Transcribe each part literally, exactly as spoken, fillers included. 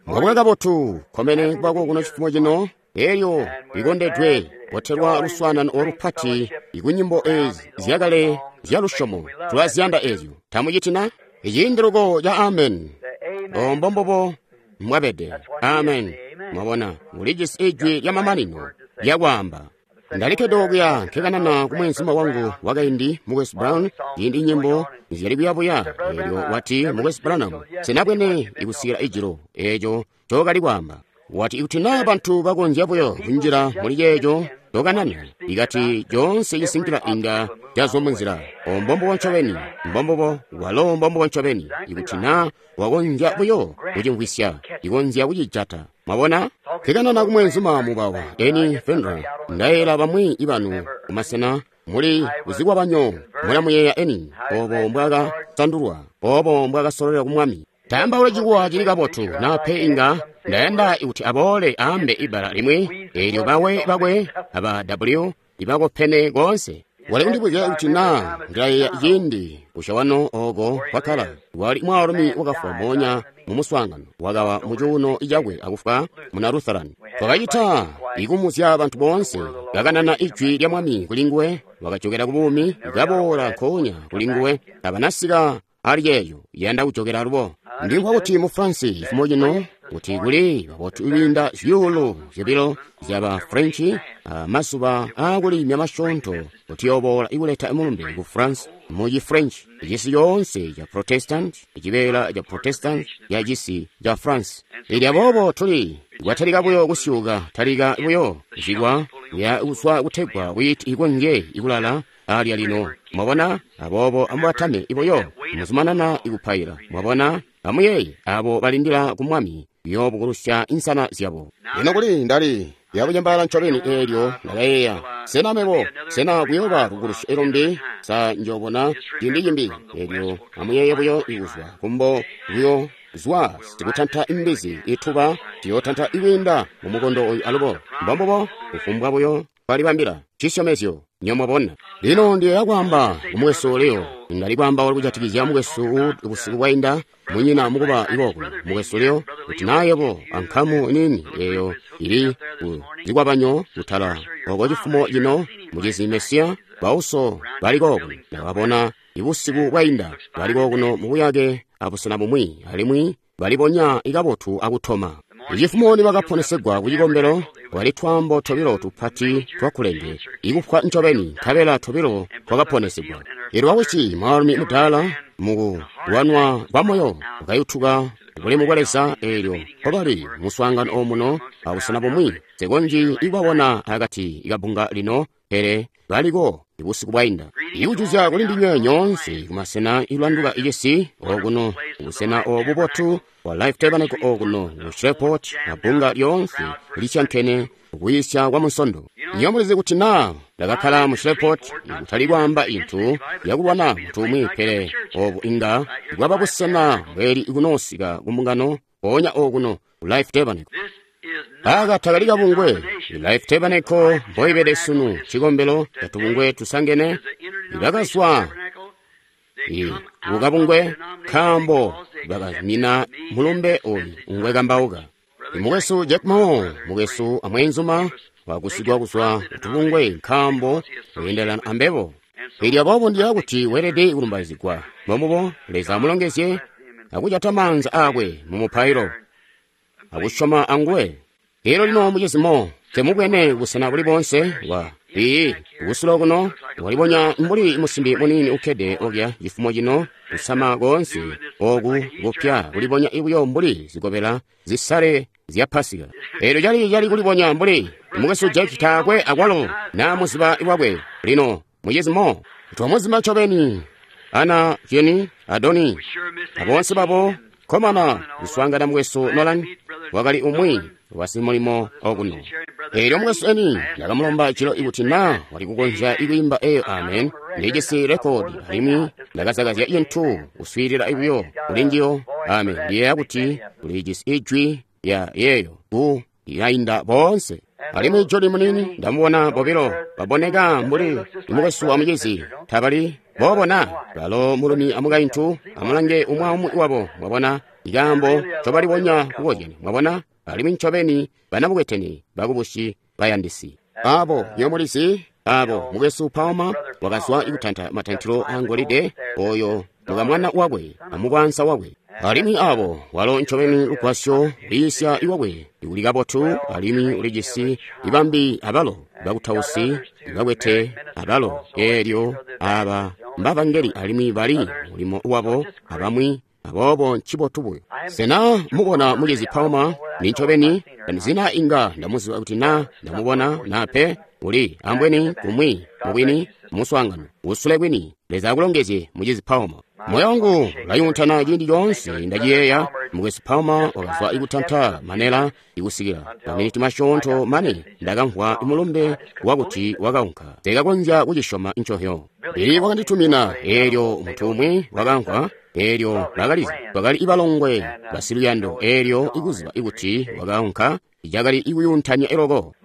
Mwabuka kabotu, kkomene kubako kuno cifumo cino, elyo likondedwe botelwa luswaanano olupati ikunyimbo ezi zyakale zya lusyomo. Tulaziyanda ezyo. Tamuciti na? Iciindi luko ca amen. O mbombubo mwabede. Amen. Mwabona, mulijisi ijwi lya mamanino lyakwaamba. Ndalikkede okuya nkekanana ku mweenzuma wangu wakaindi, Mukwesu Brown, ciindi nyimbo nizyali kuyabuya. Eelyo wati, Mukwesu Branham, sinabwene ikusikila ijilo eeco ncookali kwaamba. Wati ikuti naa bantu bakonzya buyo kunjila muli ceeco ncokanana, ikati coonse cisinkila inga cazwa munzila. O mbombubo ncobeni, mbombubo, walo mbombubo ncobeni. Ikuti naa wakonzya buyo kucimvwisya, ikonzya kucijata. Mwabona? Nkekanana ku mweenzuma mubawa, Eni Fendra. Ndayeela bamwi ibanu kumasena muli kuzikwabanyo mulamuyeeya Eni, obo mbwakasandulwa, obo mbwakasololelwa ku Mwami. Taambaula cikuwa cili kabotu, na pe inga ndayanda kuti aboole aambe ibbala limwi, eelyo bawe bakwe aba W ibakopene koonse. Wali kundibuzya kuti naa ndilayeeya ciindi kushawano oko kwakkala. Wali mwaalumi wakafwa moonya mu muswaangano, wakawa mu cuuno cakwe akufwa muna Lutheran. Twakacita ikumuzya bantu boonse, kakanana ijwi lya Mwami kuli nguwe, wakajokera ku buumi, kaboola nkoonya kuli nguwe, tabanasika ali ceeco, yanda kujokera alubo. Ndimvwa kuti mu France cifumo cino kuti kuli babotu ibinda zyuulu zyobilo zyaba French mazuba aakulimya masyoonto kuti yooboola ikuleta mulumbe ku France mu ci French, cisi coonse ca Protestant, cibeela ca Protestant ya cisi ca France. Elyo aboobo tuli kwatalika buyo kusyuuka, talika buyo zikwa ya kuzwa kutegwa wheat ikonzye ikulala alya lino. Mwabona? Aboobo amubatame ibuyo, muzumanana ikupaila. Mwabona? Amuyeeye abo balindila ku Mwami kuyoobukulusya insana zyabo. Lino kuli ndali yakucembaala ncobeni eelyo ndakayeeya, sena mebo, sena kuyooba kubukulusya ilumbi, sa njoobona ciindi cimbi. Eelyo amuyeeye buyo ikuzwa kumbo buyo zwa sikutanta imbizi ituba tiyootanta ikwiinda mu mukondo oyu alubo. Mbombubo kufumbwa buyo twalibambila cisyomezyo. Nyomwabona. Lino ndiyeeya kwaamba ku mukwesu Leo. Ndali kwaambaula kujatikizya mukwesu busiku bwainda, munyina mukuba ikookuno. Mukwesu Leo, kuti naa yebo ankamu niini eyo ili ku zikwabanyo kutala oko cifumo cino, mucizi Mesiya, bauso bali kookuno. Ndakabona ibusiku bwainda bali kookuno mubuyake abusena bumwi, alimwi balibonya ikabotu akutoma. Icifumo nibakaponesegwa ku cikombelo, kwali twaambo tobilo tupati twakulenge, ikufwa ncobeni, nkabela tobilo twakaponesegwa. Elyo wakuti mwaalumi mudaala mukulwanwa kwa moyo wakayutuka bulemu bwa Leza. Eelyo mpobali muswaangano omuno abusena bumwi, nsekonzyi ikubabona akati kabunga lino, pele baliko ibusiku bwainda. Ikujuzya kuli ndinywe nyoonse kumasena ilanduka icisi okuno, busena obu bubotu bwa Life Tabernacle okuno mu Shreveport, na bbunga lyoonse lisyankene kuyisya kwa Munsondo. Nyo mulizi kuti naa ndakakkala mu Shreveport kutali kwaamba intu yakulwana muntu umwi, pele obu inga bwaba busena bweli kunoosika kumbungano mpoonya okuno ku Life Tabernacle. Aka takali kabungwe. Life Tabernacle mboibede sunu cikombelo catubungwe tusangene ibakazwa kukabungwe nkaambo bakazumina mulumbe oyu ngwe kambauka. Mukwesu Jack Moore, mukwesu amweenzuma, wakusigwa kuzwa kutubungwe nkaambo weendelana ambebo. Elyo aboobo ndiya kuti weelede kulumbaizigwa. Mbombubo, Leza amulongezye akujata maanza aakwe mu mupailo akusyoma anguwe. Elyo lino mucizi Moore, temubwene busena buli boonse wa ii kusulo kuno walibonya mbuli musimbi muniini ukkede okya cifumo cino, kusama koonse oku kupya kulibonya buyo mbuli zikobela zisale zya Pasika. Elyo cali cali kulibonya mbuli mukwesu Jack taakwe akwalo naa muziba wakwe. Lino mucizi Moore twamuzima ncobeni, Ana, Jenny, Adoni, aboonse babo komana kuswaangana mukwesu Nolan wakali umwi wasimulimo okuno. Elyo mukwesu Eni ndakamulomba jilo ikuti naa wali kukonzya ikwiimba eyo amen. Ndijisi rekodi alimwi ndakazakazya cintu kuswiilila buyo kuli njiyo. Amen. Ndiyeeya kuti ulijisi ijwi ya yeeyo ku yainda boonse. Alimwi Joni munini ndamubona bobilo baboneka mbuli mukwesu amucizi, tabali boobona balo mulumi amukaintu. Amulange umwi aumwi wabo, mwabona Ikaambo ncobalibonya kukozyana, mwabona, alimwi ncobeni banabukwetene bakubusyi bayandisi. Abo nyomulizi, abo mukwesu Palmer wakazwa ikutanta matantilo angolide oyo mukamwana wakwe amukwansa wakwe. Alimwi abo walo ncobeni lugwasyo lwiisya iwakwe uli kabotu alimwi ulijisi ibambi abalo bakutausi bakwete abalo eelyo aba mbavangeli alimwi bali mulimo wabo abamwi aboobo ncibotu buyo. Sena mubona mucizi Palmer ni ncobeni zina inga ndamuziba kuti na ndamubona na pe uli ambweni kumwi mubwini muswaangano usule kwini. Leza akulongezye mucizi Palmer. Moyo wangu ulayuntana ciindi coonse ndaciyeeya. Mukwesu Palmer wakazwa ikutanta manela ikusikila maminiti masyoonto mane ndakamvwa mulumbe wakuti wakaunka. Sekakonzya kucisyoma ncohyo. Ili wakanditumina eelyo muntu umwi wakamvwa eelyo bakalizi bakali ibalongwe basiluyando eelyo ikuziba ikuti wakaunka cakali ikuyuntanya eloko.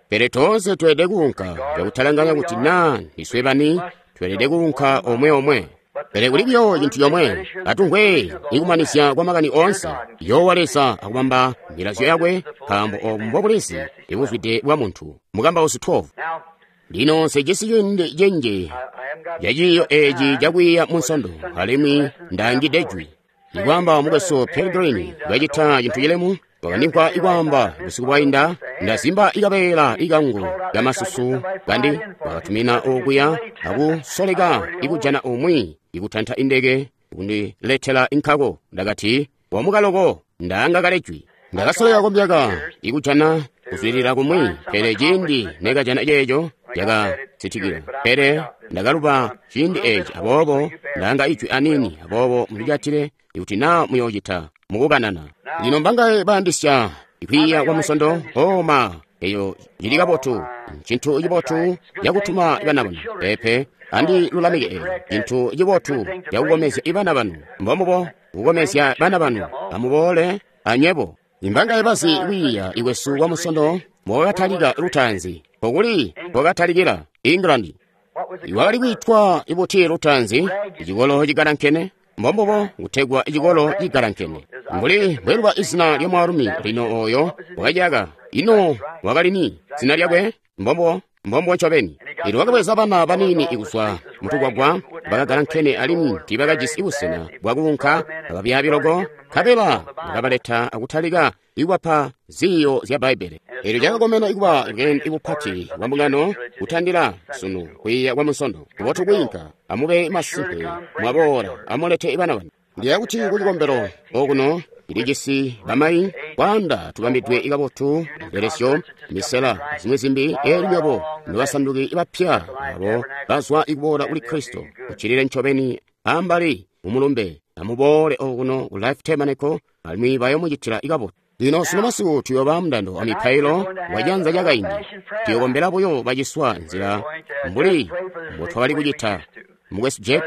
Pele toonse tweelede kuunka cakutalanganya kuti naa ndiswe bani tweelede kuunka omwe omwe. Pele kuli buyo cintu comwe atumvwe ikumanizya kwa makani oonse. Yoowa Leza akubamba milazyo yakwe, nkaambo obu mbobulezi ibuzwide bwa muntu. Mukambausi twelve. Lino nsejisi ciindi cinji ca ciiyo eeci cakwiiya munsondo, alimwi ndaangide jwi. Ikwaamba mukwesu Pelgrim kacita cintu cilemu, wakandimvwa ikwaamba busiku bwainda, ndazimba ikabeela ikangu kamasusu kandi wakatumina okuya akusoleka ikujana umwi ikutanta indeke kundiletela inkako. Ndakati wamukaloko ndaanga kale jwi. Ndakasoleka komyaka ikujana kuzwilila kumwi, pele ciindi nekajana ceeco cakasitikila. Pele ndakaluba ciindi eeci, aboobo ndaanga ijwi anini, aboobo mulijatile ikuti naa muyoocita mukukanana. Lino mbangaye bayandisya ikwiiya kwa musondo? Oma eyo cili kabotu, ncintu cibotu cakutuma bana banu. Pepe andilulamike eyo cintu cibotu cakukomezya ibana banu. Mbombubo kukomezya bana banu, amuboole anywebo. Imbangaye bazi kwiiya ikwesu kwa musondo mbowakatalika lutaanzi? Pokuli mbowakatalikila England. Iwakali kwiitwa ibuti lutaanzi? Icikolo cigalankene. Mbombubo kutegwa icikolo cigalankene. Mbuli mbweluba izina lya mwaalumi lino oyo wakaciyaka. Ino wakali ni zina lyakwe? Mbombubo mbombubo ncobeni. Lino wakabweza bana baniini ikuzwa mutukwagwa bakagalankene alimwi tiibakajisi busena bwakuunka ababyaabi loko, nkabela bakabaleta akutalika ikubapa ziiyo zya Bbaibbele. Eelyo cakakomena ikuba bweende bupati bwa mbungano kutandila sunu kwiiya kwa munsondo. Kubotu kwiinka, amube masimpe mwaboola, amulete bana banu. Ndiya kuti kucikombelo okuno ilijisi bamayi kwaanda tubambidwe kabotu ibelesyo misela zimwi zimbi. Eelyo nywebo nobasanduki bapya abo bazwa ikuboola kuli Kristo kuccilile ncobeni ambali mumulumbe, amuboole okuno ku Life Tabernacle alimwi bayomucitila ikabotu. Lino sunu masiku tuyooba mundando wa mipailo wa janza lyakaindi. Tuyokombela buyo baciswa nzila mbuli mbotwakali kucita mukwesu Jack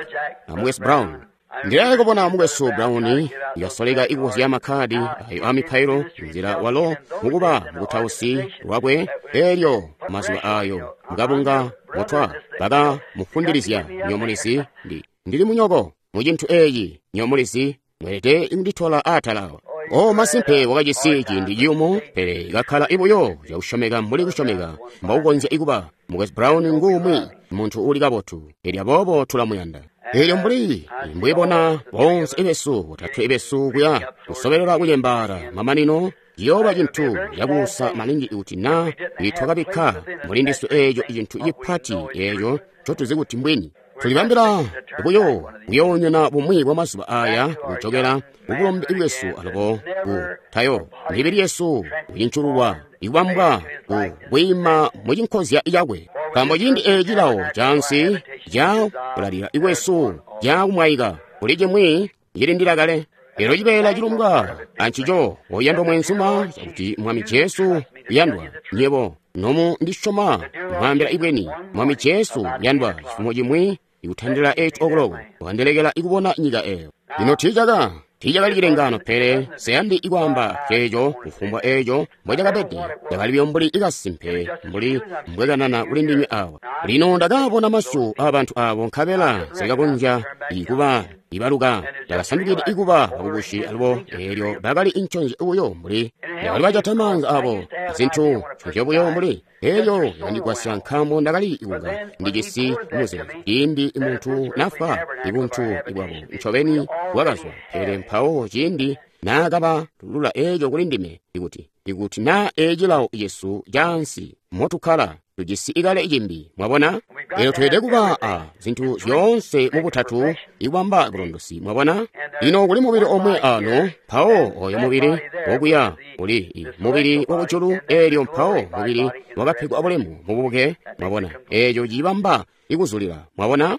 na mukwesu Brown. Ndilaye kubona mukwesu Brown yasoleka ikuzya makhadi ayo a mipailo nzila walo mukuba mukutausi lwakwe. Eelyo mazuba ayo mukabunga mutwa bakamufundilizya nyomulizi ndi ndili munyoko mucintu eeci nyomulizi mwelede kunditola atala awa. O masimpe wakajisi ciindi ciyumu, pele kakkala ibuyo cakusyomeka mbuli kusyomeka mbokukonzya ikuba. Mukwesu Brown nguumwi muntu uli kabotu, eelyo aboobo tulamuyanda. Eelyo mbuli mbwibona boonse ibesu botatwe ibesu kuya kusobelela kucembaala mamanino ciyooba cintu cakuusa maningi kuti naa twakabikka muli ndiswe eeco cintu cipati eeco ncotuzi kuti mbwini. Tulibambila buyo kuyoonyona bumwi bwa mazuba aya kujokela kubulombe bwesu alubo ku tayo mibili yesu kucincululwa ikubambwa ku kwiima mucinkozya cakwe. Nkaambo ciindi eeci cilawo cansi ca kulalila ikwesu cakumwaika kuli cimwi cilindila kale. Elo cibeela cilumbwa ancico oyandwa mwenzuma cakuti Mwami Jesu yandwa nyebo nomu ndisyoma mwambila ibweni Mwami Jesu yandwa cifumo cimwi ikutandila eight o'clock wandelekela ikubona nyika eyo. Lino tiicaka tiicakali cilengano, pele seyandi ikwaamba ceeco kufumbwa eeco mbwecakabede cakali buyo mbuli ikasimpe mbuli mbwekanana kuli ndinywe awa. Lino ndakabona masyu aabantu abo nkabela sekakonzya ikuba Ibaluka bakasandukide ikuba bakubushi alubo eelyo bakali inconzyo buyo mbuli bakali bajata maanza abo zintu nconzyo buyo mbuli eelyo yakandigwasya nkaambo ndakali kunga ndijisi muzeezo ciindi muntu nafwa ibuntu bwabo ncobeni bwakazwa pele mpawo ciindi naakaba lula eeco kuli ndime ikuti ikuti naa ecilawo cesu caansi motukkala tujisi ikale cimbi mwabona lero tweelede kuba a zinthu zyoonse mubutatu ikubamba bulondosi mwabona ino kuli mubili omwe ano mpawo oyo mubili wokuya uli mubili wakujulu eelyo mpawo mubili wakapegwa bulemu mububuke mwabona eeco cibamba ikuzulila mwabona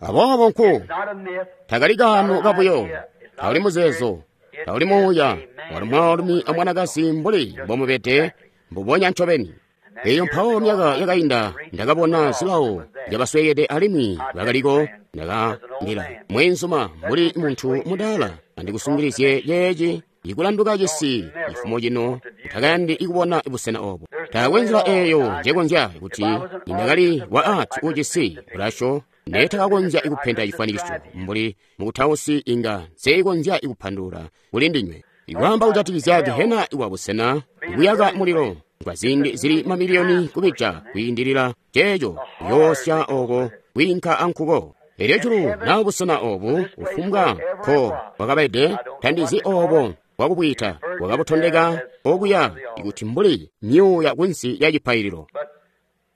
aboobo nku takali kaano kabuyo tauli muzeezo tauli muuya wali mwaalumi amwanakazi mbuli mbomubede mbubonya ncobeni eyo mpawo myaka yakainda ndakabona zilawo zyabaswekede alimwi bakaliko ndakandila mwenzuma mbuli munthu mudaala andikusungilizye yeeci ikulanduka cisi chifumo chino utakayandi ikubona busena obo taakwe nzila eeyo njekonzya kuti indakali wa ati ucisi bulaco ndetakakonzya ikupenta chifanikiso mbuli mukutausi inga nseikonzya ikupandulula kuli ndinywe ikwamba kujatikizya gehena iwa busena ikuyaka mulilo kwa ziindi zili mamiliyoni kubija kwiindilila ceeco kuyoosya oko kwiinka ankuko elyo julu na busena obu kufumbwa ko bwakabede tandizi obo bwakubwita bwakabutondeka okuya ikuti mbuli myuuya kunsi ya cipaililo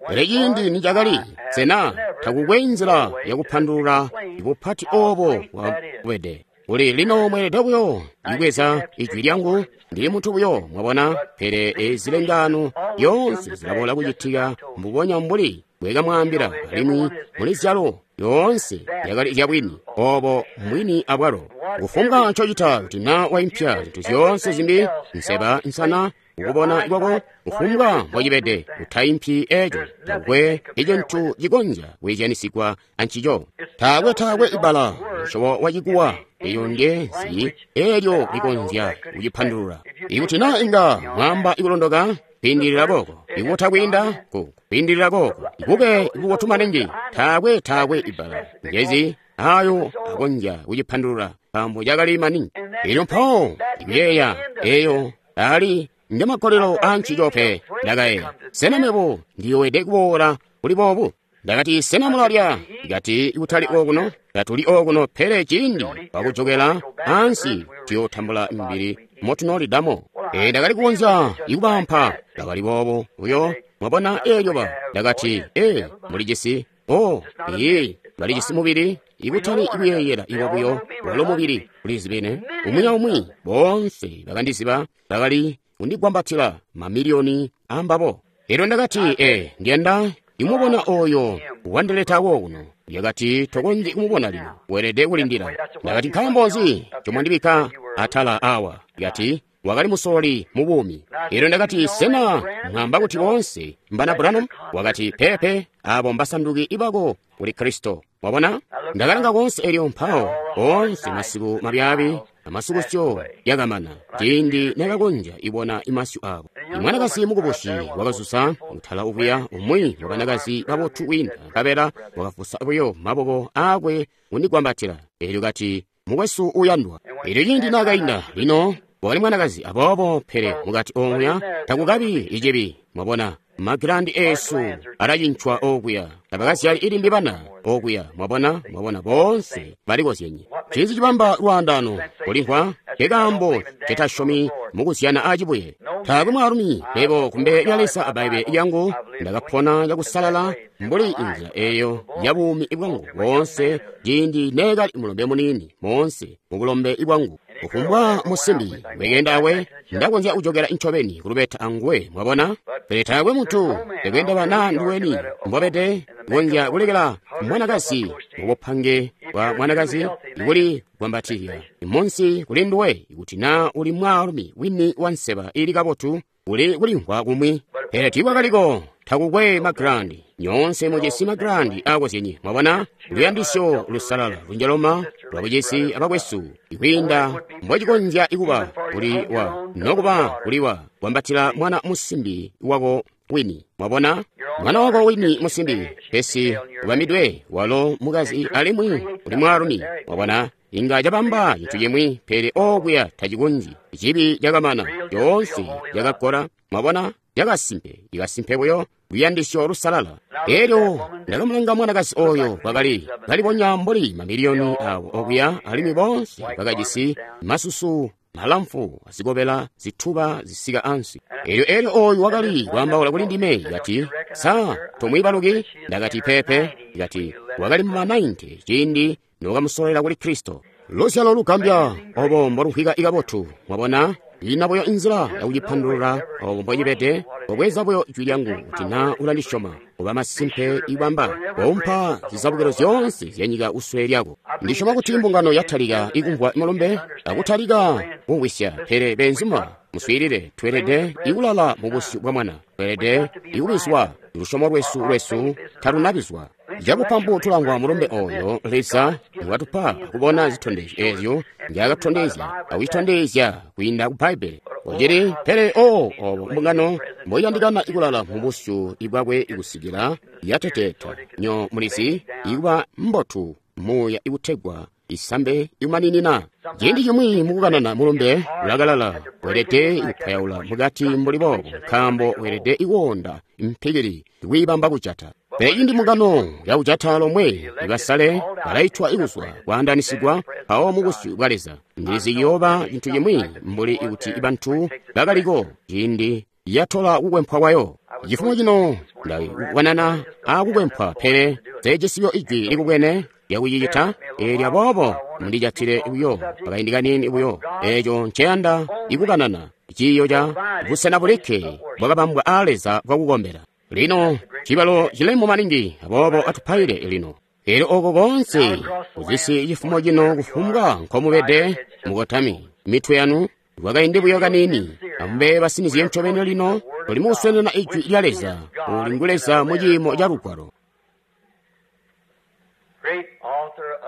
pele ciindi nicakali sena takukwe nzila yakupandulula ibupati obo bwakubede uli lino mweelede buyo ibweza ijwi lyangu ndili munthu buyo mwabona pele ezi lengano yoonse zilaboola kucitika mbubonya mbuli bwekamwaambila alimwi muli zyalo yoonse yakali zyabwini obo mbwini abwalo kufumbwa ncocita kuti na waimpya zinthu zyoonse zimbi nseba nsana ukubona kwako kufumbwa mbocibede utaimpyi eco takwe icintu cikonzya kwiizyanisigwa ancico taakwe taakwe ibala musyobo wacikuwa eyo nje nsi eelyo likonzya kucipandulula ikuti na inga mwamba ikulondoka kwiindilila koko ikuta kwiinda ku kwiindilila koko ikube ikubotu maningi taakwe taakwe ibala ngezi ayo akonzya kucipandulula nkaambo cakali maningi elyo mpawo ikuyeeya eyo ali ndi makolelo ancico pe ndakayeeya sena mebo ndiyowede kuboola kuli boobu ndakati sena mulalya ndikati kutali okuno tatuli okuno pele ciindi pakujokela ansi tuyotambula mibili motunoolidamo e ndakali kukonzya ikubampa bakali boobo uyo mwabona eelyo ba ndakati e mulijisi o iye balijisi mubili ikutali ikuyeeyela iwa buyo walo mubili ulizibene umwi aumwi boonse bakandiziba bakali kundigwambatila mamiliyoni ambabo elyo ndakati e ndiyanda imubona oyo wandileta wokuno yakati tokonzyi kumubona lino weelede kulindila ndakati nkaambo nzi comwandibikka atala awa yakati wakali musololi mu buumi elyo ndakati sena mwamba kuti boonse mbana Branham wakati pepe abo mbasanduki ibako kuli Kristo wabona ndakalanga konse elyo mpawo onse masiku mabyaabi amasukusyo yakamana ciindi nakakonzya ibona imasyu abo imwanakazi mukubusi wakazuza kutala ukuya umwi wabanakazi babotu kwiinda nkabela wakafusa buyo maboko akwe kundigwambatila elyo kati mukwesu uyandwa elyo ciindi nakainda lino wakali mwanakazi aboobo pele mukati omuya takukabi icibi mwabona magilandi esu alacincwa okuya tabakazyali ilimbi bana okuya mwabona mwabona boonse balikozyenye cinzi cibamba lwaandano kulimvwa kekaambo cetasyomi mukuzyana acibuye taakwe mwaalumi mebo kumbele lya Leza a Bbaibbele lyangu ndakapona cakusalala mbuli inzila eyo ya buumi bwangu boonse ciindi neekali mulombe muniini moonse mubulombe bwangu kufumbwa musimbi wekenda awe ndakonzya kujokera ncobeni kulubeta anguwe mwabona pele taakwe munthu ekwenda na nduweni mbobede kukonzya kulekela mwanakazi mubupange bwa mwanakazi ikuli gwambatilya imunsi kuli nduwe ikuti na uli mwaalumi wini wa nseba ili kabotu uli kulimvwa kumwi pele tiikwakaliko takukwe magirandi nyoonse mujisi magirandi akozyenye mwabona luyandisyo lusalala lunjaloma lwabujisi abakwesu ikwiinda mbocikonzya ikuba kuli wa nokuba kuli wa gwambatila mwana musimbi wako wini mwabona Mwana wako wini musimbi, pesi ubamidwe walo mukazi alimwi uli mwaalumi. Wabona, inga cabamba cintu cimwi, pele okuya tacikonzyi. Cibi cakamana, coonse cakakola. Mwabona, cakasimpe, ikasimpe buyo luyandisyo lusalala. Elyo ndakamulanga mwanakazi oyo kwakali kalibonya mbuli mamiliyoni awo okuya, alimwi bonse bakajisi masusu malamfu azikobela zituba zisika ansi. Elyo elyo oyu wakali kwaambaula kuli ndime, kati, sa tomwiibaluki? Ndakati, pepe. Kati, wakali mu makumi ciindi nokamusolela kuli Kristo. Luzyalo lugambya obo mbolumvwika ikabotu. Mwabona, ina buyo inzila yakucipandulula obo mbocibede. Obweza buyo jwi lyangu kuti na ulandisyoma, oba masimpe ibamba wompa zizabukilo zyoonse zyanyika kusule lyako. Ndisyoma kuti mbungano yatalika ikumvwa mulumbe akutalika kumvwisya, pele benzuma muswiilile, tweelede ikulala mu busyu bwa mwana, tweelede ikubizwa. Lusyomo lwesu lwesu talunabizwa. Cabupampu tulangwa mulumbe oyo Leza watupa kubona zitondezyo ezyo nzyakatondezya akucitondezya kwiinda ku Bbaibbele. Ojili pele o obo mbungano mboyandikana ikulala mu busyu bwakwe ikusikila yateteta nyo mulizi ikuba mbotu muuya ikutegwa isambe ikumaninina. Ciindi cimwi mukukanana mulumbe ulakalala, weelede ikupayaula mukati mbuli boobo, nkaambo weelede ikuwonda mpikili ikwiibamba kujata. Pele cindi mbungano yakujata lomwe ibasale balaitwa ikuzwa kwaandanisigwa mpawo mu busyu bwa Leza. Ndilizi ciyooba cintu cimwi mbuli ikuti bantu bakaliko ciindi yatola kukwempwa kwayo. Cifumo cino ndakukanana akukwempwa, pele sejisiyo ijwi likubwene lyakucicita. Eelyo aboobo mundijatile buyo akaindi kaniini buyo. Eeco nceyanda ikukanana ciiyo ca busena bulikke bwakabambwa aa Leza bwakukombela. Lino cibalo cilemu maningi, aboobo atupaile lino. Elyo oko konse kuzisi cifumo cino kufumbwa nkomubede mukotami mitwe yanu kwakaindi buyo kaniini, amube basinizye ncobeni lino tuli mukuswenena ijwi lya Leza, uli ngu Leza mu ciimo ca Lugwalo.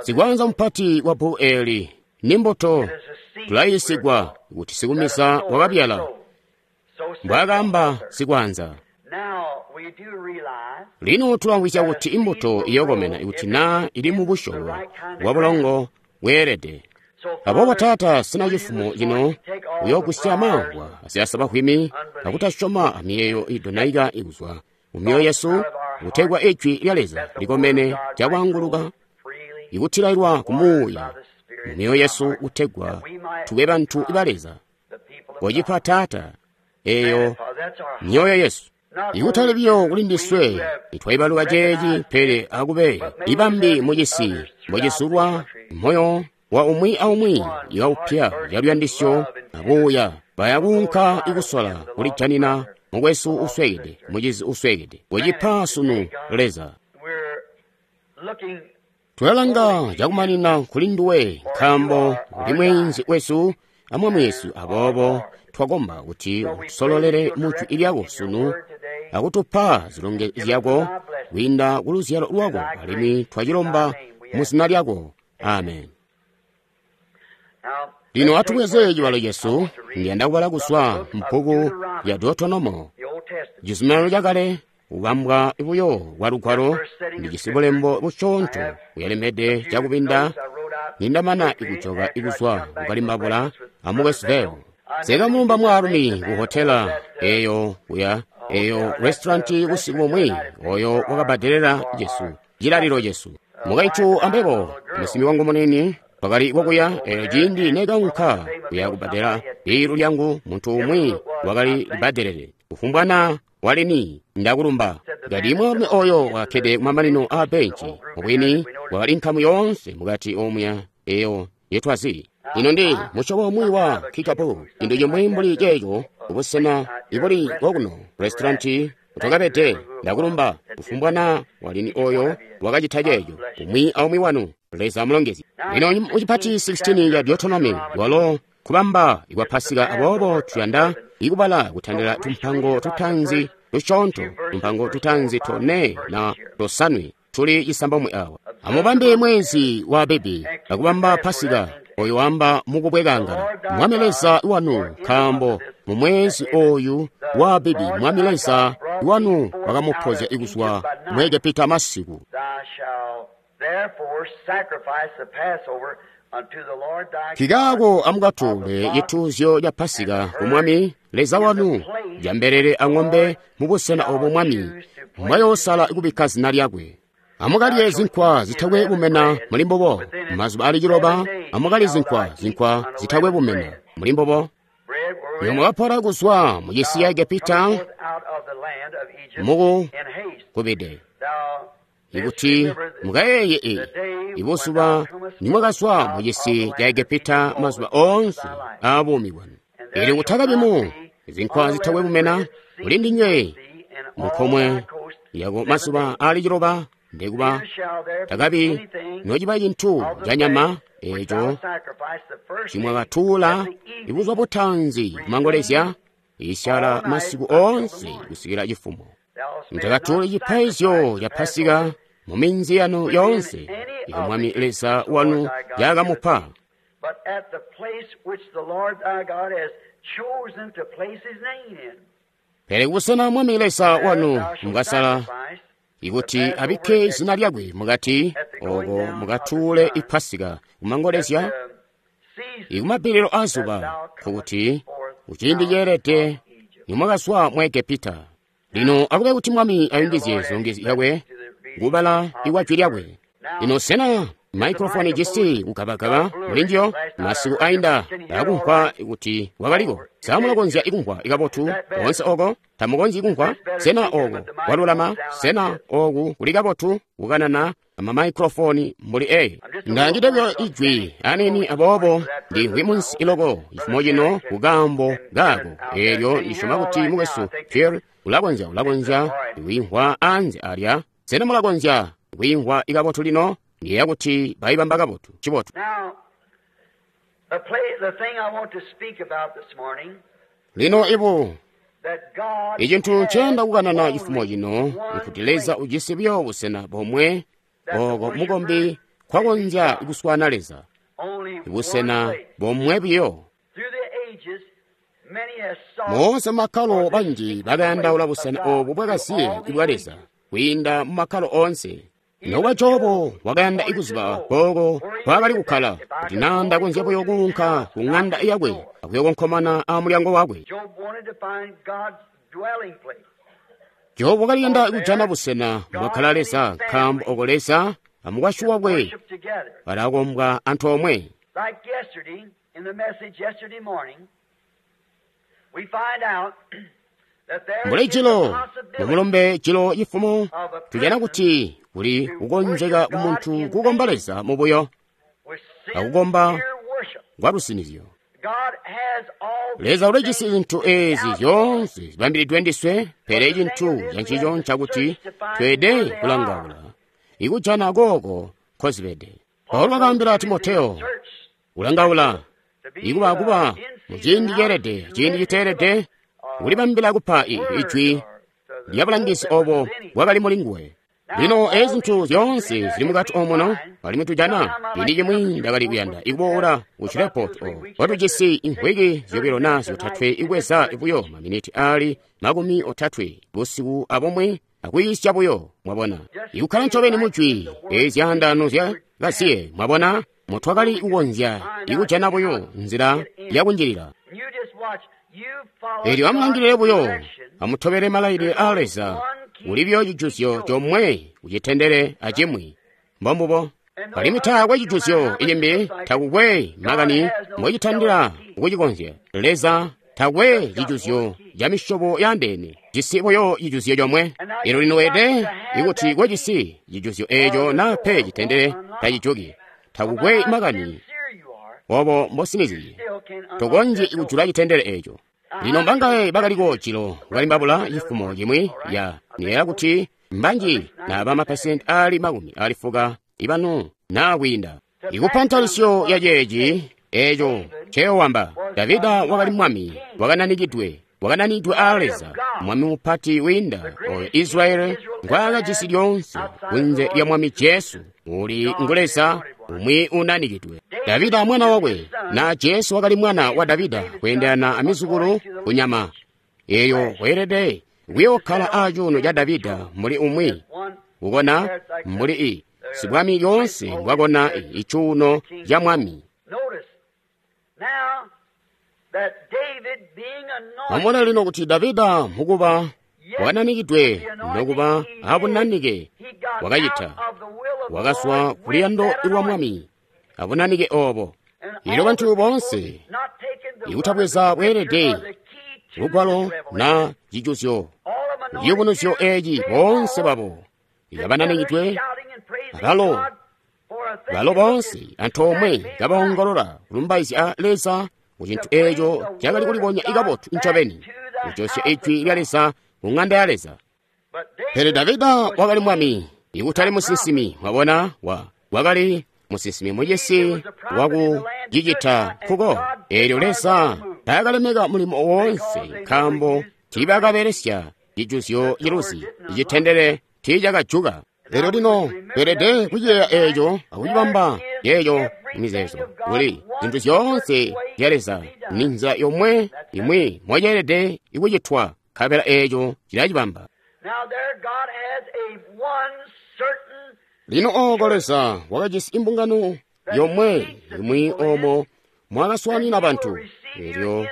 Sikwanza mupati wa bbuku eli ni mbuto tulayiisigwa kuti sikumisa wakabyala, mbwaakaamba sikwanza. Lino tulamvwisya kuti imbuto iyokomena ikuti naa ili mu busyobo bwa bulongo bweelede. Aboobo Taata, sina cifumo cino uyoogwisya mamvwa azyasabahwimi akutasyoma amiyeeyo idonaika ikuzwa mu myoyo yesu, kutegwa ijwi lya Leza likomene cakwaanguluka ikutilailwa ku muuya mu myoyo yesu, kutegwa tube bantu ba Leza. Kocipa Taata eyo myoyo yesu. Ikutali biyo kuli ndiswe itwaibaluka ceeci, pele akube ibambi mucisi mbocisulwa moyo wa umwi aumwi iwaupya caluyandisyo abuuya baya kuunka ikusola kulijanina mukwesu uswekede, mucizi uswekede. Kocipa sunu Leza. Tulalanga cakumanina kuli nduwe, nkaambo uli mweenzi wesu amwami wesu. Aboobo twakomba kuti utusololele mu jwi lyako sunu akutupa zilonge zyako kwiinda ku luzyalo lwako, alimwi twacilomba mu zina lyako. Amen. Lino atubweze cibalo cesu. Ndiyanda kubala kuzwa mpuku ya Deuteronomo, cizuminano cakale, kubambwa buyo kwa Lugwalo. Ndijisi bulembo busyoonto buyalemede cakubinda nindamana ikujoka ikuzwa kukalimbabula amukwesu Veo. Sekamulumba mwaalumi ku hotela eyo kuya eyo restauranti busiku bumwi oyo wakabbadelela cesu cilalilo cesu. Mukaitu ambebo musimbi wangu munini twakali kokuya. Eyo ciindi nekaunka kuya kubbadela bilu lyangu, muntu umwi wakali libbadelele kufumbwa na walini ndakulumba. Ngati mwaalumi oyo wakakkede kumamanino aa benci, mubwini wakali nkamu yoonse mukati omuya eyo yetwazi. Ino ndi musyobo umwi wa kikapu, cintu cimwi mbuli ceeco kubusena ibuli kokuno restauranti twakabede. Ndakulumba kufumbwa na walini oyo wakacita ceeco. Umwi aumwi wanu Leza amulongezye. Lino mucipati sixteen ya Deuteronomy walo kubamba ikwa Pasika, aboobo tuyanda ikubala kutandila tumpango tutanzi tusyoonto, tumpango tutanzi tone na tosanwe tuli cisambomwe awa. Amubambe mwezi wa Abibi akubamba Pasika oyo wamba mukubwekangala Mwami Leza wanu, nkaambo mu mwezi oyu wa Abibi Mwami Leza wanu wakamupozya kuzwa mu Egepita masiku. Nkikaako amukatuule cituuzyo ca Pasika ku Mwami Leza wanu, jambelele ang'ombe mubusena obo Mwami mbwayoosala kubikka zina lyakwe. Amukalye zinkwa zitakwe bumena muli mbubo. Mazuba ali ciloba amukalye zinkwa zinkwa zitakwe bumena muli mbubo. Nimwakapola kuzwa mu cisi ca Egepita muku kubide ikuti mukayeeye e ibuzuba nimwakazwa mu cisi ca Egepita mazuba oonse aabuumi bwanu. Eelyo kutakabi zinkwa zitakwe bumena muli ndinywe mukomwe yako mazuba ali ciloba ndekuba takabi nociba cintu ca nyama eeco cimwakatuula ibuzuba butanzi kumangolezya isyala masiku oonse kusikila cifumo. Mutakatuule cipaizyo ca Pasika mu minzi yanu yoonse iyo Mwami Leza wanu yakamupa. Pele kubusena Mwami Leza wanu mukasala ikuti abikke zina lyakwe mukati oko mukatuule ipasika kumangolezya ikumabbililo azuba nkokuti kuciindi ceelede nimwakazwa mu Egepita. Lino akube kuti Mwami ayungizye zilongezyo zyakwe kubala ikwa jwi lyakwe. Lino sena maikrofoni jisi kugabagaba mulinjiyo? Masiku ainda ndakumva kuti wakaliko. Samulakonzya ikumva ikabotu koonse oko? Tamukonzyi kumva? Sena oku kwalulama? Sena oku kuli kabotu kukanana amamaikrofoni mbuli eyi? Ndangide buyo ijwi anini aboobo ndimvwi munsi iloko cifumo cino kukaambo kaako. Eelyo ndisyoma kuti mukwesu Pierre ulakonzya ulakonzya kwiimvwa anze alya. Sena mulakonzya kwiimvwa ikabotu lino? Ndiyeeya kuti bayibamba kabotu cibotu. Lino ibu icintu nceyanda kukanana cifumo cino nkuti Leza ujisi buyo busena bomwe oko mukombi kwakonzya kuswana Leza, busena bomwe buyo. Moonse mumakkalo banji bakayandaula busena obu bwakasiye bwa Leza kwiinda mumakkalo oonse. Nokuba Jobo wakayanda ikuziba kooko nkwaakali kukkala, kuti naa ndakonzya buyo kuunka ku ŋanda yakwe akuyokonkomana amulyango wakwe. Jobu wakaliyanda kujana busena mwakkala Leza, nkaambo oko Leza amukwasyi wakwe balakombwa antoomwe. Mbuli jilo mumulombe jilo cifumo tujana kuti kuli kukonzeka kumuntu kukomba Leza mubuyo akukomba kwalusinizyo. Leza ulijisi zintu ezi zyoonse zibambilidwe ndiswe, pele cintu cancico ncakuti tweede kulangaula ikujana kooko nkozibede. Paulo wakaambila Timoteyo kulangaula ikuba kuba muciindi ceelede ciindi citeelede kulibambila kupa ijwi lya bulangizi obo bwakali muli nguwe. Lino ezi zintu zyoonse zili mukati omuno alimwi tujana ciindi cimwi ndakali kuyanda ikuboola ku Shreveport o watujisi imvwiki zyobilo naa zyotatwe ikweza buyo maminiti ali makumi otatwe busiku abumwi akwiisya buyo, mwabona, ikukkala ncobeni mujwi ezi zyaandaano zya kasiye, mwabona, mutwakali kukonzya ikujana buyo nzila yakunjilila. Eelyo amulangilile buyo, amutobele malailile aa Leza. Kuli buyo cijuzyo comwe kucitendele acimwi, mbombubo. Alimwi taakwe cijuzyo icimbi, takukwe makani mbocitandila kucikonzya. Leza takwe cijuzyo ca misyobo yaandeene, jisi buyo cijuzyo comwe. Eelyo lino weelede ikuti kojisi cijuzyo eeco naa pe citendele tacijuki. Takukwe makani obo mbosiniziye, tokonzyi kujula citendele eeco. Lino mbangaye bakaliko jilo kalimbabula cifumo cimwi ya niyeeya kuti mbanji naba mapesenti ali makumi ali fuka ibanu naa kwiinda. Ikupa ntalisyo ya ceeci eeco nceowamba, Davida wakali mwami wakananikidwe wakananidwe aa Leza, mwami mupati wiinda oyo Israeli ngwaakajisi lyoonse kunze lya Mwami Jesu uli ngu Leza umwi unanikidwe. Davida mwana wakwe na Jesu wakali mwana wa Davida kweendelana amizukulu kunyama eeyo weelede Kuyookkala aacuuno ca Davida mbuli umwi kukona mbuli i sibwami lyoonse mbwakona icuuno ca mwami. Mwamona lino kuti Davida mukuba wakananikidwe nokuba abunanike wakacita wakaswa kuliyando lwa mwami abunanike obo. Elyo bantu boonse ikutabweza bweelede lugwalo na cijuzyo ciyubunuzyo eeci boonse babo kabananikidwe balo balo boonse antoomwe kabaongolola kulumbaizya Leza ku cintu eeco cakali kulibonya ikabotu ncobeni kujosya ijwi lya Leza ku ng'anda ya Leza. Pele Davida wakali mwami ikutali musinsimi. Mwabona, wa wakali musinsimi mucisi waku cicita nkuko. Eelyo Leza taakalemeka mulimo woonse nkaambo tiibakabelesya cijuzyo ciluzi, icitendele tiicakajuka. Elyo lino tweelede kuciyeeya eeco akucibamba yeeyo mizeezo kuli zintu zyoonse zya Leza ni nzila yomwe imwi moceelede ikucitwa, nkabela eeco cilacibamba. Lino ooko Leza wakajisi imbungano yomwe imwi oomo mwakaswaanina bantu, elyo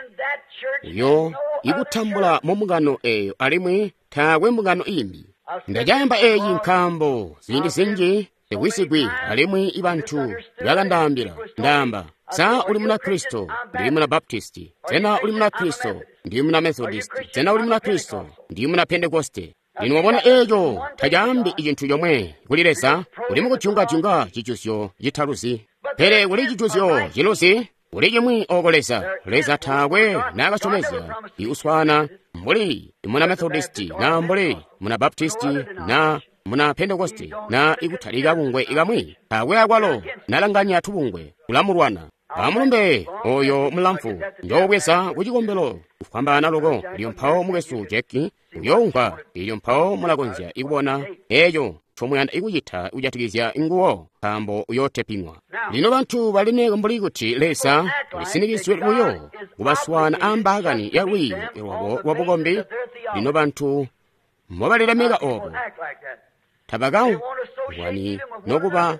uyo ikutambula mu mbungano eeyo alimwi taakwe mbungano imbi. Ndacaamba eeci nkaambo ziindi zinji tekwisigwi alimwi ibantu bakandaambila, ndaamba, sa uli muna Kristo? Ndili muna Baptisti. Sena uli muna Kristo? Ndili muna Methodist. Sena uli muna Kristo? Ndili muna Pentekoste. Lino wabona eeco tacaambi icintu comwe kuli Leza, uli mukudyunga-dyunga cijuzyo citaluzi. Pele kuli cijuzyo ciluzi, kuli cimwi ooko Leza. Leza taakwe naakasyomezya ikuswaana mbuli muna Methodisti na mbuli muna Baptisti na muna Pentekoste na ikutalika bungwe ikamwi. Taakwe akwalo nalanganya tubungwe kulamulwana. Amulumbe oyo mulamfu njoobweza ku cikombelo kufwambaana loko. Elyo mpawo mukwesu Jack uyoumva, elyo mpawo mulakonzya ikubona eeco ncomuyanda ikucita kujatikizya nguwo, nkaambo uyooteping'wa. Lino bantu balineka mbuli kuti Leza ulisinikizwe buyo kubaswaana ambaakani ya lwiiyo lwabo lwabukombi. Lino bantu mbobalilemeka obo tabakamvwani nokuba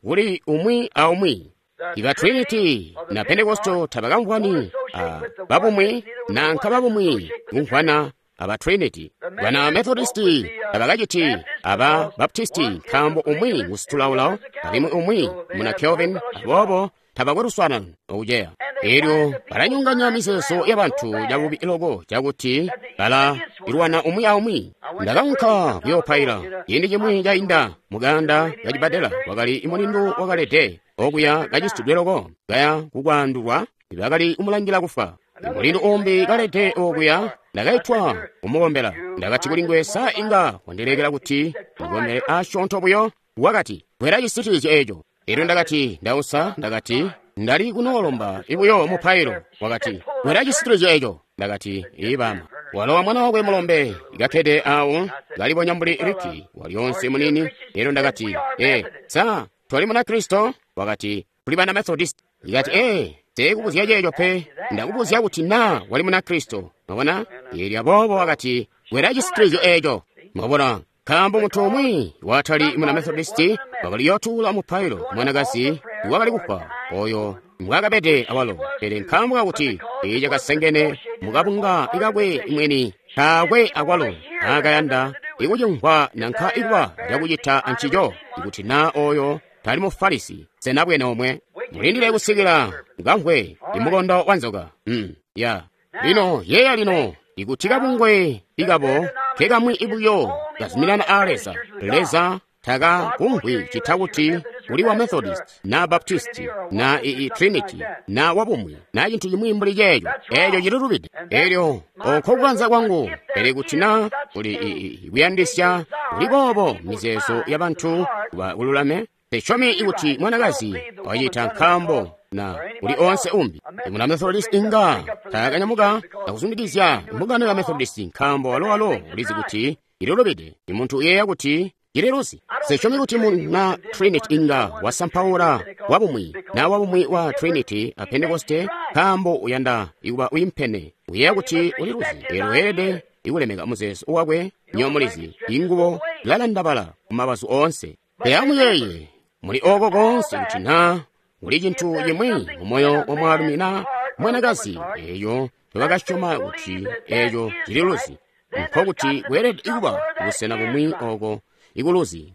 kuli umwi aumwi. Iba Trinity na Pentekosto tabakamvwani a babumwi nanka babumwi kumvwana aba Trinity. Bana Methodisti tabakaciti aba Baptisti nkaambo umwi ngusitulaulao alimwi umwi muna Calvin, aboobo tabakwe luswaanano okuceya. Elyo balanyonganya mizeezo yabantu cabubi loko cakuti bala ilwana umwi aumwi. Ndakaunka kuyoopaila ciindi cimwi cainda muganda kacibbadela, kwakali mulindu wakalede okuya kacisitidwe loko kaya kukwaandulwa, bakali kumulangila kufa. Mulindu umbi kalede okuya, ndakaitwa kumukombela. Ndakati kuli nguwe, sa inga wandilekela kuti ndikombele asyoonto buyo? Wakati, kwela cisitilizyo eeco. Elyo ndakati, ndausa, ndakati, ndali kunoolomba ibuyo mupailo. Wakati, kwela cisitilizyo eeco. Ndakati, ibama. Walowa mwana wakwe mulombe kakkede awo kalibonya mbuli Riki walyoonse munini. Elyo ndakati, e sa twali muna Kristo? Wakati, tuli bana Methodist. Ikati, e teekubuzya ceeco pe, ndakubuzya kuti naa wali muna Kristo. Mwabona? Elyo aboobo wakati, kwela cisitilizyo eeco. Mwabona, nkaambo muntu umwi watali muna Methodisti wakali yootuula mupailo mwanakazi wakali kufwa oyo mbwakabede awalo, pele nkaambo kakuti icakasengene mukabunga ikakwe mweni taakwe akwalo naakayanda ikucimvwa nanka ikuba cakucita ancico. Ikuti naa oyo tali Mufarisi, sena bwene omwe mulindile kusikila ngamvwe imukondo wa nzoka. Mm, ya lino yeeya lino ikuti kabungwe ikabo kekamwi ibuyo kazuminana a Leza. Leza taka kumvwi cita kuti uli wa Methodist na Baptist na ii Trinity na wabumwi na cintu cimwi mbuli ceeco. Eeco cililubide. Elyo oko kukanza kwangu, pele kuti na kuli kuyandisya kuli boobo mizeezo ya bantu kuba kululame, tesyomi ikuti mwanakazi wacita nkaambo na kuli onse umbi. Muna Methodist inga takanyamuka akuzundikizya mbungano ya Methodist nkaambo walo-walo ulizi kuti ililubide. Imuntu uyeeya kuti ililuzi. Sisyomi kuti muna Trinity inga wasampaula wabumwi na wabumwi wa Trinity a Pentekoste nkaambo uyanda ikuba uyimpene, uyeeya kuti uliluzi. Elyo weelede ikulemeka muzeezo wakwe. Nyomulizi ingubo ilalandabala kumabazu oonse. Pele amuyeeye muli oko koonse kuti naa kuli cintu cimwi mumoyo wa mwaalumi na mwanakazi eyo tebakasyoma kuti eco cililuzi, nkokuti kweelede kuba busena bumwi oko ikuluzi.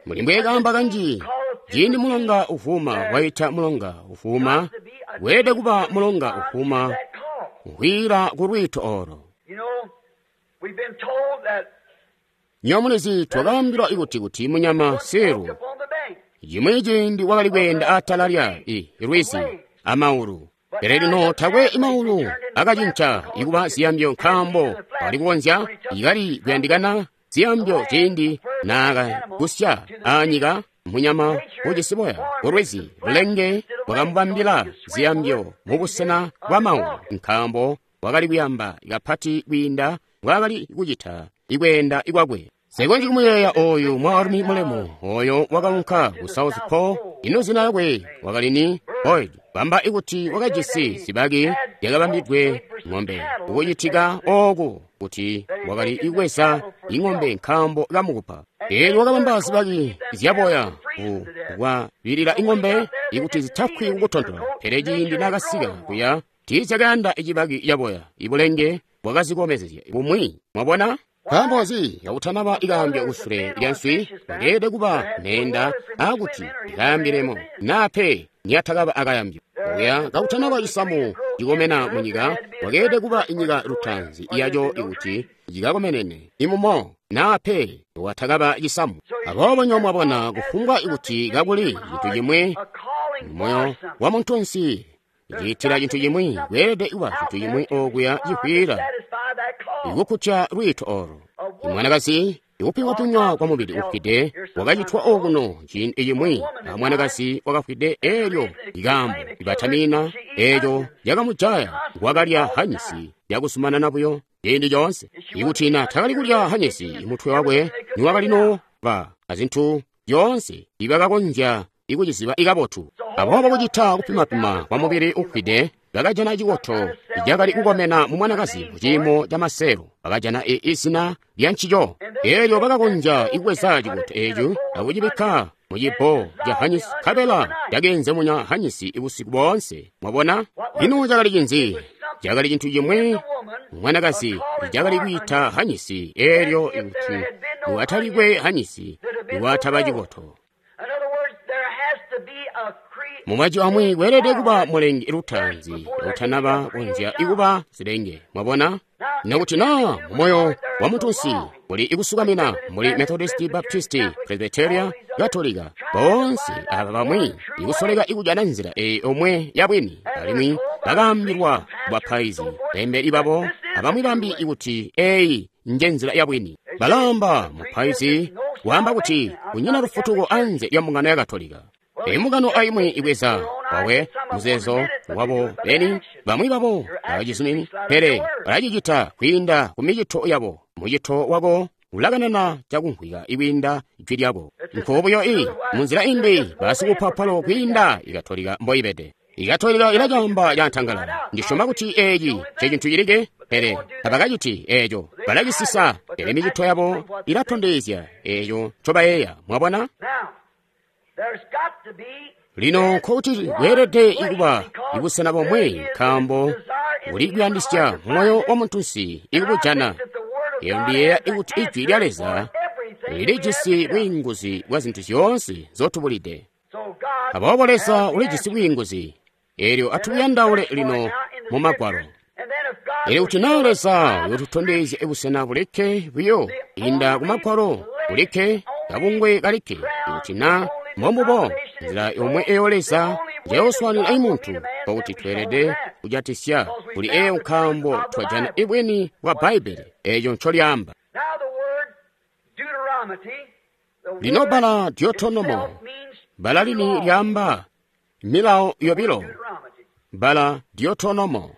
Muli mbwekaamba kanji, ciindi mulonga uvuma waita mulonga uvuma, weelede kuba mulonga uvuma uhwila ku lwiito olo. Nyomulizi twakaambilwa ikuti kuti munyama seru cimwi ciindi wakali kweenda atala lya i lwizi amaulu. Pele lino takwe imaulu akacinca ikuba ziyambyo nkaambo wakali kukonzya ikali kuyandikana ziyambyo ciindi naakagusya anyika munyama ujisi boya ulwizi. Bulenge bwakamubambila ziyambyo mubusena bwa maulu nkaambo wakali kuyamba kapati kwiinda mbwaakali kucita ikweenda ikwakwe. Sekonji kumuyeeya oyu mwaalumi mulemu oyo wakaunka ku South Pole. Ino zina lyakwe wakali ni Boyd. Bamba ikuti wakajisi zibaki zyakabambidwe ng'ombe. Ukucitika oku kuti wakali ikweza ing'ombe nkaambo kamukupa. Eelyo wakabamba zibaki zyaboya kukwabilila ing'ombe ikuti zitafwi kukutontola. Pele ciindi naakasika kuya tiizyakayanda icibaki caboya. Ibulenge bwakazikomezezya bumwi. Mwabona? Nkaambo nzi kakutanaba ikayambyo kusule lya nswi bakeelede kuba meenda aakuti ikayambilemo naa pe niyatakaba akayambyo. Okuya kakutanaba cisamu cikomena munyika wakeelede kuba inyika lutaanzi yaco ikuti cikakomenene imumo naa pe watakaba cisamu. Aboobo nyo mwabona kufumbwa ikuti kakuli cintu cimwi mumoyo wa muntunsi ciitila cintu cimwi, kweelede kuba cintu cimwi okuya cihwila ikukkutya lwiito olo. Imwanakazi ikupimwapimwa kwa mubili ufwide wakacitwa okuno ciindi cimwi a mwanakazi wakafwide eelyo ikaambo ibatamina eeco yakamujaya wakalya hanyisi yakuzumanana buyo ciindi coonse. Ikuti na takali kulya hanyisi mutwe wakwe niwakali noba azintu zyoonse ibakakonzya ikuciziba ikabotu. Aboobo kucita kupimapima kwa mubili ufwide bakajana cikoto cakali kukomena mu mwanakazi muciimo ca maseelo. Bakajana izina lya ncico. Eelyo bakakonzya ikukweza cikoto eeco akucibikka mu cibbo ca hanyisi, nkabela cakeenzemunya hanyisi busiku boonse. Mwabona? Ino cakali cinzi? Cakali cintu cimwi mwanakazi cakali kwiita hanyisi. Eelyo ikuti niwatalikwe hanyisi niwataba cikoto. Mumajwi amwi kweelede kuba mulengi lutaanzi utanaba konzya ikuba zilenge. Mwabona? Nokuti naa mumoyo wa muntunsi kuli ikusukamina muli Methodist, Baptist, Presbyteria, Katolika, boonse aba bamwi ikusoleka ikujana nzila eyi omwe yabwini, alimwi bakaambilwa kubapaizi bembeli babo abamwi bambi ikuti eyi nje nzila yabwini. Balamba mupaizi waamba kuti kunyina lufutuko anze lya mbungano ya Katolika. Imbungano aimwi ibweza wawe muzeezo wabo beni, bamwi babo abacizumini, pele balacicita kwiinda ku micito yabo. Mucito wako ulakanana cakumvwika ikwiinda jwi lyako. Nkobuyo i munzila imbi basikupapalo kwiinda Ikatolika mboibede. Ikatolika ilacamba cantangalala. Ndisyoma kuti eeci ncecintu cilikke, pele tabakaciti eeco. Balacisisa, pele micito yabo ilatondezya eeco ncobayeeya. Mwabona? Lino nkokuti kweelede ikuba ibusena bomwe nkaambo kuli kuyandisya moyo wa muntunsi ikubujana. Eyo ndiyeeya ikuti ijwi lya Leza lilijisi bwiinguzi bwa zintu zyoonse nzotubulide. Aboobo Leza ulijisi bwiinguzi. Eelyo atubuyandaule lino mu Magwalo. Eelyo kuti naa Leza uyotutondezya ibusena bulikke buyo inda ku Magwalo bulikke kabungwe kalikke, ikuti naa mbombubo nzila yomwe eyo Leza njayoswaanina imuntu, nkokuti tweelede kujatisya kuli eyo nkaambo twajana ibwini bwa Bbaibbele eeco ncolyaamba. Lino bbala Deuteronomo, bbala lini lyaamba milawo yobilo, bbala Deuteronomo.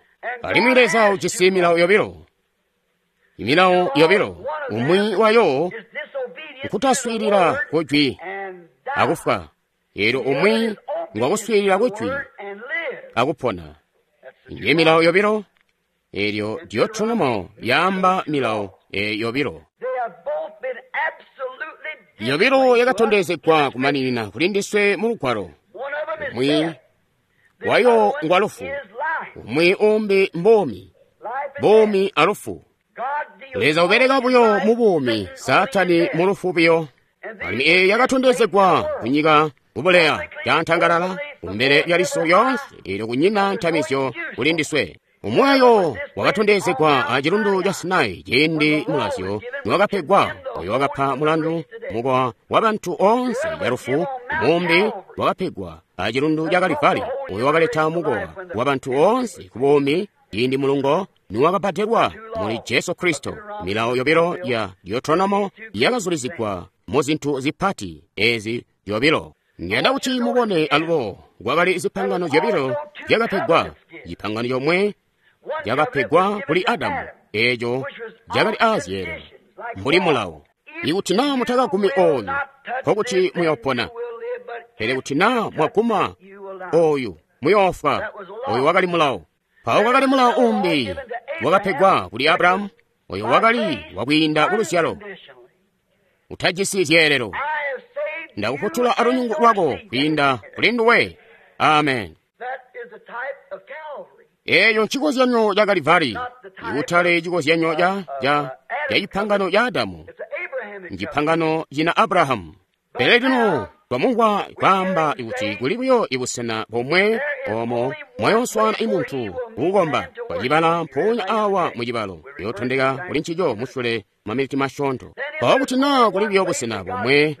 Alimwi Leza ujisi milawo yobilo, imilawo yobilo, umwi wayo nkutaswiilila kujwi akufwa, eelyo umwi ngwakuswiilila kujwi akupona. Nje milawo yobilo. Elyo Deuteronomo yaamba milawo e yobilo. Yobilo yakatondezegwa kumaninina kuli ndiswe mu lugwalo. Umwi wayo ngwa lufu, umwi umbi mbomi, bomi alufu. Leza ubeleka buyo mu buumi, Saatani mu lufu buyo. Alimwi eyi yakatondezegwa kunyika kubuleya cantangalala kumbele lya liso lyonse, elyo kunyina ntamizyo kuli ndiswe. Umwayo wakatondezegwa a chilundu cha Sinai ciindi mulazyo niwakapegwa, oyo wakapa mulandu mukowa wa bantu onse ya lufu. Mumbi wakapegwa a chilundu cha Kalivali, oyo wakaleta mukowa wa bantu onse ku buumi ciindi mulungo niwakabbadelwa muli Jesu Kristo. Milawo yobilo ya Deuteronomo yakazulizigwa mu zintu zipati ezi yobilo. Ngenda kuti mubone alubo kwakali zipangano zyobilo zyakapegwa. Chipangano chomwe chakapegwa kuli Adamu, echo chakali aziyelo mbuli mulawo. Ikuti naa mutakagumi oyu, nkokuti muyopona, pele kuti naa mwaguma oyu muyofwa. Oyu wakali mulawo. Mpawo kwakali mulawo umbi wakapegwa kuli Abrahamu, oyo wakali wakwiinda kuluzyalo, utajisi zyeelelo. Ndakufutula alunyungu lwako kwiinda kuli nduwe. Amen. Eyo nchikozyanyo cha Kalivari, ikutali chikozyanyo cha cha cha chipangano cha Adamu, nchipangano china Abrahamu. Pele lino twamumvwa kwaamba kuti kuli buyo ibusena bomwe omo mwayoswana imuntu kukukomba kwacibala mpoonya awa mucibalo yotondeka kuli ncico musule mamiliti masyoonto. Mpawo kuti naa kuli buyo busena bomwe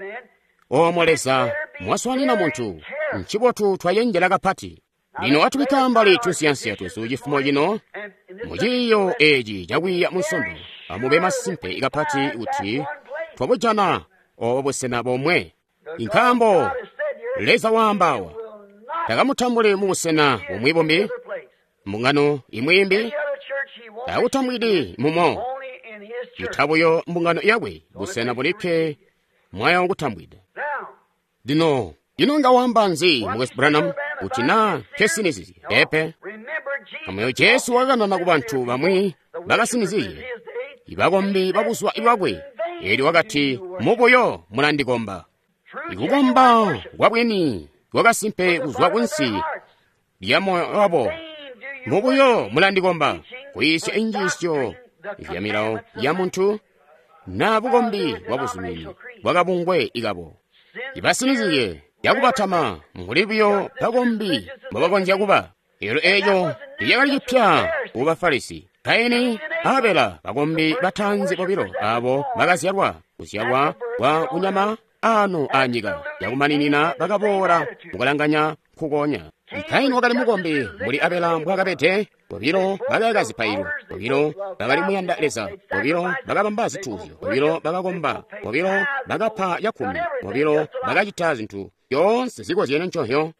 omo Leza mwaswanina muntu, ncibotu twayenjela kapati. Lino atubikka mbali tunsiyansiya twesu cifumo cino muciiyo eci cakwiiya munsondo. Amube masimpe kapati kuti twabujana obo busena bomwe. Nkaambo Leza waambawa takamutambuli mu busena bumwi bumbi, mbungano imwi imbi takutambwidi mumo, itabuyo mbungano yakwe busena bulikke mwayo kutambwida. Lino ino nga wamba nzi Mukwesu Branham kuti naa nkesinizizye? Pepe. Kamuyo Jesu wakanana ku bantu bamwi bakasinizizye, ibakombi babuzwa ibwakwe, elyo wakati, mubuyo mulandikomba. Ikukomba kwabwini kwakasimpe kuzwa kunsi lya moyo wabo. Mubuyo mulandikomba, kuyisya injiisyo zya milawo ya muntu na bukombi bwa buzumini bwakabungwe ikabo. Ibasinizizye yakubatama mbuli buyo bakombi mbobakonzya kuba. Elyo eco lyakali cipya ku Bafarisi. Kaini Abela, bakombi batanzi bobilo abo bakazyalwa kuzyalwa kwa kunyama ano anyika yakumaninina bakaboola mukulanganya nkukonya. Kaini wakali mukombi mbuli Abela mbwakabede. Bobilo bakayaka zipaililo, bobilo bakali muyanda Leza, bobilo bakabamba zituuzyo, bobilo bakakomba, bobilo bakapa chakkumi, bobilo bakacita zinthu zyoonse zikozyene nchonyo.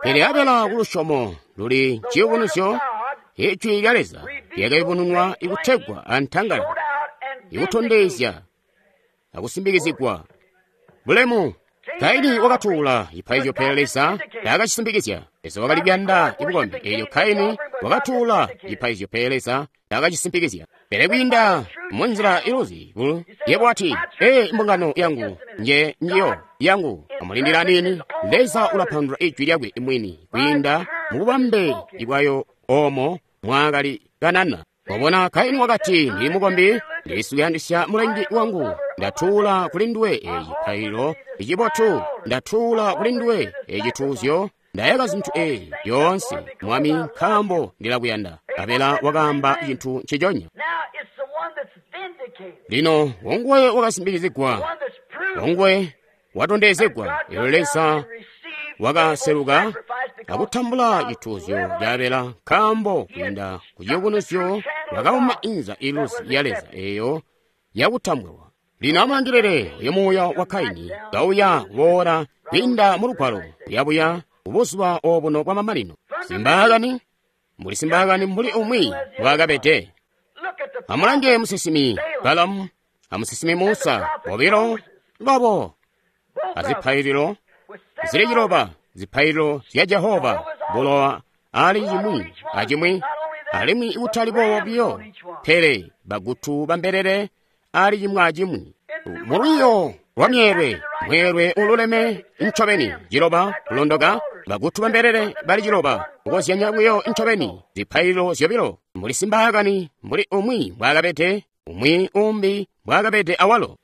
Pele Abela kulusyomo luli ciyubunuzyo, ijwi lya Leza lyakayubununwa ikutegwa antangalala, ikutondezya akusimbikizigwa bulemu. Kaini wakatuula cipaizyo pele Leza taakacisimbikizya. Leza wakali kuyanda ibukombi, elyo Kaini wakatuula cipaizyo pele Leza taakacisimbikizya. Pele kwiinda munzila iluzi yebo wati, ee, mbungano yangu nje njiyo yangu. Amulindila nini? Leza ulapandula ijwi lyakwe mwini kwiinda mububambe ibwayo omo mwakali kanana. Wabona, Kaini wakati, ndili mukombi, ndilisuyandisya mulengi wangu, ndatuula kuli nduwe eci cipaililo icibotu, ndatuula kuli nduwe ecituuzyo, ndayaka zinthu ezi zyoonse, Mwami, nkaambo ndilakuyanda. Abela wakaamba cinthu nciconya. Lino wonguwe wakasimbikizigwa, wonguwe watondezegwa. Elyo Leza wakaseluka akutambula cituuzyo ca Abela, nkaambo kwiinda ku ciyubunuzyo wakauma inza iluzi ya Leza eyo yakutambulwa. Lino amulangilile uyo muuya wa Kaini kauya kuboola kwiinda mu lugwalo kuyabuya kubuzuba obuno bwa mamanino. Simbaakani mbuli simbaakani mbuli umwi mbwaakabede. Amulange musinsimi Balamu amusinsimi Musa, bobilo babo azipaililo zili ciloba zipaililo zya Jehova bulowa ali cimwi acimwi, alimwi ikutali boobo biyo, pele bagutu bambelele ali cimwi acimwi. Mulwiyo lwa myeelwe, mweelwe ululeme ncobeni, ciloba kulondoka, bagutu bambelele bali ciloba, kukozyanya buyo ncobeni, zipaililo zyobilo, mbuli simbaakani, mbuli umwi mbwaakabede, umwi umbi mbwaakabede awalo.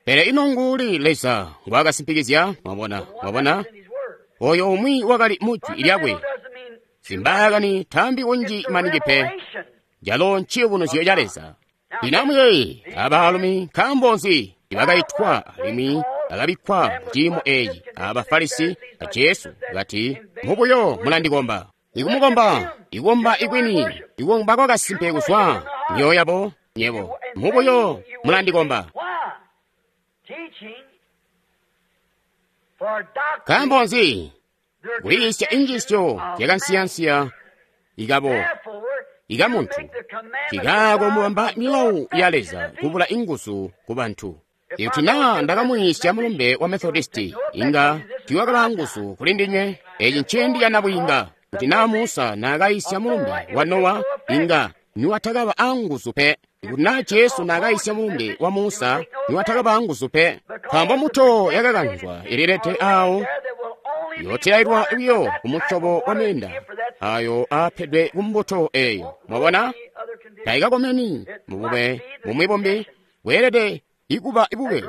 Pele ino nguuli Leza ngwaakasimpikizya? Mwabona, mwabona? Oyo umwi wakali mu jwi lyakwe. Simbaakani taambi kunji maningi pe. Calo nciyubunuzyo ca Leza. Lino amuyeeye, abaalumi nkaambo nzi ibakaitwa alimwi bakabikkwa mu ciimo eci aba Farisi a Jesu kati, mubuyo mulandikomba. Ikumukomba, ikukomba ikwini, ikukomba kwakasimpe kuzwa myoyo yabo nyebo. Mubuyo mulandikomba. Nkaambo nzi? Kuyiisya injiisyo yakansiyansiya ikabo ikamuntu kikaako mubamba milawu ya Leza kubula inguzu ku bantu. Ikuti naa ndakamuyiisya mulumbe wa Methodisti, inga tiiwakaba nguzu kuli ndinywe. Eci nciindi ca nabwiinga. Kuti naa Musa naakayisya mulumbe wa Nowa, inga niwatakaba anguzu pe. Ikuti naa Jesu naakayisya mulumbe wa Musa, niwatakaba anguzu pe. Nkaambo mbuto yakakanzwa ililete awo yotilailwa buyo ku musyobo wa meenda ayo aapedwe ku mbuto eyo. Mwabona? Taikakomeni mubube bumwi bumbi, bweelede ikuba ibube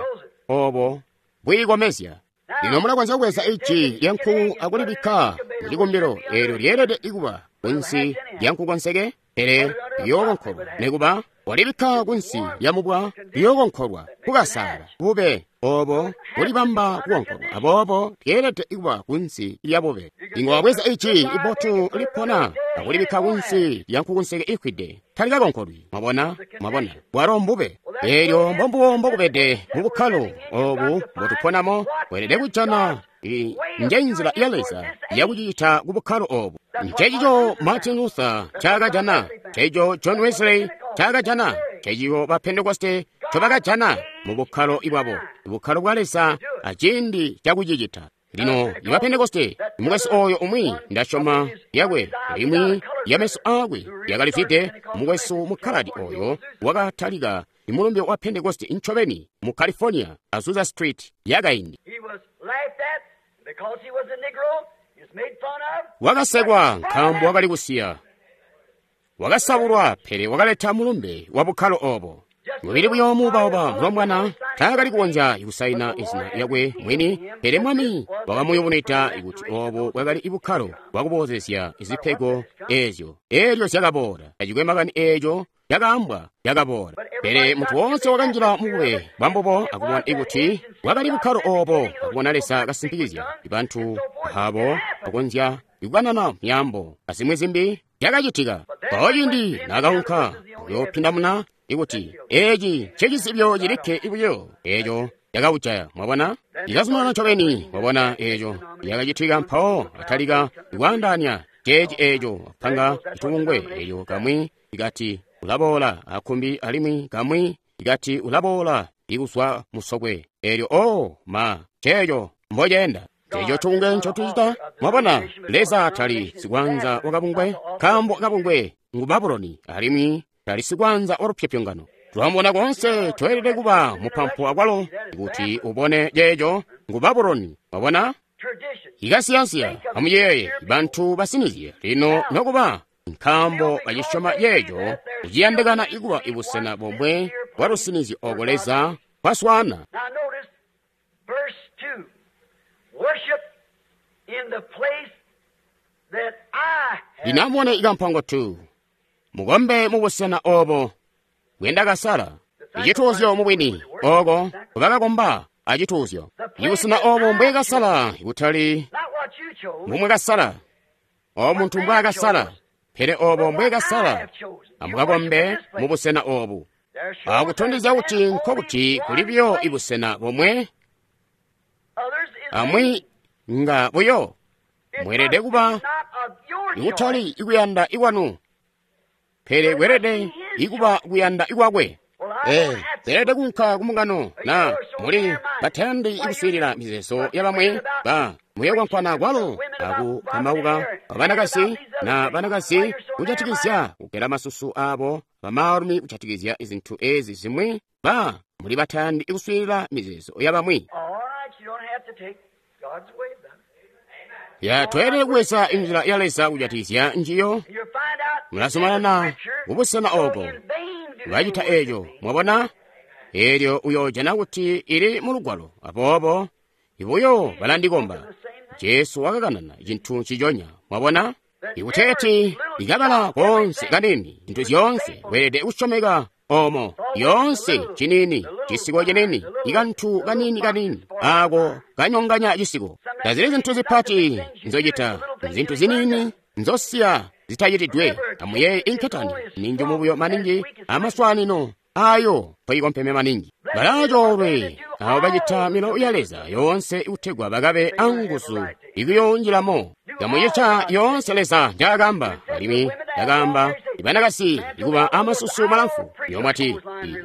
obo bwiikomezya. Lino mulakonzya kubweza iji lya nkuku akulibikka mucikumbilo, eelyo lyeelede ikuba kunsi lya nkukunseke, pele liyookonkolwa. Nikuba walibikka kunsi lya mubwa, liyookonkolwa kukasaala bube obo bulibamba kukonkolwa. Aboobo lyeelede ikuba kunsi lya bube. Inga wabweza iji ibotu lipona akulibikka kunsi lya nkukunseke ifwide, talikakonkolwi. Mwabona? Mwabona? Bwalo mbube. Eelyo mbombubo mbokubede mu bukkalo obu mbotuponamo. Weelede kujana nje nzila ya Leza yakucita ku bukkalo obu. Ncencico Martin Luther ncaakajana, ncencico John Wesley ncaakajana, ncencico ba Pentekoste ncobakajana mu bukkalo bwabo, bukkalo bwa Leza aciindi cakucicita. Lino iba Pentekoste, mukwesu oyo umwi ndasyoma yakwe limwi ya meso aakwe yakalifwide, mukwesu mukkaladi oyo wakatalika imulumbe wa Pentekoste ncobeni mu California, Azusa Street yakaindi. Wakasekwa nkaambo wakali kusiya, wakasabulwa, pele wakaleta mulumbe wa bukkalo obo. Mubili buyo muubauba mulombwana taakali kukonzya kusaina izina lyakwe mwini, pele Mwami wakamuyubunwida kuti obo bwakali bukkalo bwakuboozezya zipego ezyo. Eelyo zyakaboola, tacikwe makani eeco cakaambwa cakaboola. Pele muntu woonse wakanjila mubube bwambubo akubona kuti bwakali bukkalo obo, akubona Leza kasimpikizya bantu abo bakonzya kukanana myaambo azimwi zimbi zyakacitika. Mpawo ciindi naakaunka kuyoopindamuna ikuti eci ncecizibyo cilikke buyo eeco cakaujaya. Mwabona? Ikazumanana ncobeni. Mwabona eeco yakacitika. Mpawo atalika ikwaandaanya ceeci eeco apanga citubungwe eeco kamwi ikati ulaboola akumbi, alimwi kamwi ikati ulaboola ikuzwa musokwe. Eelyo o ma ceeco mboceenda. Eco tubungwe ncotucita. Mwabona, Leza tali sikwanza wa kabungwe, nkaambo kabungwe ngu Babuloni, alimwi tali sikwanza wa lupyopyongano. Twamubona koonse, tweelede kuba mupampu akwalo kuti ubone ceeco ngu Babuloni. Mwabona? Ikasiyansiya, amuyeeye, bantu basinizye lino nokuba nkaambo bacisyoma ceeco, kuciyandikana ikuba ibusena bomwe bwa lusinizyo oko Leza kwaswaana. Lino amubone ikampango tu. Mukombe mubusena obo bwendakasala. Icituuzyo mubwini oko kubakakomba acituuzyo. Ibusena obo mbwekasala, kutali mbumwekasala, obo muntu mbwaakasala, pele obo mbwekasala. Amukakombe mubusena obu. Akutondezya kuti nkokuti kuli buyo ibusena bomwe, amwi nga buyo mweelede kuba ikutali ikuyanda ikwanu, pele kweelede ikuba kuyanda ikwakwe. Ee, Zeelede kunka ku mbungano na muli batayandi kuswiilila mizeezo ya bamwi ba muyokwankwana kwalo akukambauka banakazi na banakazi kujatikizya kugela masusu abo bamaalumi kujatikizya zintu ezi zimwi ba muli batayandi kuswiilila mizeezo ya bamwi. Ya tweelede kubweza inzila ya Leza kujatikizya njiyo. Mulazumanana kubusena oko bacita eco, mwabona? Elyo uyoojana kuti ili mu Lugwalo. Aboobo ibuyo balandikomba. Jesu wakakanana cintu nciconya, mwabona? Ikuteeti ikabala konse kanini, zintu zyoonse weelede kusyomeka omo yoonse cinini, cisiko cinini, ikantu kanini kanini ako kanyonganya cisiko. Tazili zintu zipati nzocita, zintu zinini nzosiya zitacitidwe. Amuyeeye inketani ninjumu buyo maningi amaswanino ayo toyikompeme maningi. Balacoolwe abo bacita milawo ya Leza yoonse ikutegwa bakabe anguzu ikuyonjilamo. Kamucita yoonse Leza njaakamba, alimwi yakaamba ibanakasi ikuba amasusu malamfu. Yomwati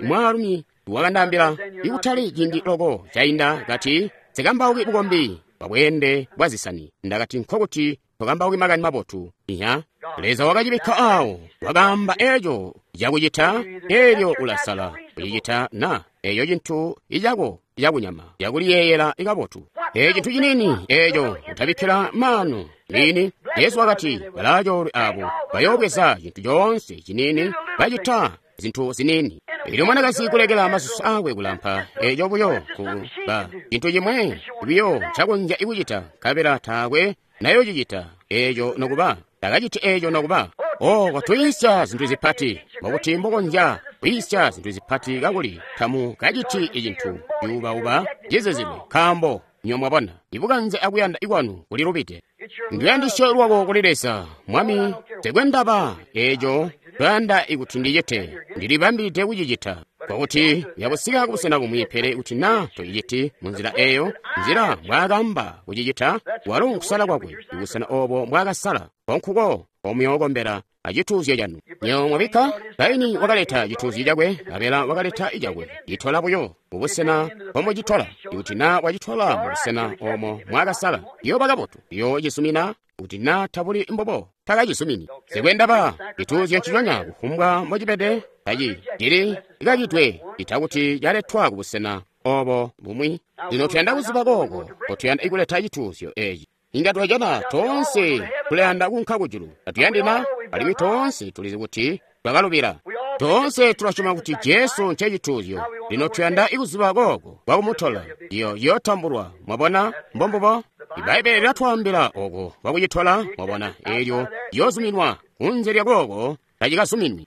mwaalumi wakandaambila ikutali ciindi loko cainda kati nsikambauki bukombi bwabweende bwa zisani. Ndakati nkokuti tokambauki makani mabotu. Iya, Leza wakacibikka awo, wakaamba eco cakucita, elyo ulasala kucicita na eyo cintu icako cakunyama cakuliyeeyela ikabotu. Eco cintu cinini eco utabikkila maanu nini. Yesu wakati balacoolwe abo bayoobweza cintu coonse cinini bacita zintu zinini. Elyo mwanakazi kulekela masusu akwe kulampa eco buyo kuba cintu cimwe buyo ncakonzya ikucita, nkabela taakwe nayocicita eco nokuba takaciti eco nokuba. O kwatuyisya zintu zipati, mbokuti mbokonzya kuyisya zintu zipati kakuli tamu kaciti icintu cuubauba cizizilwe, nkaambo nyo mwabona ibukanze akuyanda ikwanu kuli lubide. Nduyandisyo lwako kuli Leza, Mwami, tekwe ndaba eco toyanda ikuti ndicite, ndilibambide kucicita. Kwakuti yakusika kubusena bumwi, pele kuti na toyiciti munzila eyo, nzila mbwaakamba kucicita, walo nkusala kwakwe, ibusena obo mbwaakasala, konkuko omuyookombela acituuzyo canu. Nyo mwabikka Kaini wakaleta cituuzyo cakwe, Abela wakaleta icakwe. Citola buyo mubusena mbomucitola. Ikuti na wacitola mubusena omo mwakasala, yoba kabotu, yocisumina. Kuti na tabuli mbobo, takacizumini. Sikwendaba cituuzyo nciconya kufumbwa mbocibede, taci cili ikacitwe itakuti caletwa kubusena obo bumwi. Lino tuyanda kuziba kooko kotuyanda ikuleta cituuzyo eci. Inga twajana toonse tulayanda kunka kujulu, tatuyandi na? Alimwi toonse tulizi kuti twakalubila. Toonse tulasyoma kuti Jesu ncecituuzyo. Lino tuyanda ikuziba kooko kwakumutola, iyo yootambulwa. Mwabona mbombubo? Ibaibbele lilatwaambila oko kwakucitola, mwabona, elyo liyoozuminwa. Kunze lya kooko tacikazuminwi.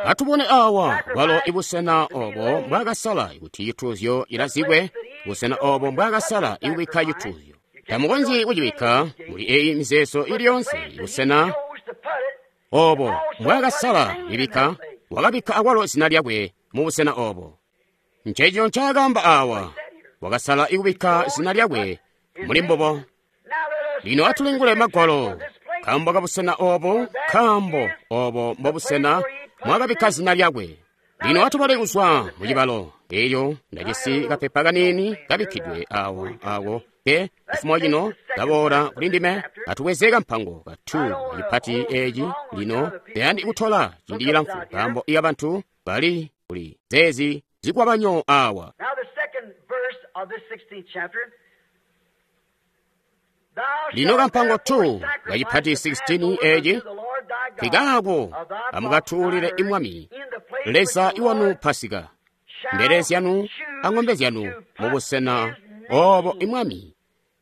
Atubone awa bwalo ibusena obo mbwaakasala kuti cituuzyo cilazikwe, busena obo mbwaakasala ikubikka cituuzyo. Tamukonzyi kucibikka muli eyi mizeezo ili yonse. Busena obo mbwaakasala ibikka, wakabikka akwalo zina lyakwe mubusena obo. Nceco ncaakaamba awa, wakasala ikubikka zina lyakwe muli mbubo. Lino atulingule Magwalo, nkaambo kabusena obo, nkaambo obo mbobusena mwakabikka zina lyakwe. Lino atubale kuzwa mucibalo eyo ndajisi kapepa kaniini kabikkidwe awo ako ke cifumo cino kaboola kuli ndime. Atubweze kampango katu kacipati eci lino tayandi kutola ciindi cilamfu, nkaambo iya bantu bali kuli zeezi zikwabanyo awa. Lino kampango tu kacipati sixteen eci, kikaako amukatuulile imwami Leza iwanu Pasika, mbele zyanu ang'ombe zyanu mubusena obo imwami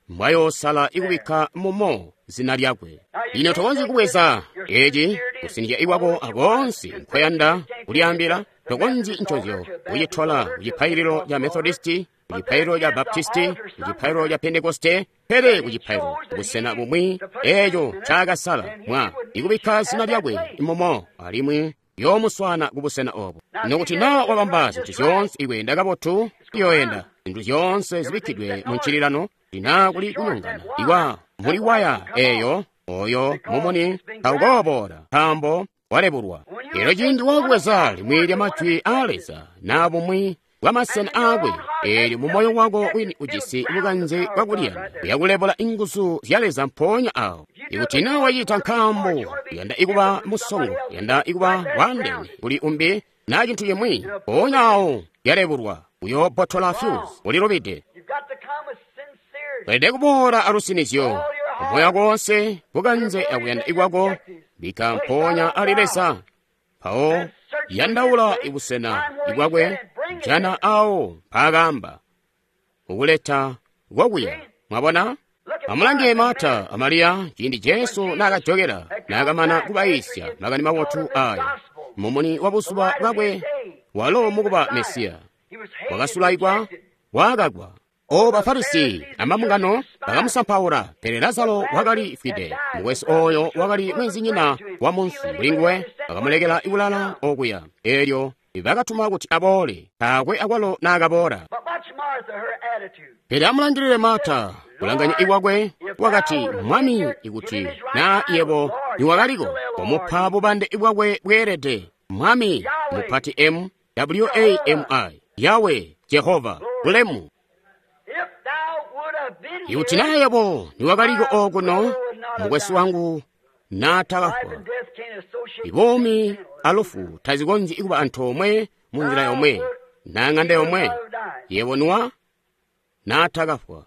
mbwayoosala ikubikka mumo zina lyakwe. Lino tokonzyi kubweza eci kusinizya iwako akoonse nkoyanda kulyaambila. Tokonzyi ncozyo kucitola kucipaililo ca Methodisti, kucipaililo ca Baptisti, kucipaililo ca Pentekoste, pele kucipaililo busena bumwi eco ncaakasala mwa ikubikka zina lyakwe mumo, alimwi yoomuswana kubusena obo. Nokuti naa wabamba zintu zyoonse ikweenda kabotu, iyoyenda zintu zyoonse zibikkidwe mu ncililano, lina kuli kunyongana ikwa muli waya eyo Oyo mumuni taukooboola nkaambo walebulwa. Elyo ciindi wakubweza limwi lya majwi aa Leza na bumwi bwa masena aakwe, eelyo mu moyo wako wini ujisi bukanze bwakuliyanda uyakulebula inguzu zya Leza mpoonya awo. Ikuti na wacita nkaambo uyanda ikuba musongo, uyanda ikuba waandeene kuli umbi na cintu cimwi, mpoonya awo yalebulwa, uyoobbotola fuse, ulilubide. Weelede kuboola alusinizyo moyo wako wonse, bukanze akuyanda ikwako bika mpoonya ali Leza. Mpawo yandaula ibusena ibwakwe, jana awo mpaakamba kukuleta kwakuya. Mwabona? Amulange Marta a Mariya ciindi Jesu naakajokela naakamana kubayiisya makani mabotu aya mumuni wa buzuba bwakwe, walo mukuba Mesiya wakasulaikwa, waakakwa. O Bafarisi amambungano bakamusampaula, pele Lazaro wakali fwide. Mukwesu oyo wakali mwenzinyina wa munsi kulinguwe, bakamulekela ikulala okuya. Elyo bakatuma kuti aboole, taakwe akwalo naakaboola. Pele amulangilile Marta, kulanganya ikwakwe, wakati, Mwami, ikuti na yebo niwakaliko, komupa bubande bwakwe bweelede. Mwami, mupati M W A M I, Yahweh, Jehova, bulemu. Ikuti na yebo niwakaliko okuno, mukwesu wangu naatakafwa. Ibomi alufu tazikonzyi kuba antoomwe mu nzila yomwe na ng'anda yomwe. Yebo nuwa naatakafwa.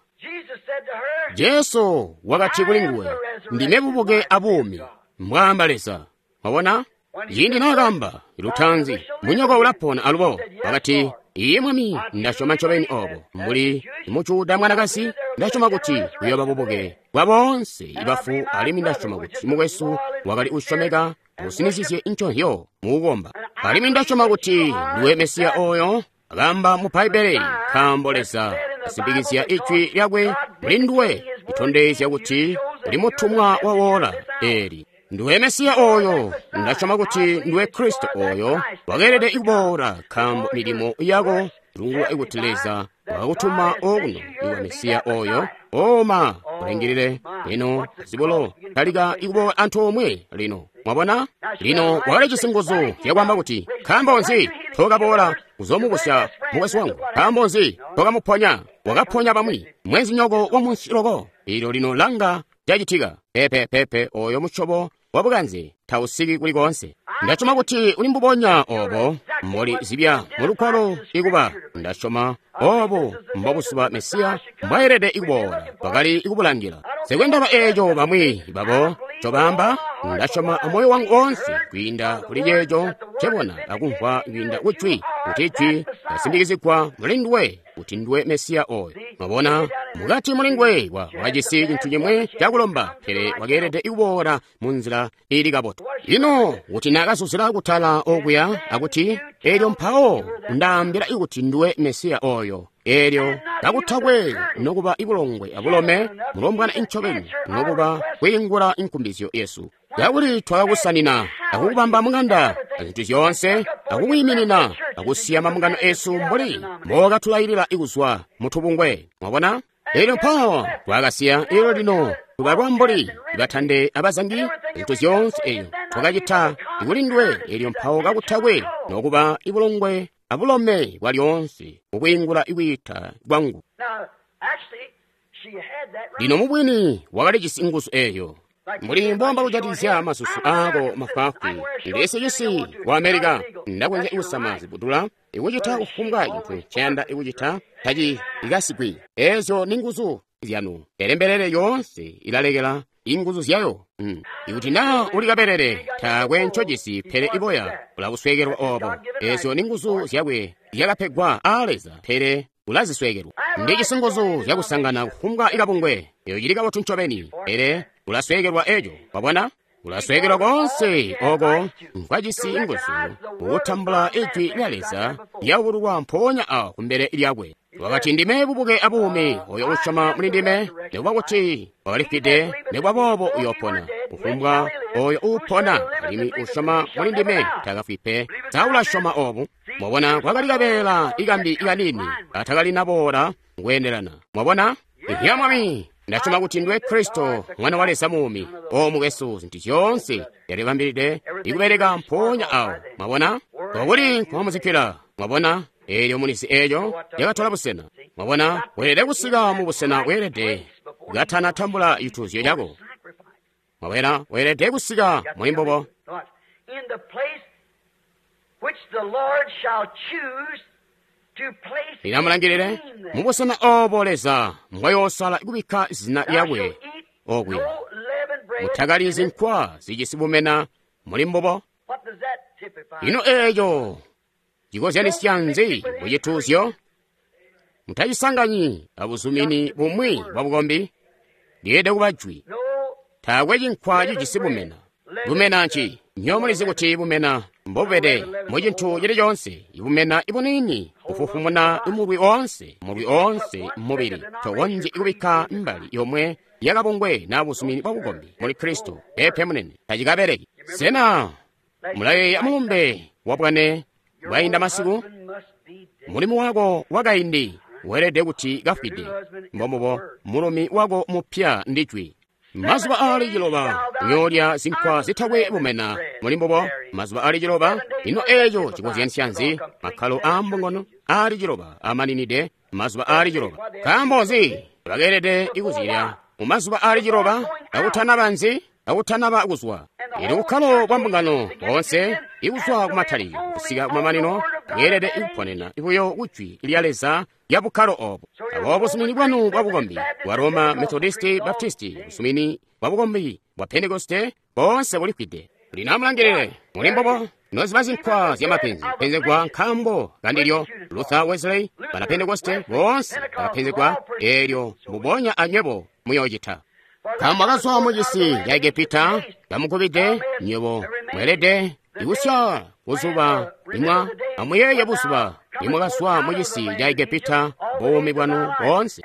Jesu wakati kuli nguwe, ndime bubuke abuumi, mbwaamba Leza. Mwabona? Ciindi naakamba lutanzi, munyoko ulapona alubo. Wakati, iye Mwami, ndasyoma ncobeni obo. Mbuli mujuda mwanakazi, ndasyoma kuti uyooba bubuke bwa boonse ibafu, alimwi ndasyoma kuti mukwesu wakali usyomeka usinizizye nconzyo mukukomba. Alimwi ndasyoma kuti ndiwe Mesiya oyo akamba mu Bbaibbele, nkaambo Leza asimbikizya ijwi lyakwe muli nduwe, litondezya kuti uli mutumwa wa wola eli. Ndiwe Mesiya oyo, ndasyoma kuti ndiwe Kristo oyo wakeelede kuboola, nkaambo milimo yako ilungulwa kuti Leza wakakutuma okuno iwa Mesiya oyo. Oma ulingilile lino zibulo talika ikuboola antoomwe lino. Mwabona? Lino wakalijisi nguzu zyakwaamba kuti, nkaambo nzi tookaboola kuzoomubusya mukwesu wangu? Nkaambo nzi tookamuponya? Wakaponya bamwi, mwenzinyoko wa munsi loko. Ilyo lino langa cacitika. Pepe pepe oyo musyobo wabukanze tausiki kuli koonse. Ndasyoma kuti uli mbubonya obo mboli zibya mulugwalo ikuba. Ndasyoma obo mbobusuba Mesiya mbwaelede ikuboola, bakali ikubulangila. Sekwendaba eeco bamwi babo ncobaamba, ndasyoma amoyo wangu woonse kwiinda kuli ceeco ncebona akumvwa kwiinda kujwi, kuti jwi lasimbikizigwa muli nduwe kuti ndiwe Mesiya oyo. Mwabona, mukati muli nguwe wakajisi cintu cimwe cakulomba, pele wakeelede ikuboola mu nzila ili kabotu. Lino kuti naakazuzila kutala okuya akuti, eelyo mpawo ndaambila ikuti ndiwe Mesiya oyo, eelyo kakutakwe nokuba ibulongwe abulome mulombwana incobeni nokuba kwiingula inkumbizyo yesu. Kakuli twakakusanina akukubamba mung'anda azintu zyoonse, akukwiiminina akusiya mambungano esu mbuli mbookatulailila ikuzwa mutubungwe. Mwabona? Eelyo mpawo twakasiya, eelyo lino tubalwa mbuli batande abazangi zintu zyoonse eyo twakacita ikuli nduwe, eelyo mpawo kakutakwe nokuba ibulongwe abulome bwa lyoonse mukwiingula ikwiita kwangu. Lino mubwini wakalijisi nguzu eeyo. Mbuli mbomba kujatikizya masusu aako mafwaafwi, ndilese cisi wa Amerika, ndakonzya kusama zibudula, ikucita kufumbwa cintu nceyanda ikucita taci ikasigwi. Eezyo ni nguzu zyanu, pele mbelele yoonse ilalekela inguzu zyayo. Mm. Ikuti naa uli kabelele taakwe ncojisi pele iboya ulakusweekelwa obo. Eezyo ni nguzu zyakwe zyakapegwa aa Leza, pele ulazisweekelwa. Ndijisi nguzu zyakusangana kufumbwa ikabungwe, eyo cili kabotu ncobeni, pele ulasweekelwa eco. Wabona? Ulasweekelwa koonse oko nkwajisi nguzu kutambula ijwi lya Leza lyakubululwa mpoonya awo kumbele lyakwe. Wakati, ndime bubuke abuumi, oyo usyoma muli ndime, nikuba kuti wakalifwide, nikuba boobo uyoopona. Kufumbwa oyo uupona alimwi usyoma muli ndime takafwi pe. Sa ulasyoma obu? Mwabona, kwakali kabeela ikambi ikanini atakali naboola kweendelana. Mwabona? Ya Mwami, Nda syoma kuti nduwe Kristo, Mwana wa Leza muumi. O mukwesu, zintu zyoonse zyalibambilide ikubeleka mpoonya awo. Mwabona? Kokuli nkomuzikkila. Mwabona? Eelyo mulizi eeyo yakatola busena. Mwabona? Weelede kusika mu busena weelede katana tambula cituuzyo cako. Mwabona? Weelede kusika muli mbubo. Lino mubusena obo Leza mbwayoosala kubikka zina lyakwe okuya. Mutakalyi zinkwa zijisi bumena muli mbubo. Ino eeco cikozyanisya nzi ku cituuzyo? Mutacisanganyi abuzumini bumwi bwa bukombi. Lyeelede kuba jwi. Taakwe cinkwa cijisi bumena. Bumena nci? Nyo mulizi kuti bumena mbobubede mu cintu cili coonse. Ibumena ibuniini bufufumuna mulwi oonse, mulwi oonse mubili. Tokonzyi kubikka mbali yomwe yakabungwe na buzumini bwa bukombi muli Kristo. Peepe munene, tacikabeleki. Sena mulayeeya mulumbe wabwane bwainda masiku? Mulimu wako wakaindi weelede kuti kafwide. Mbombubo mulumi wako mupya ndi jwi. Mazuba aali ciloba uyoolya zinkwa zitakwe bumena muli mbubo. Mazuba aali ciloba. Ino eeco cikozyanisya nzi? Makkalo aa mbungano aali ciloba amaninide mazuba aali ciloba. Nkaambo nzi bakeelede kuzilya mu mazuba aali ciloba kakutanaba nzi? Kakutanaba kuzwa. Ili bukkalo bwa mbungano boonse ikuzwa kumatalikilo kusika kumamanino bweelede kuponena buyo kujwi lya Leza lya bukkalo obo. Aboobo busumini bwanu bwa bukombi bwa Roma, Methodisti, Baptisti, busumini bwa bukombi bwa Pentekoste boonse bulifwide. Lino amulangilile muli mbubo noziba zinkwa zya mapenzi penzegwa nkaambo kandilyo. Luther, Wesley, bana Pentekoste boonse bakapenzegwa, eelyo mbubonya anywebo muyoocita. Nkaambo akazwa mu cisi ca Egepita kamugubide, nywebo mweelede ikusya buzuba limwa amuyeeye buzuba limwakazwa mu cisi ca Egepita buumi bwanu boonse.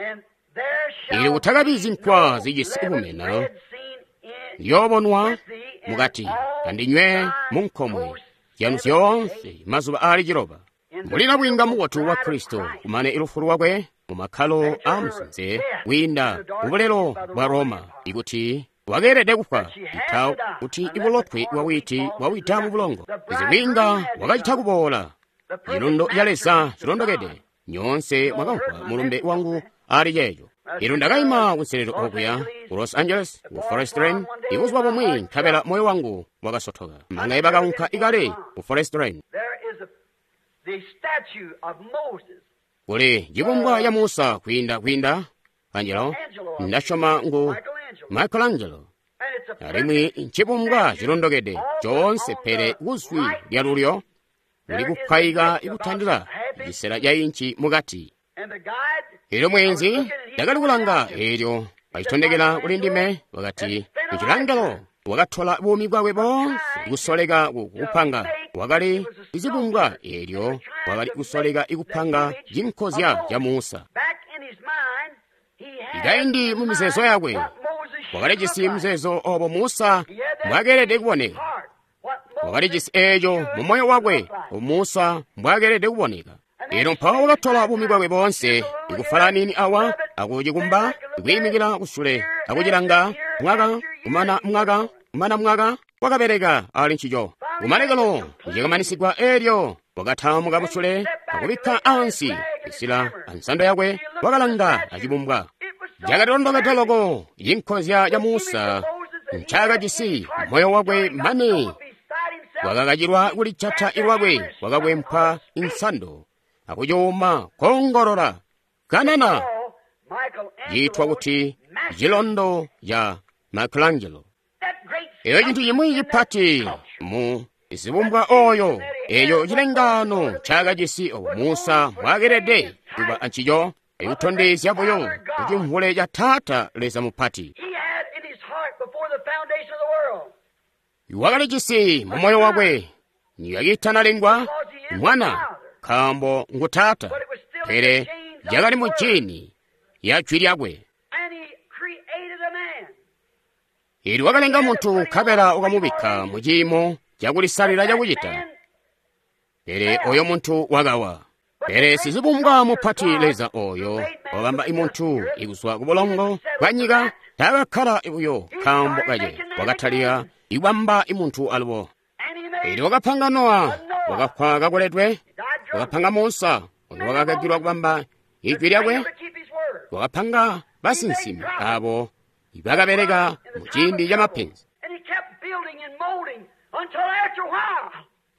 Ili kutakabi zinkwa zijisi bumena ziyoobonwa mukati kandinywe munkomwe zyanu zyoonse mazuba aali ciloba. Mbuli nabwiinga mubotu wa Kristo kumane ilufu lwakwe mu makkalo aamusinze kwiinda kubulelo bwa Roma, ikuti wakeelede kufwa ita kuti ibulotwe bwa witi bwawida mu bulongo. Zibwiinga wakacita kuboola cilundo ca Leza cilondokede. Nyoonse mwakamvwa mulumbe wangu ali ceeco. Ilo ndakaima kunselelo okuya ku Los Angeles ku Forest Lane ibuzuba bumwi, nkabela moyo wangu wakasotoka. Manga ibakaunka ikale ku Forest Lane. Kuli cibumbwa ya Musa kwiinda kwiinda Angelo, ndasyoma ngu Michelangelo, alimwi ncibumbwa cilondokede coonse, pele kuzwi lyalulyo kuli kupwayika ikutandila cisela ca inci mukati. Elyo mweenzi ndakali kulanga, eelyo wacitondekela kuli ndime, wakati Michelangelo wakatola buumi bwakwe boonse kusoleka kupanga. Wakali cibumbwa, eelyo wakali kusoleka ikupanga cinkozya ca Musa. Ikaindi mu mizeezo yakwe wakalijisi muzeezo obo Musa mbwakeelede kuboneka. Wakalijisi eeco mu moyo wakwe obo Musa mbwakeelede kuboneka. Elyo mpawo wakatola buumi bwakwe boonse ikufalanini awa akucikumba, ikwiimikila kusule akucilanga mwaka kumana mwaka kumana mwaka, wakabeleka ali ncico. Kumalekelo cikamanisigwa, eelyo wakataamuka musule akubikka ansi isila ansando yakwe, wakalanga acibumbwa. Cakatondokede loko cinkozya ca Musa ncakajisi moyo wakwe mane wakakacilwa kulijata ilwakwe, wakakwempa insando akucuuma kongolola kanana ciitwa kuti cilondo ca Michelangelo. Eyo cintu cimwi cipati mu zibumbwa oyo, eyo cilengano ncakajisi obo Musa mbwakelede kuba ancico, ikutondezya buyo kucimvule ca Taata Leza mupati. Wakalijisi mu moyo wakwe niyakaitanalengwa mwana, nkaambo ngu Taata, pele yakali mu jini ya jwi lyakwe. Ili wakalenga muntu nkabela ukamubikka mu ciimo cakulisalila cakucita, pele oyo muntu wakawa. Pele sizibumbwa mupati Leza oyo wabamba imuntu ikuzwa ku bulongo bwa nyika taakakkala buyo nkaambo kace wakatalika ikubamba imuntu alubo. Elyo wakapanga Nowa, wakafwa kakoledwe, wakapanga Musa, oyo wakakakilwa kubamba ijwi lyakwe, wakapanga basinsimi abo ibakabeleka mu ciindi ca mapenzi.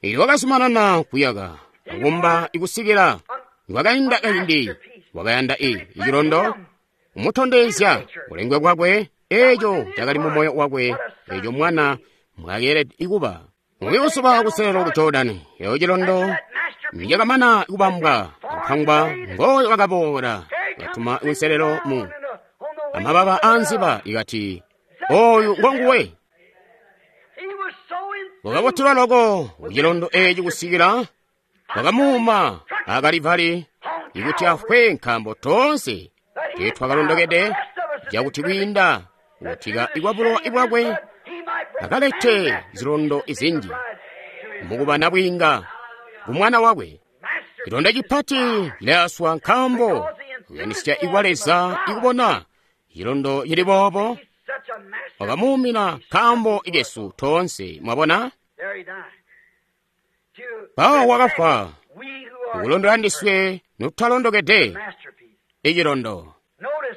Elyo wakazumanana kuyaka akumba ikusikila wakainda kaindi wakayanda i icilondo umutondezya kulengwe kwakwe eco cakali mu moyo wakwe eco mwana mwakeelede ikuba. Mubikusuba kuselelo ku Jordani eyo cilondo nicakamana kubambwa akupangwa ngoyo wakaboola katuma kunselelo mu amababa anziba ikati oyu ngonguwe. Wakabotelwa loko kucilondo eci kusikila wakamuuma akalivali ikuti afwe nkaambo toonse tetwakalondokede cakuti kwiinda kutika ikwabulowa ibwakwe akalete zilondo izinji mukuba nabwiinga kumwana wakwe. Cilondo cipati cilayaswa nkaambo kuyanisya ikwa Leza ikubona cilondo cili boobo wakamuumina nkaambo ikesu toonse. Mwabona? Mpawo wakafwa ukulondola ndiswe notutalondokede icilondo.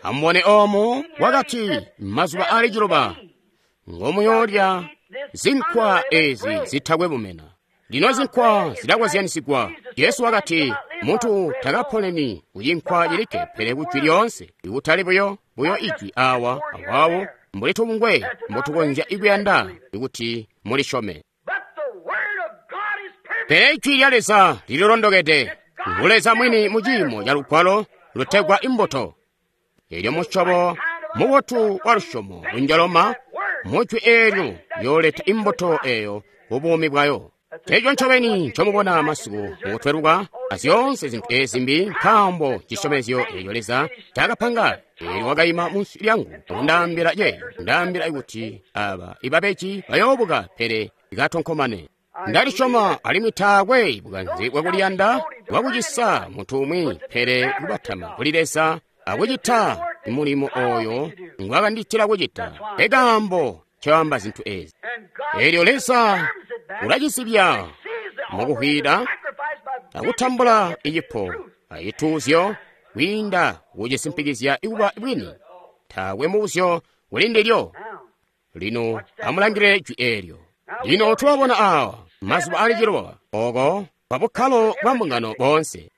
Amubone oomo wakati mazuba ali ciloba ngomuyoolya zinkwa ezi zitakwe bumena. Lino zinkwa zilakozyanisigwa. Jesu wakati muntu takaponeni kucinkwa cilikke pele kujwi lyoonse, ikutali buyo buyo ijwi awa awawo mbuli tubungwe mbotukonzya ikuyanda ikuti mulishome. Pele ijwi lya Leza lililondokede, ngu Leza mwini mu ciimo ca lugwalo lutegwa imbuto. Elyo musyobo mubotu wa lusyomo lunjaloma mujwi eelyo yooleta imbuto eyo kubuumi bwayo. Eco ncobeni ncomubona masiku mukutweluka azyoonse zintu ezi mbi nkaambo cisyomezyo eco Leza cakapanga. Eelyo wakaima munsi lyangu akundaambila ye ndaambila ikuti aba ibabeji bayoobuka pele ikatonkomane. Ndalisyoma alimwi taakwe bukanze bwakuliyanda bwakucisa muntu umwi pele kubatama kuli Leza akucita mulimo oyo ngwakanditila kucita. Ekaambo ncoamba zintu ezi. Eelyo Leza ulacisibya mukuhwila akutambula icipo acituuzyo kwiinda kucisimpikizya ikuba bwini. Taakwe mubuzyo kuli ndilyo. Lino amulangilile jwi eelyo. Lino tulabona awa mazuba ali ciloba oko kwa bukkalo bwa mbungano boonse.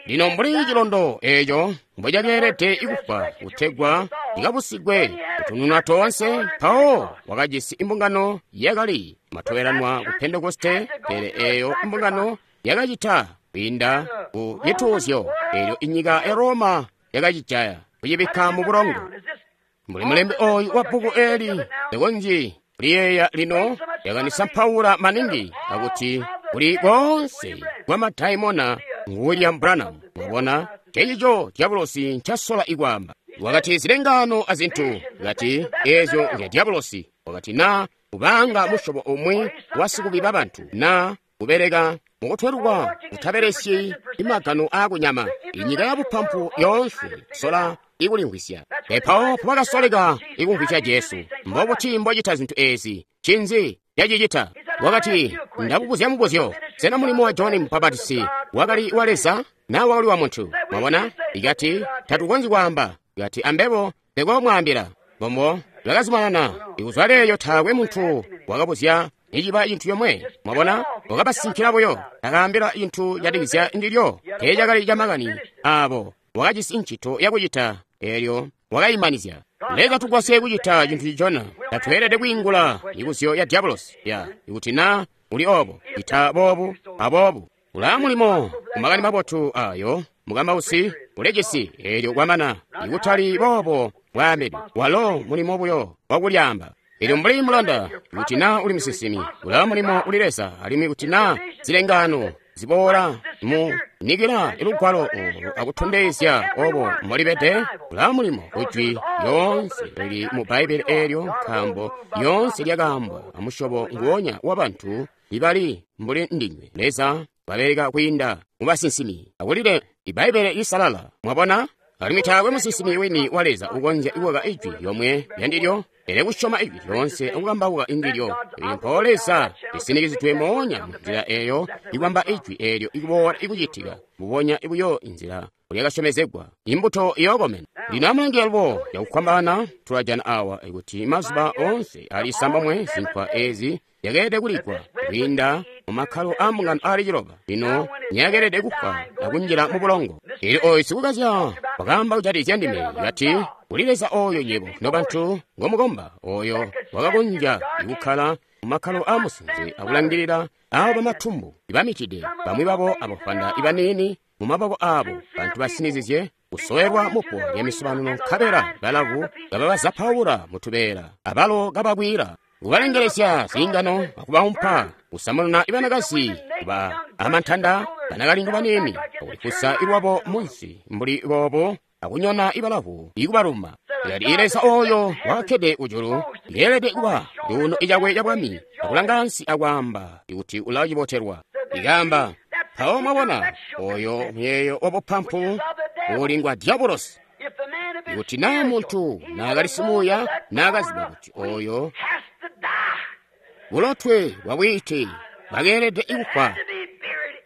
Lino mbuli cilondo eco mbocakeelede ikufwa kutegwa cikabusigwe kutununa toonse, mpawo wakajisi imbungano yakali matobelanwa ku Pentekoste, pele eyo imbungano yakacita kwiinda ku cituuzyo eelyo inyika ya Roma yakacijaya kucibikka mu bulongo. Mbuli mulembi oyu wa bbuku eli likonzyi liyeeya lino yakanisampaula maningi akuti kuli koonse kwa madaimona ngu William Branham. Mwabona cecico diabolosi ncasola ikwaamba. Wakati zilengano azintu kati ezyo nzya diabolosi. Wakati na kubanga musyobo umwi wasikubiba bantu na kubeleka mukutweluka kutabelesyi imagano akunyama inyika ya bupampu yoonse sola ikulimvwisya. Epawo pabakasoleka ikumvwisya Jesu. Mbobuti mbocita zintu ezi? Cinzi yacicita? Wakati ndakubuzya mubuzyo, sena mulimo wa Johani Mubapatisi wakali wa Leza na wakali wa muntu? Mwabona? Ikati tatukonzyi kwaamba. Ikati ambebo ndekoomwaambila. Bombo bakazumanana ikuzwa leeyo taakwe muntu wakabuzya niciba cintu yomwe. Mwabona? Wakabasinkila buyo akaambila cintu catikizya ndilyo teecakali camakani abo. Wakajisi ncito yakucita eelyo wakayimanizya. Leza tugwasye kucita cintu cicona. Tatweelede kwiingula mibuzyo ya diabolosi ya ikuti na uli obo cita boobu aboobu. Ulaa mulimo kumakani mabotu ayo mukambausi ulecisi eelyo kwamana ikutali boobo bwaambidwe walo mulimo buyo wakulyaamba. Eelyo mbuli mulanda kuti na uli musinsimi ulaa mulimo uli Leza alimwi kuti na zilengano ziboola mu nikila ilugwalo olo akutondezya obo mbolibede ulaa mulimo kujwi lyoonse lili mu Bbaibili eelyo nkaambo lyoonse lyakaambwa amusyobo nguwonya wa bantu ibali mbuli ndinywe. Leza babeleka kwiinda mu basinsimi akulile Ibbaibbele lisalala. Mwabona? Alimwi taakwe musinsimi wini wa Leza ukonzya kukaka ijwi lyomwe lyandilyo, pele kusyoma ijwi lyoonse akukambauka indilyo. Elyo mpawo Leza lisinikizidwe moonya munzila eyo ikubamba ijwi eelyo ikuboola ikucitika mbubonya buyo inzila lyakasyomezegwa. Imbuto iyookomena. Lino amulange alubo cakufwambaana tulajana awa kuti mazuba oonse ali isambomwe zinkwa ezi zyakeelede kuligwa kwiinda mu makkalo aa mbungano aali ciloba. Lino nyakeelede kufwa akunjila mu bulongo. Elyo oyu sikukazya wakaamba kujatikizya ndime, kati, kuli Leza oyo nywebo nobantu ngomukomba, oyo wakakonzya kukkala mu makkalo aa musinze akulangilila abo bamatumbu ibamitide, bamwi babo abafwanda ibaniini mu maboko abo, bantu basinizizye kusowelwa mupo lya misobano, nkabela balavu kababazapaula mutubeela, abalo kabakwila, kubalengelezya ziingano akubaumpa, kusamununa ibanakazi kuba amantanda, banakalindu baniini, akulifusa ilwabo munsi mbuli boobo, akunyona ibalavu ikubaluma. Yali Leza oyo wakakkede kujulu yeelede kuba cuuno cakwe cabwami, akulanga ansi akwaamba kuti ulacibotelwa. Ikaamba, mpawo mwabona oyo muyeeyo wabupampu uli ngwa diabolosi. Kuti naa muntu naakali simuuya, naakaziba kuti oyo bulotwe bwabwiite bakeelede kufwa,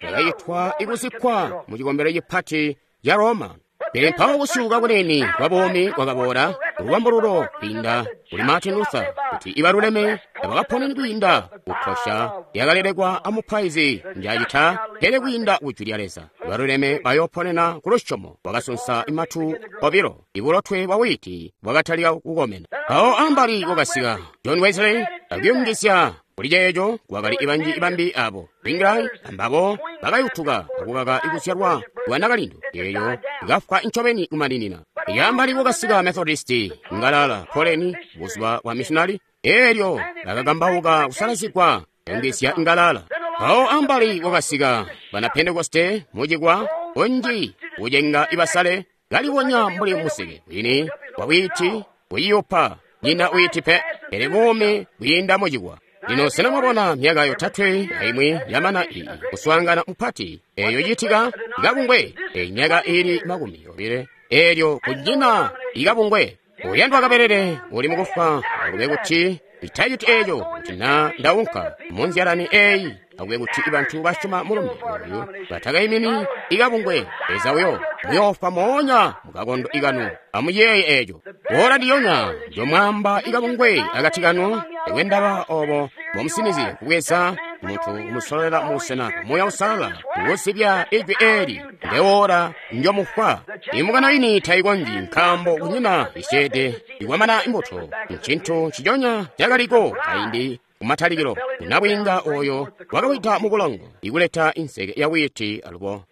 bwakayitwa ikuzikkwa mu cikombelo cipati ca Roma. Pele mpawo kusyuuka kunene kwa buumi kwakaboola lubambululo kwiinda kuli Martin Luther, kuti ibaluleme tabakaponeni kwiinda kukosha lyakalelekwa amupaizi njacita, pele kwiinda kujwi lya Leza. Ibaluleme bayooponena ku lusyomo. Wakasunsa imatu obilo, ibulotwe bwa wiiti bwakatalika kukomena. Mpawo ambali kwakasika John Wesley akuyungizya kuli ceeco kwakali ibanji ibambi abo Zwingli ambabo bakayutuka akukaka ikuzyalwa kwa nakalindu eyo ikafwa ncobeni kumaninina. Iyambali kwakasika Methodisti ngalala Poleni buzuba bwa missionary, eelyo bakakambauka kusalazigwa kuyungizya ngalala. Mpawo ambali kwakasika bana Pentekoste mucikwa unji kucenga ibasale kalibonya mbuli museke wini wa wiiti kuyiyupa nyina wiiti pe, pele buumi bwiinda mucikwa. Lino sena mwabona myaka yotatwe aimwi yamana iyi kuswaangana mupati eyo citika ikabungwe, eyi myaka ili makumi obile eelyo kunyina ikabungwe. Uyandwa kabelele uli mukufwa, akube kuti itaciti eeco kuti na ndaunka munzyalani eyi, akube kuti bantu basyoma mulumbe oyu batakaimini ikabungwe. Leza uyo muyoofwa moonya mukakondo ikanu. Amuyeeye eeco. Ora ndiyonya njomwamba ikabungwe akati kanu, ekwe ndaba obo mbomusinizye kubweza muntu kumusololela mubusena Muuya Uusalala kusibya ijwi eeli, ndeora njomufwa. Imbungano ini tayikonzyi, nkaambo kunyina isyeede ikwamana imbuto. Ncintu nciconya cakaliko kaindi kumatalikilo, unabwiinga oyo wakawida mu bulongo ikuleta inseke ya wiiti alubo.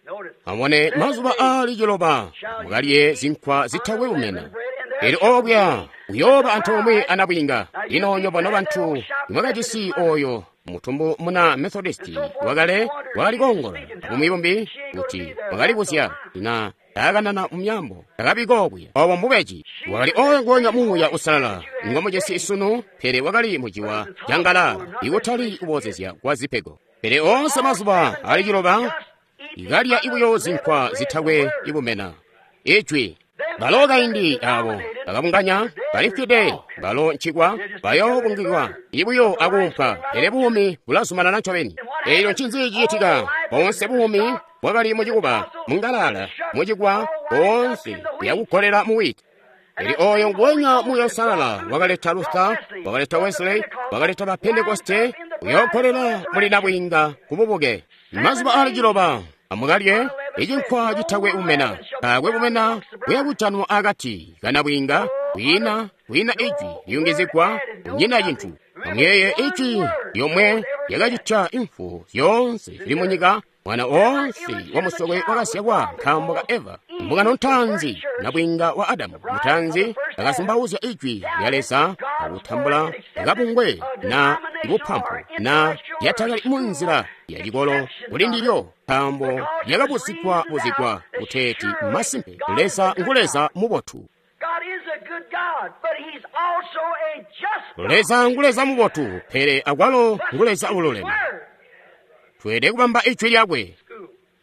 Amubone mazuba aali ciloba mukalye zinkwa zitakwe bumena. Elyo obya uyooba antoomwe anabwiinga. Lino nywebo nobantu nimwakajisi oyo mutumbu muna Methodisti wakale wakali koongola abumwi bumbi kuti wakalibuzya na taakanana mu myambo takabiko kuya. Obo mbubeji. Wakali oyo nguonya Muuya Uusalala ngomujisi sunu, pele wakali muciwa ca ngalala ikutali kuboozezya kwa zipego. Pele oonse mazuba ali ciloba ikalya ibuyo zinkwa zitakwe ibumena. Ijwi balo kaindi abo bakabunganya balifwide, balo ncikwa bayoobungikwa ibuyo akuumpa, pele buumi bulazumanana ncobeni. Elyo ncinzi cicitika? Boonse buumi bwakali mucikuba, mungalala, mucikwa, boonse buyakukolela mu wiiti. Elyo oyo nguonya Muuya Uusalala wakaleta Luther, wakaleta Wesley, wakaleta ba Pentekoste, uyookolela muli nabwiinga kububuke. Mazuba aali ciloba amukalye icinkwa citakwe bumena. Taakwe bumena buyakujanwa akati kanabwiinga, kwiina kwiina ijwi liyungizigwa, kunyina cintu. Amuyeeye ijwi lyomwe lyakacitya imfu zyoonse zili munyika, mwana oonse wamusokwe wakazyalwa nkaambo ka Eva. Mbungano ntaanzi, nabwiinga wa Adamu mutaanzi, akazumbauzya ijwi lya Leza akutambula kabungwe na bupampu na lyatakali munzila ya cikolo kuli ndilyo, nkaambo lyakabuzigwa buzigwa kuteeti masimpe Leza ngu Leza mubotu. Leza ngu Leza mubotu, pele akwalo ngu Leza ululeme. Tweelede kubamba ijwi lyakwe.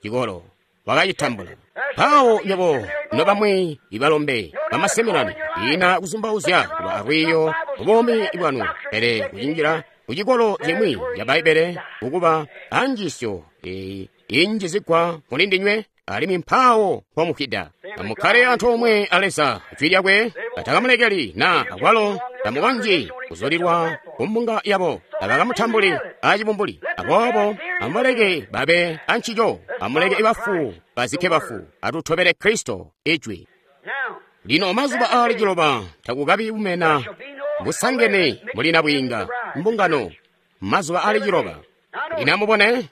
Cikolo. wakacitambula. Mpawo nywebo nobamwi ibalombe bamaseminari ina kuzumbauzya kuba alwiiyo mubuumi bwanu, pele kucinjila kucikolo cimwi ca Bbaibbele kukuba anjiisyo eyi injizigwa muli ndinywe, alimwi mpawo mpomukwida. Amukkale antoomwe a Leza, Jwi lyakwe batakamulekeli na akwalo tamukonzyi kuzulilwa ku mbunga yabo, tabakamutambuli acibumbuli. Aboobo amuleke babe ancico, amuleke bafu bazikke bafu, atutobele Kristo, Ijwi. Lino mazuba aali ciloba takukabi bumena busangene muli nabwiinga mbungano, mazuba aali ciloba. Lino amubone,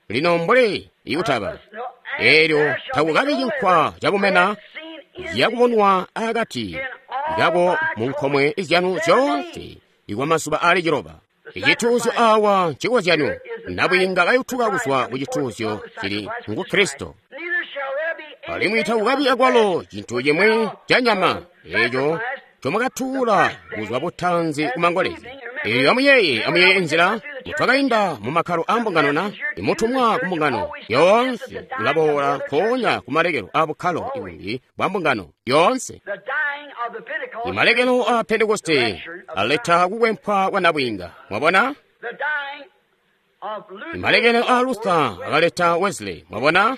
lino mbuli ikutaba eelyo takukabi cinkwa cabumena zyakubonwa akati kako mu nkomwe zyanu zyoonse ikwa mazuba aali ciloba. Icituuzyo awa ncikozyanyo, nabwiinga kayutuka kuzwa ku cituuzyo cili ngu Kristo. Alimwi takukabi akwalo cintu cimwi ca nyama eeco comwakatuula kuzwa butanzi kumangolezi. Eelyo amuyeeye, amuyeeye nzila mutwakainda mu makkalo a mbungano na imutumwa ku mbungano yoonse ulaboola nkoonya ku malekelo a bukkalo ibumbi bwa mbungano yoonse. Imalekelo a Pentekoste aleta kukwempwa kwa nabwiinga. Mwabona? Imalekelo a Luther akaleta Wesley. Mwabona?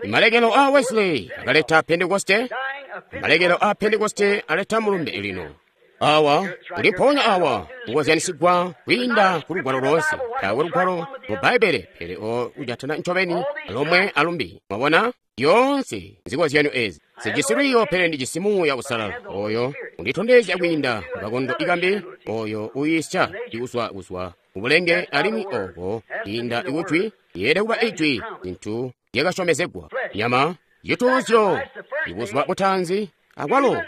Imalekelo a Wesley akaleta Pentekoste. Imalekelo a Pentekoste aleta mulumbe lino. Awa kuli mpoonya awa kukozyanisigwa kwiinda ku lugwalo loonse. Taakwe lugwalo mu Bbaibbele pele o kujatana ncobeni lomwe alumbi. Mwabona? Yoonse nzikozyanyo ezi. Sijisi lwiiyo pele ndijisi Muuya Uusalala oyo unditondezya kwiinda mukakondo ikambi, oyo uyiisya ikuzwa kuzwa kubulenge alimwi oko kwiinda ikujwi yeelede kuba ijwi zintu zyakasyomezegwa. Nyama cituuzyo ibuzuba butaanzi akwalo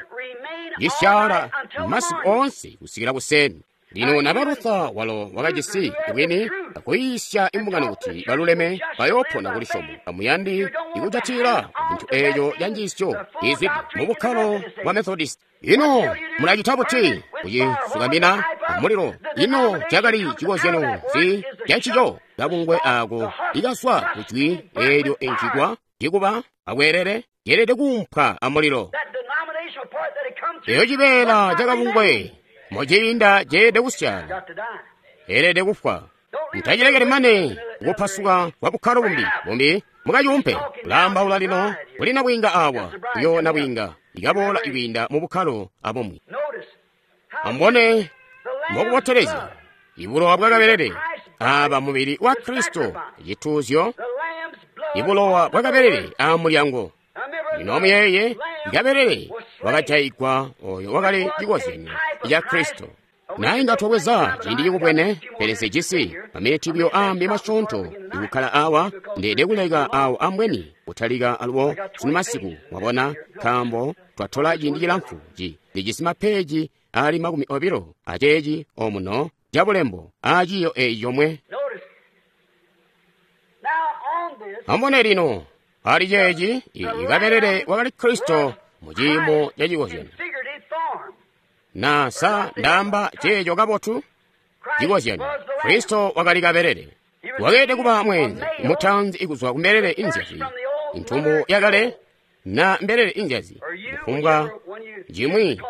cisyaala masiku oonse kusikila kuseni. Lino naba Luther walo wakajisi bwini akuyiisya imbungano kuti baluleme bayoopona kulisyomo. Amuyandi ikujatila cintu eeco ca njiisyo izwide mu bukkalo bwa Methodist. Ino mulacita buti kucisukamina amulilo? Ino cakali cikozyanyo nzi cancico? Kabungwe ako ikazwa kujwi eelyo encikwa cikuba akweelele ceelede kuumpwa amulilo. Eyo cibeela cakabungwe muciinda ceelede kusyaala, eelede kufwa. Mutacilekeli mane kupasuka kwa bukkalo bumbi bumbi mukacuumpe. Ulaambaula lino kuli nabwiinga awa, uyo nabwiinga ikaboola ikwiinda mu bukkalo abumwi. Amubone mbokubotelezya ibulowa bwakabelele aba mubili wa Kristo, cituuzyo, ibulowa bwakabelele a mulyango. Lino amuyeeye, ikabelele wakajayigwa oyo wakali cikozyanyo ca Kristo. Na inga twabweza ciindi cikubwene, pele sijisi maminiti buyo ambi masyoonto ikukkala awa, ndeede kuleka awo ambweni kutalika alubo sunu masiku, mwabona, nkaambo twatola ciindi cilamfu ci ndijisi mapeeji ali makumi obilo aceeci omuno cabulembo aciiyo eeci comwe. Amubone lino, ali ceeci ikabelele wakali Kristo mu ciimo ca cikozyanyo. Na sa ndaamba ceeco kabotu? Cikozyanyo. Kristo wakali kabelele. Wakeelede kuba mweenze mutanzi ikuzwa ku mbelele inzyazi, intumbu yakale na mbelele inzyazi, kufumbwa cimwi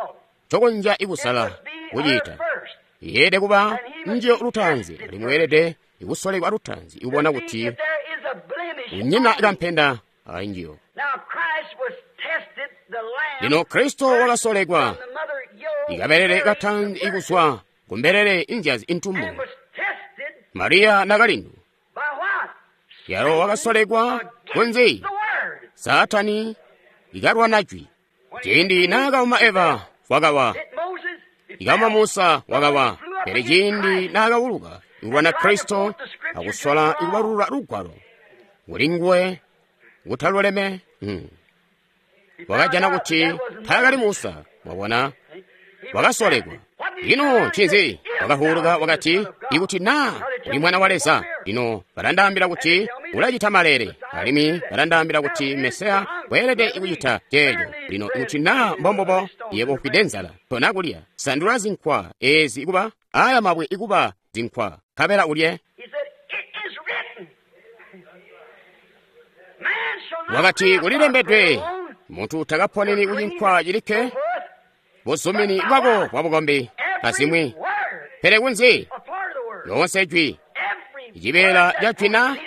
cokonzya ikusala kuciita. Yeelede kuba njiyo lutanzi, alimwi weelede ikusolekwa lutanzi ikubona kuti unyina kampenda ali njiyo. Lino Kristo wakasolekwa ikabelele katanzi ikuzwa ku mbelele inzyazi intumbu, Mariya nakalindu. Yalo wakasolekwa kunzi? Saatani ikalwana jwi. Ciindi naakauma Eva wakawa, ikauma Musa wakawa, pele ciindi naakawuluka ikulwana Kristo akusola ikubalulula lugwalo kuli nguwe kutaluleme, hmm. wakajana kuti taakali Musa. Mwabona, wakasolekwa. Ino ncinzi? Wakahuluka wakati, ikuti naa uli mwana wa Leza, lino balandaambila kuti ulacita malele, alimwi balandaambila kuti Mesiya weelede kucita ceeco. Lino ikuti naa mbombobo, yebo ufwide nzala, tona kulya, sandula zinkwa ezi kuba aya mabwe ikuba zinkwa, nkabela ulye. Wakati kulilembedwe, muntu takaponeni kucinkwa cilikke, buzumini bwako bwa bukombi azimwi, pele kunzi lyoonse jwi, cibeela ca jwi na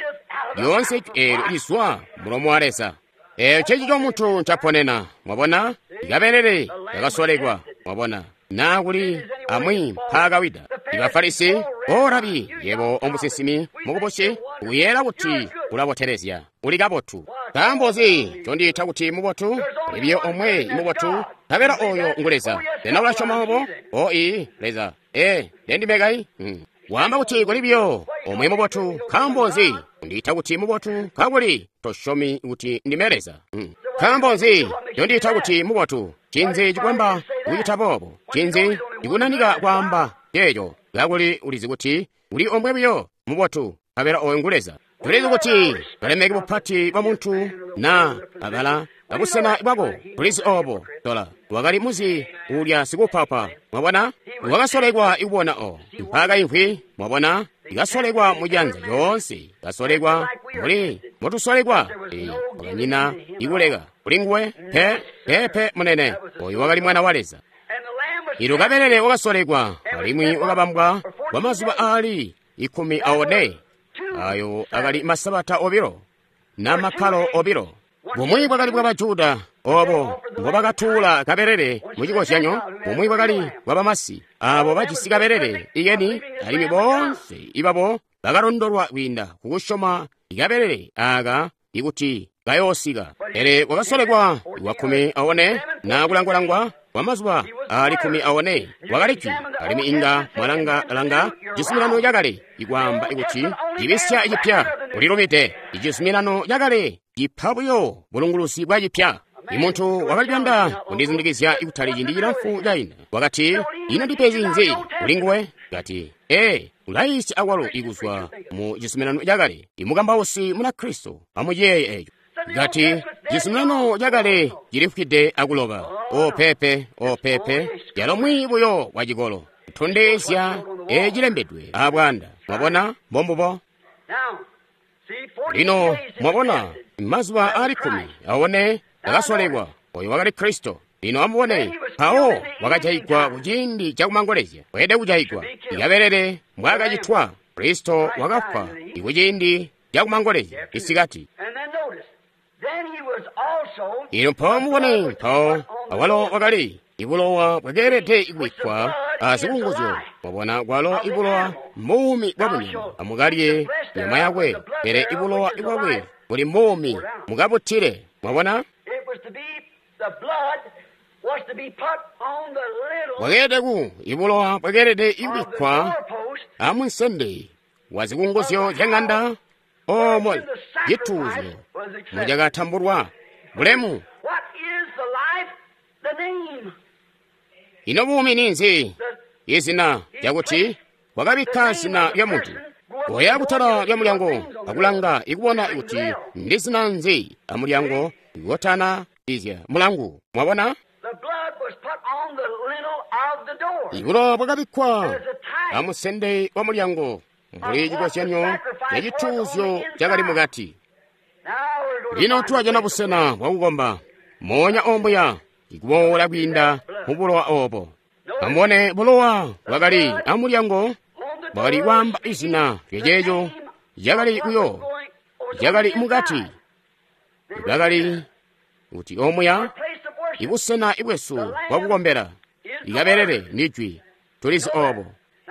lyoonse jwi eelyo lizwa mulomo wa Leza. Eeyo ncecico muntu ncaponena. Mwabona, ikabelele kakasolekwa. Mwabona, naa kuli amwi mpaakawida. Ibafarisi, o Rabi, yebo omusinsimi mukubusi, uyeela kuti ulabotelezya, uli kabotu. Nkaambo nzi ncondiita kuti mubotu? Kuli biyo omwe mubotu, nkabela oyo ngu Leza. Sena ulasyoma obo? O ii, Leza. Ee, ndendime kai? Hmm. Waamba kuti kuli biyo omwe mubotu, nkaambo nzi undiita kuti mubotu kakuli tosyomi kuti ndime Leza? Hmm. Nkaambo nzi ncondiita kuti mubotu? Ncinzi cikwamba kucita boobo? Ncinzi cikunanika kwaamba ceeco kakuli ulizi kuti uli omwe buyo mubotu, nkabela oyo ngu Leza? Tulizi kuti balemeki bupati bwa muntu na abala abusena bwako. Tulizi obo. Tola wakali muzi ulya sikupapa. Mwabona, wakasolekwa ikubona o mpaakaimvwi. Mwabona, ikasolekwa mujanza lyoonse, kasolekwa mbuli mbotusolekwa. E, wakanyina ikuleka kuli nguwe pe pepe munene. Oyu wakali mwana wa Leza. Ilo kabelele wakasolekwa alimwi wakabambwa kwa mazuba aali ikumi aone. Ayo akali masabata obilo na makkalo obilo. Bumwi bwakali bwa Bajuda obo mbobakatuula kabelele mu cikozyanyo, bumwi bwakali bwa bamasi abo bajisi kabelele ikeni, alimwi boonse ibabo bakalondolwa kwiinda kukusyoma ikabelele aka ikuti kayoosika. Pele wakasolekwa wa kkumi aone na kulangwalangwa kwa mazuba aali kkumi aone wakali jwi, alimwi inga mwalangalanga cizuminano cakale ikwaamba ikuti cibisya cipya ulilubide. Icizuminano cakale cipa buyo bulunguluzi bwa cipya. Imuntu wakali kuyanda kundizindikizya ikutali ciindi cilamfu cainda. Wakati, ino ndipezi nzi kuli nguwe? Kati, ee, ulaisya akwalo ikuzwa mu cizuminano cakale. Imukambausi muna Kristo amuciyeeye eco. Kati, cizuminano cakale cilifwide akuloba. O pepe, o pepe, yalo mwi buyo wa cikolo. Tondezya ecilembedwe abwanda. Mwabona, mbombubo. Lino mwabona, mazuba aali kkumi aone akasolekwa. Oyo wakali Kristo. Lino amubone, mpawo wakajayigwa kuciindi cakumangolezya. Weelede kujayigwa. Ikabelele mbwaakacitwa, Kristo wakafwa ikuciindi cakumangolezya isikati. Ino mpawo mubone, mpawo awalo wakali ibulowa bwakeelede kubikkwa azikunguzyo. Mwabona, kwalo ibulowa mbuumi bwa bunyama. Amukalye nyama yakwe, pele ibulowa bwakwe buli mbuumi, mukabutile. Mwabona, bwakeelede ku ibulowa bwakeelede kubikkwa amunsende wa zikunguzyo zya ŋanda omo cituuzyo mucakatambulwa. Bulemu! Ino buumi ninzi? Izina lyakuti wakabikka zina lya muntu. Oya kutala lya mulyango akulanga ikubona kuti ndi zina nzi amulyango iwotana izya mulangu. Mwabona, ibulowa bwakabikkwa amusende wa mulyango mbuli cikozyanyo ca cituuzyo cakali mukati. Lino twajana busena bwakukomba moonya ombuya ikuboola kwiinda mu bulowa obo. Amubone, bulowa bwakali amulyango bwakali kwaamba izina lyaceeco cakali kuyo cakali mukati. Bwakali kuti omuya ibusena ibwesu bwakukombela. Ikabelele ndi jwi, tulizi obo.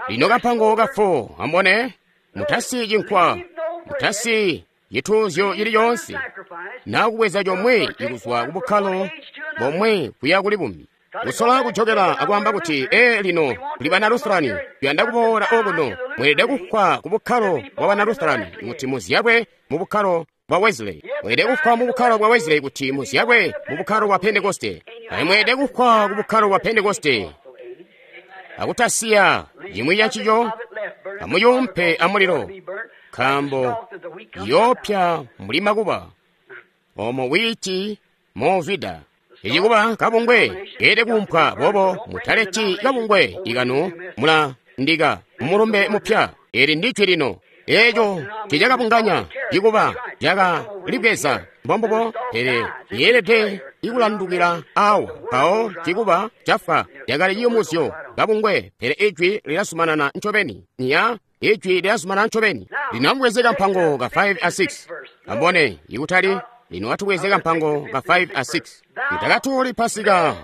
Lino kampango kafo, amubone, mutasiyi cinkwa, mutasiyi cituuzyo cili coonse, na kubweza comwe ikuzwa kubukkalo bomwe kuya kuli bumbi. Kusola kujokela akwaamba kuti, ee, lino tuli bana Lutherani, tuyanda kuboola okuno. Mweelede kufwa ku bukkalo bwa bana Lutherani kuti muzyabwe mu bukkalo bwa Wesley. Mweelede kufwa mu bukkalo bwa Wesley kuti muzyabwe mu bukkalo bwa Pentekoste. Alimwi mweelede kufwa ku bukkalo bwa Pentekoste akutasiya cimwi cancico, amuyumpe amulilo, nkaambo yoopya mbuli makuba omo wiiti movida. Icikuba kabungwe keelede kuumpwa boobo, mutaleti kabungwe ikanu mula ndika mulumbe mupya. Eli ndi jwi lino. Eco ticakabunganya cikuba caka libweza mbombubo, pele yeelede ikulandukila awa mpawo cikuba cafa. Cakali ciyumuzyo kabungwe, pele ijwi lilazumanana ncobeni. Ya ijwi lilazumanana ncobeni. Lino amubweze kampango ka five a six. Ambone ikutali lino atubweze kampango ka five a six. Mutakatuuli Pasika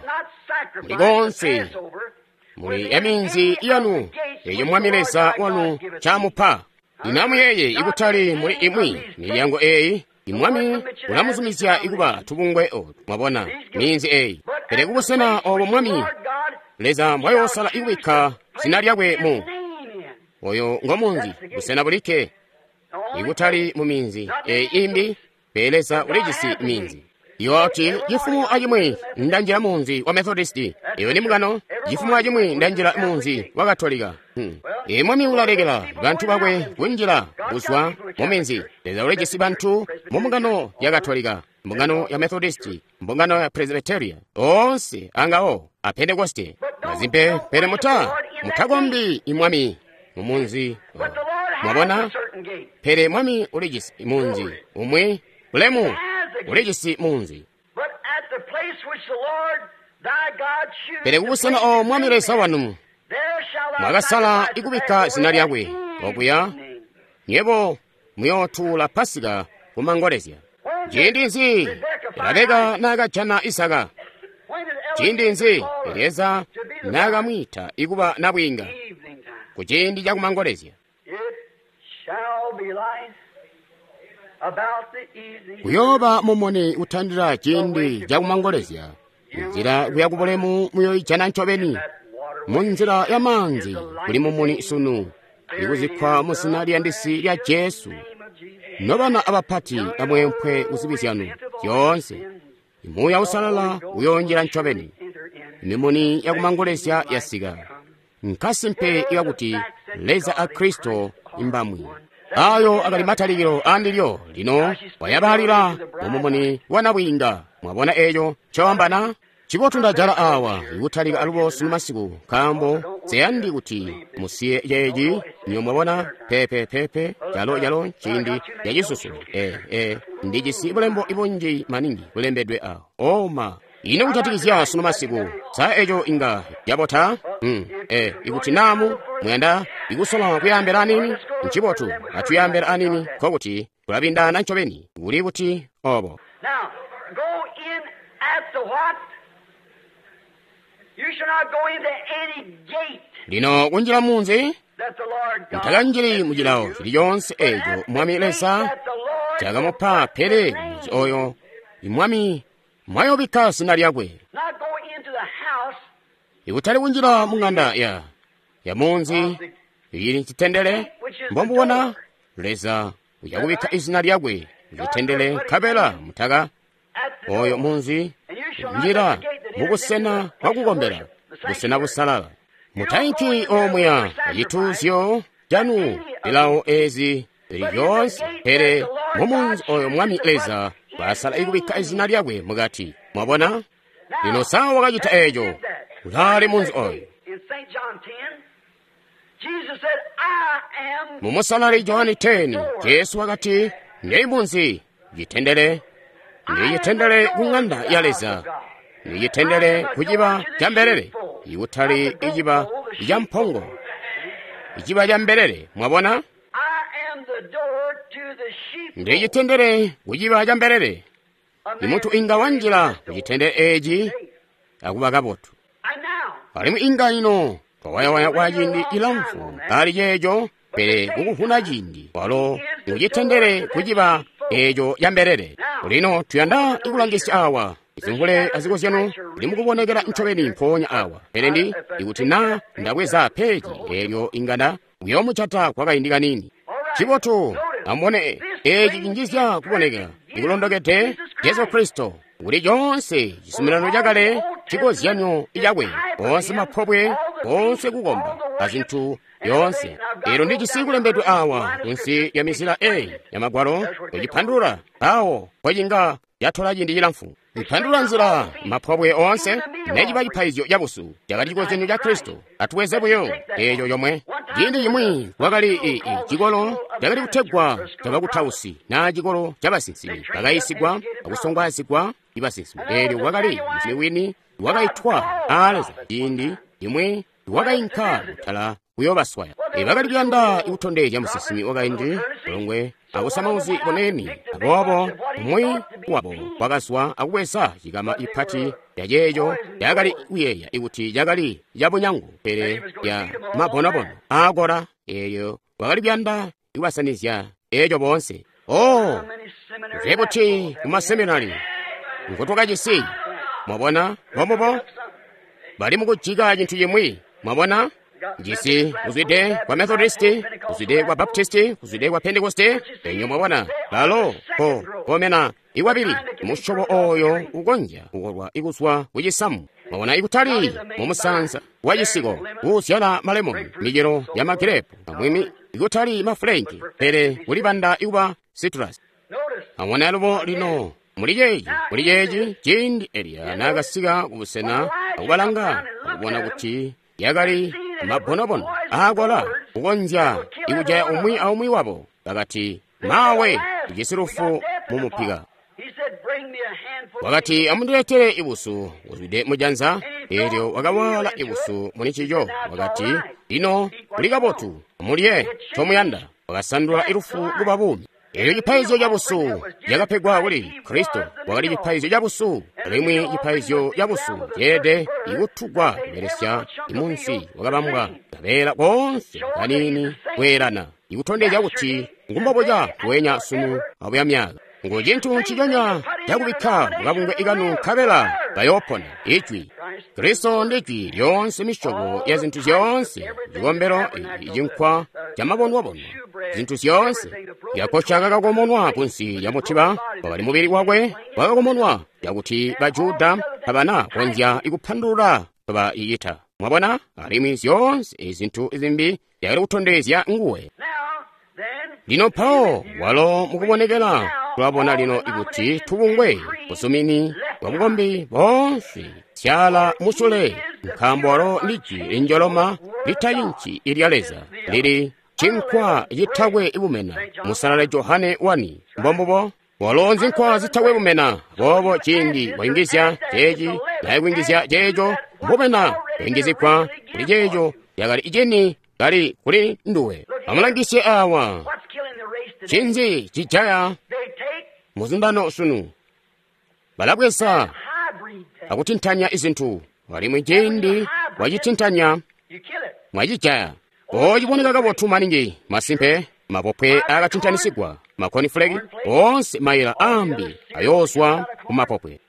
muli konse muli eminzi yanu eyo Mwami Leza wanu camupa. Lino amuyeye ikutali muli imwi milyango eyi Mwami ulamuzumizya ikuba tubungwe otu, mwabona minzi eyi, pele kubusena obo Mwami Leza mbwayoosala ikubikka zina lyakwe mu oyo ngomunzi, busena bulikke, ikutali mu minzi eyi imbi, pele Leza ulijisi minzi. Yoti cifumo acimwi ndanjila munzi wa Methodisti, iyo ni mukano. Cifumo acimwi ndanjila munzi wa Katolika. Hmm. E Mwami ulalekela bantu bakwe kunjila kuzwa mu minzi. Leza ulijisi bantu mu mbungano ya Katolika, mbungano ya Methodisti, mbungano ya Presbyteria, onse angawo a Pentekoste. Mazimpe, pele muta mutakombi imwami mu munzi. Mwabona? Pele Mwami ulijisi munzi umwi ulemu ulijisi munzi. Pele kubusena o Mwami Leza wanu mwakasala ikubikka zina lyakwe okuya, nyebo muyootuula Pasika kumangolezya. Ciindi nzi Rabeka naakajana Isaka? Ciindi nzi Elieza naakamwiita ikuba nabwiinga? Ku ciindi cakumangolezya. Kuyooba mumuni utandila ciindi cakumangolezya. Nzila kuya kubulemu muyoijana ncobeni. Munzila ya maanzi kuli mumuni sunu, ikuzikkwa mu zina liyandisi lya Jesu. Nobana abapati amwempwe kuzibi zyanu zyoonse, Muuya Usalala uyoonjila ncobeni. Mimuni yakumangolezya yasika. Nkasimpe ikakuti Leza a Kristo imbamwi. Ayo akali matalikilo andilyo lino wayabalila mumumuni wa nabwiinga. Mwabona eco ncoambana? Cibotu ndajala awa ikutalika alubo sunu masiku, nkaambo seyandi kuti musiye ceeci. Nyo mwabona pepepepe calo calo ciindi cacisusu. E e ndijisi bulembo ibunji maningi bulembedwe awo. Oma ino kujatikizya sunu masiku, sa eco inga cabota? Hmm. E ikuti namu muyanda ikusola kuyambela anini, ncibotu atuyambela anini, nkokuti kulabindana ncobeni kuli kuti obo. Now, go in at the what? You shall not go into any gate Lino kunjila munzi that the Lord God mutakanjili mucilawo chilichonse echo Mwami Leza that the Lord chakamupa, pele munzi oyo Mwami mwayobikka zina lyakwe. not go into the house Ikutali kunjila mung'anda ya ya munzi ili chitendere mbombuona Leza uyakubikka izina lyakwe chitendere nkabela mutaka at the oyo door. munzi And you shall not njira let the gate that enters mubusena into the bwa place of kukombera worship, the busena sanctuary. busalala. Mutainki omweya chituuzyo chanu lilawo ezi lili lyonse, pele mumunzi oyo Mwami Leza wasala ikubikka izina lyakwe mukati. Mwabona? Lino sawa wakachita echo kulali munzi oyo. In Saint John ten, Jesus said, I am Mumusalali Johani ten, Jesu wakati, ndei munzi chitendere, ndichitendere ku ng'anda ya Leza, ndichitendere ku chiba cha mbelele, ikutali ichiba cha mphongo, ichiba cha mbelele. Mwabona? I am the door to the sheep. Ndichitendere ku chiba cha mbelele. Imunthu inga wanjira kuchitendere echi akuba kabotu. And now, Alimwi inga ino twawayawaya kwa ciindi ilamfu ali ceeco, pele kukufuna ciindi walo mucitendere kuciba eco ya mbelele. Lino tuyanda ikulangisya awa izimvule azikozyano zili mukubonekera ncobeni mpoonya awa, pele ndi ikuti na ndabweza peji elyo inganda kuyomuchata kwa kaindi kanini. Cibotu amubone eci cinjizya kuboneka ikulondokede Jesu Kristo kuli conse cizuminano cakale cikozyanyo icakwe, onse maphobwe, onse kukomba azinthu yonse. Ero ndi cisikulembedwe awa kunsi ya mizira eyi ya magwalo kuciphandula awo pocinga yathola ciindi cilamfu iphandula nzira maphobwe onse necipa chiphaizyo chabusu chakali chikozyanyo cha Khristu. Atuweze buyo echo chomwe Ciindi cimwi kwakali i, i cikolo cakali kutegwa cabakutausi na cikolo cabasinsimi. Bakayisigwa akusongwaazigwa ibasinsimi. Eelyo kwakali musinsimi wini wakaitwa aa Leza. Ciindi cimwi wakainka kutala kuyoobaswaya. E, bakali kuyanda kutondezya musinsimi wakaindi mulongwe akusamauzi boneni. Aboobo umwi wabo wakazwa akubweza cikama ipati yaceeco yakali kuyeeya ikuti cakali cabunyangu, pele ya mabonobono aakola. Eelyo wakali kuyanda kubasanizya eeco boonse. Oh, nze buti kumaseminari ngotwakajisi. Mwabona bomubo bali mukujika cintu cimwi. Mwabona jisi kuzwide kwa Methodisti, kuzwide kwa Baptisti, kuzwide kwa Pentekoste. Enyo mwabona balo ko komena iwabili musyobo oyo ukonzya kukolwa ikuzwa kucisamu. Mwabona ikutali mumusanza wa cisiko uzyala malemoni, micelo ya magirepu amwimi, ikutali mafulenki, pele kulibanda ikuba citrus. Amwona alubo lino muli ceeci, muli ceeci ciindi Eliya naakasika kubusena akubalanga akubona kuti yakali mabonobono aakola kukonzya ikujaya umwi aumwi wabo, bakati, mawe, ujisi lufu mumupika. Wakati, amundiletere ibusu buzwide mujanza. Eelyo wakawala ibusu muli ncico. Wakati, lino kuli kabotu, mulye comuyanda. Wakasandula ilufu kuba buumi. Eelyo cipaizyo cabusu cakapegwa kuli Kristo wakali cipaizyo cabusu, alimwi cipaizyo cabusu ceelede ikutugwa kubelesya imunsi wakabambwa kabeela koonse kaniini kweelana, ikutondezya kuti ngumbobuca kuwenya sunu abuya myaka. Ngu cintu nciconya cakubikka mukabungwe ikanu nkabela bayoopona. Ijwi Kristo ndi Jwi lyoonse, misyobo ya zintu zyoonse, cikombelo, icinkwa camabonwabonwa, zintu zyoonse. Yakosha kakakomonwa kunsi lya mutiba, wakali mubili wakwe wakakomonwa, cakuti Bajuda tabana konzya ikupandulula baiyita. Mwabona, alimwi zyoonse zintu zimbi zyakali kutondezya nguwe. Lino mpawo walo mukubonekela tulabona lino ikuti tubungwe busumini bwa bukombi boonse syala musule, nkaambo walo ndi Jwi linjoloma litayinci ilya Leza lili cinkwa citakwe bumena. Musalale Johane wani mbombubo walo nzinkwa zitakwe bumena. Boobo ciindi wayungizya ceeci naye kuyungizya ceeco, mbumena kuyungizigwa kuli ceeco yakali icini kali kuli nduwe. Amulangisye awa cinzi cijaya muzundano sunu. Balabweza akutintanya izintu, alimwi ciindi wacitintanya mwacijaya. Ociboneka kabotu maningi masimpe, mapopwe akatintanisigwa, makonifuleki onse mayila ambi ayoozwa kumapopwe.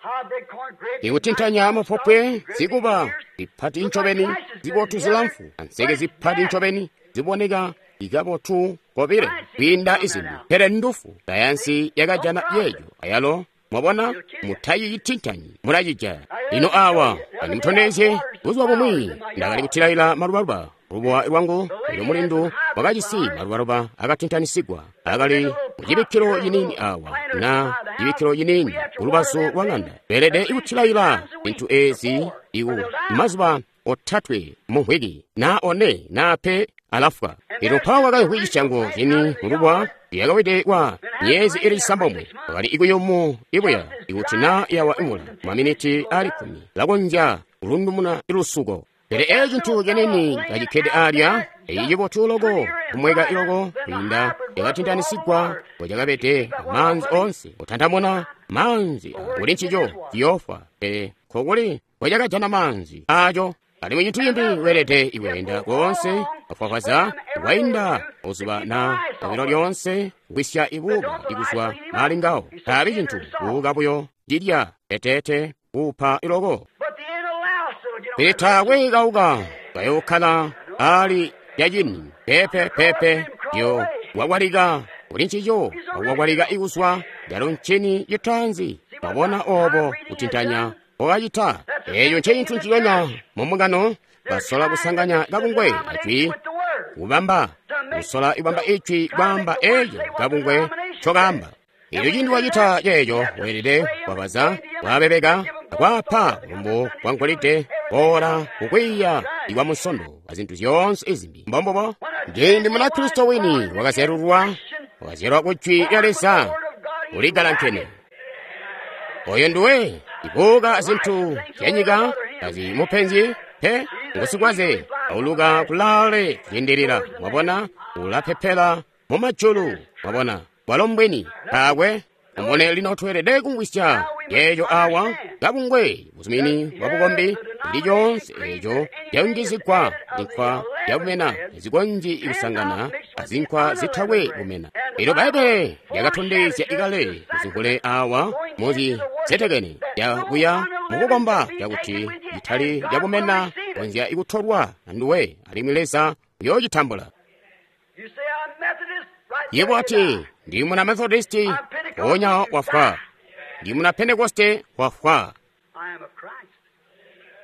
Ikutintanya mapopwe zikuba zipati ncobeni, zibotu zilamfu, anseke zipati ncobeni ziboneka ikabotu kobile kwiinda izimbi, pele ndufu. Sayansi yakajana yeeyo ayalo. Mwabona, mutayitintanyi, mulacijaya. Lino awa andimutondezye buzuba bumwi ndakali kutilaila malubaluba lubowa lwangu. Elyo mulindu wakajisi malubaluba akatintanisigwa akali mucibikkilo ciniini awa na cibikkilo ciniini kulubazu lwa ng'anda. Beelede ikutilaila zintu ezi iku mazuba otatwe mu mvwiki na one na pe alafwa. Elyo mpawo wakayimvwi cisyango cini mulubuwa yakawide kwa myezi ili cisambomwe. Wakali ikuyumu ibuya ikuti na yawa imvula maminiti ali kkumi lakonzya kulundumuna ilusuko. Pele eco cintu canini kacikkede alya, eyi cibotu loko kumweka iloko kwiinda yakatintanisigwa bwecakabede amaanzi onse kutantamuna maanzi kuli ncico ciyofwa, pele nkokuli bwecakajana maanzi aco. Alimwi cintu cimbi weelede ikweenda koonse afwafwaza wainda uzuba na obilo lyonse kwisya ibuuka ikuzwa mali ngawo. Taabi cintu buuka buyo cilya eteete kuupa iloko. Pele taakwe kauka kayookala ali lyacini pepe pepe yo wakwalika kuli ncico wakwalika ikuzwa lyalo ncini citaanzi. Mwabona obo kutintanya wakacita eeco ncecintu nciconya mumungano. Basola kusanganya kabungwe ajwi kubamba, kusola ibamba ijwi kwaamba eeco kabungwe ncokaamba. Elyo ciindi wacita ceeco weelede kwabaza, kwabebeka, akwapa bulumbu bwa ngolide, boola kukwiiya ikwa musondo azintu zyoonse izimbi. Mbombubo. Ciindi Munakristo wini wakazyalulwa, wakazyalwa ku Jwi lya Leza, uligalankene. Oyo nduwe, ibuka zintu zyanyika tazimupenzi pe, ngusikwaze, auluka kulaale kwiindilila, mwabona, ulapepela mu majulu, mwabona, bwalo mbwini, taakwe. Mubone lino tweelede kumvwisya yeeyo awa kabungwe buzumini bwa bukombi ndi lyonse eeco lyayungizigwa zinkwa zyabumena zikonzyi kusangana azinkwa zitakwe bumena. Elyo Bbaibbele lyakatondezya ikale muzingule awa muzisetekene lyakuya mukukomba cakuti citali cabumena konzya ikutolwa anduwe alimwi Leza uyoocitambula. You say, I'm Methodist, right Yebo there you ati die. ndi muna Methodisti ponya wafwa, ndi muna Pentekoste wafwa, I am of Christ.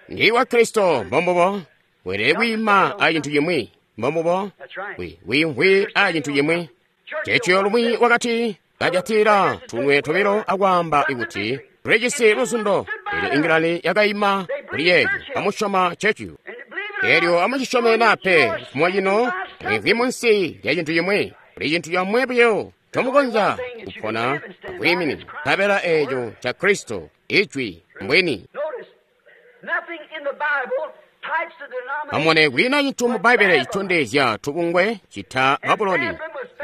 ndi wa Kristo mbombubo weelede kwiima a cintu cimwi mbombubo That's right. wi- wiimvwi a cintu cimwi. Chechiyo lumwi wakati kajatira tunwe tobilo akwaamba ikuti tulijisi luzundo. Elyo Ingilani yakayima kuli yeeyo amusyoma Chechiyo. And believe it or Elyo not, amucisyome nape chifukwa chino mwimvwi munsi lya cintu chimwe kuli cintu chomwe buyo chomukonza kupona akwiiminina nkabela eeco cha Kristo Ijwi mbwini. notice, nothing in the Bible types the denomination. Amone kulina cinthu mu Baibulo chitondezya tubungwe chita Babuloni.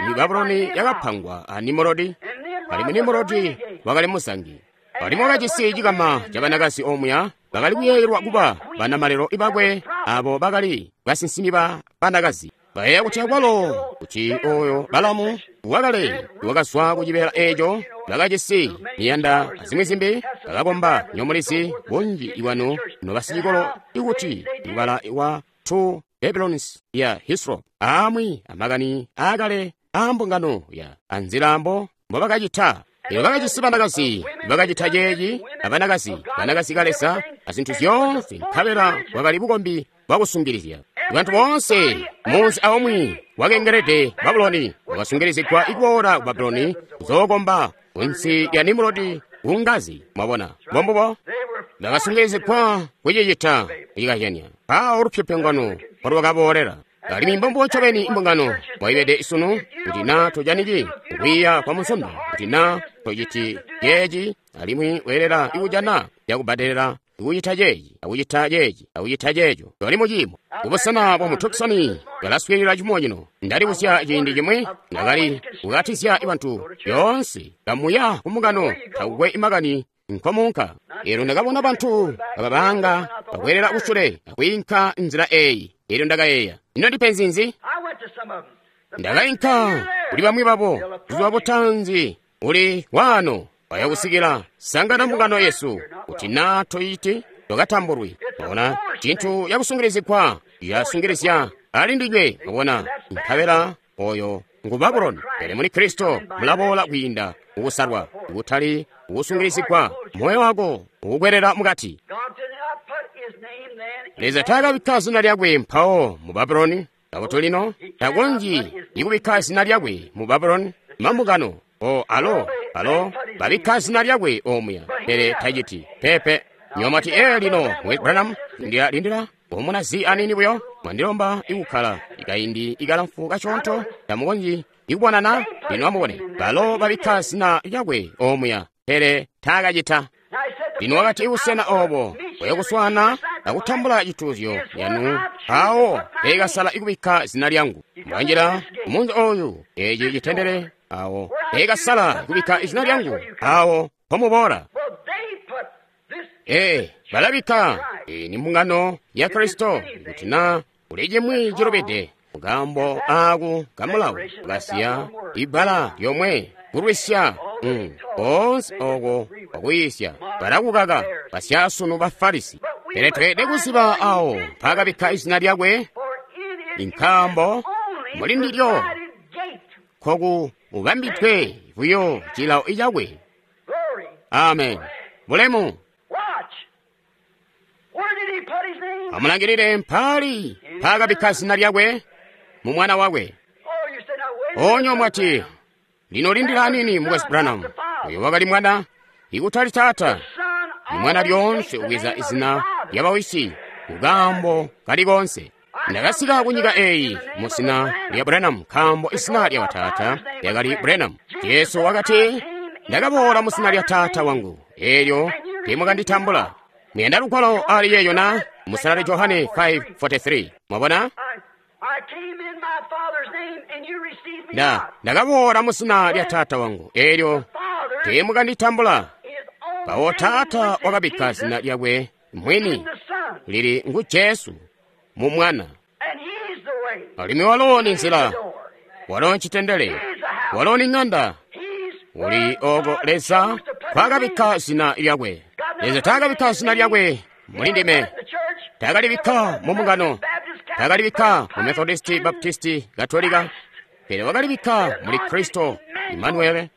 Ni Babuloni yakapangwa a Nimurodi, And Nimrod alimwi was a Nimurodi renegade. wakali muzangi. Alimwi wakajisi cikama cha banakazi omuya bakali kuyeeyelwa kuba banamalelo ibakwe abo bakali basinsimi ba banakazi. Bayeeya kuti akwalo kuti oyo Balamu wakale wakazwa ku cibeela eeco bakajisi miyanda azimwi zimbi bakakomba nyomulizi bunji iwanu nobasicikolo ikuti ibala wa two Babylons ya Hislop amwi amakani aakale aambungano ya anzilambo mbobakacita. Elyo bakajisi banakazi bakacita ceeci abanakazi banakazi kalesa azinthu zyoonse nkabela bwakali bukombi bwakusungilizya. Bantu boonse munzi aumwi wakengelede Babuloni wakasungilizigwa ikuboola ku Babuloni kuzookomba kunsi lya Nimurodi kungazi. Mwabona mbombubo They were bakasungilizigwa kucicita kucikazyanya. Mpawo lupyopyongano lwakaboolera. Alimwi mbombubo ncobeni imbungano mwaibede isunu kuti na tojaniki kukwiiya kwa Munsondo, kuti na tociti ceeci alimwi weelela ikujana yakubbadelela ikucita ceeci akucita ceeci akucita ceeco. Toli muciimo kubusena bwa mu Tucson balaswiilila cimo cino. Ndalibusya ciindi cimwi ndakali kukatizya bantu yoonse kamuya kumbungano takukwe imakani nkomunka. Elyo ndakabona bantu kababanga bakwelela kusule akwiinka nzila eyi. Elyo ndakayeeya, ino ndipenzi nzi? I went to some of them. The Ndakayinka kuli bamwi babo buzuba butanzi uli wano wayakusikila sangana mbungano yesu kuti na toyiti tokatambulwi. Mwabona chinthu yakusungilizigwa yasungilizya ali ndinywe. Mwabona nkabela oyo ngu Babuloni. Pele muli Kristo mulaboola kwiinda mukusalwa kutali kukusungilizigwa moyo wako ukukwerera mukati. God did not put his name then in Leza taakabikka zina lyakwe mpawo mu Babuloni. Kakuti lino takonzyi ikubikka zina lyakwe mu Babuloni mambungano o alo alo babikka zina lyakwe omuya pele taciti pepe. Nyomati ee lino mwe Branham ndiyalindira omuna zi anini buyo mwandilomba ikukhala ikaindi ikalamfu kachonto tamukonzyi ikubonana lino amubone balo babikka zina lyakwe omuya pele taakacita. Now he said the Lino wakati ibusena obo bwayokuswana akutambula cituuzyo yanu awo peekasala ikubikka zina lyangu. Mwanjira umunzi oyu eci citendere awo peekasala ikubikka izina lyangu awo pomuboola. Well, they put this Ee balabikka iyi ni mbungano ya Kristo kuti na kuli chimwi chilubide kukambo aku kamulawo kasiya ibbala lyomwe kulwisya mm, konse oko kwakuyisya balakukaka basyasunu ba Farisi. Pele tweelede kuziba awo mpaakabikka izina lyakwe for it is inkambo only muli ndilyo provided gate. koku ubambidwe buyo cilawo icakwe. Glory. Amen. Bulemu. Watch. Where did he put his name? Amulangilire mpali mpaakabikka zina lyakwe mu mwana wakwe. Oh, you said, now wait a minute, Onyo mwati lino lindira anini Mukwesu Branham. Uyo wakali mwana ikutali tata. Son Ni mwana always lyonse takes the ubweza name of his izina father. lya bawisi kukambo kali konse. Ndakasika ku nyika eyi mu zina lya Branham, nkaambo izina lya bataata lyakali Branham. Jesu wakati, Ndakaboola mu zina lya Taata wangu, eelyo teemwakanditambula. Muyanda lugwalo ali yeeyo na? Musalali Johane five forty-three. Mwabona? I came in my Father's name and you received me Nda not. ndakaboola mu zina lya Taata wangu, eelyo Father, teemwakanditambula. his own Mpawo name, Taata which is wakabikka Jesus, zina lyakwe in mwini the Son. lili ngu Jesu mu Mwana. And he's the way. Alimwi walo ni nzila, The door. walo ncitendele, He's the house. walo ni ng'anda. He's Uli where oko God Leza chose to put his kwakabikka name. zina lyakwe. God Leza never put taakabikka his zina name lyakwe in muli ndime, the church. taakalibikka Never put mu mbungano, Baptist, Catholic, taakalibikka mu but Methodisti, in Baptisti, Katolika, pele wakalibikka muli Kristo Imanuele, And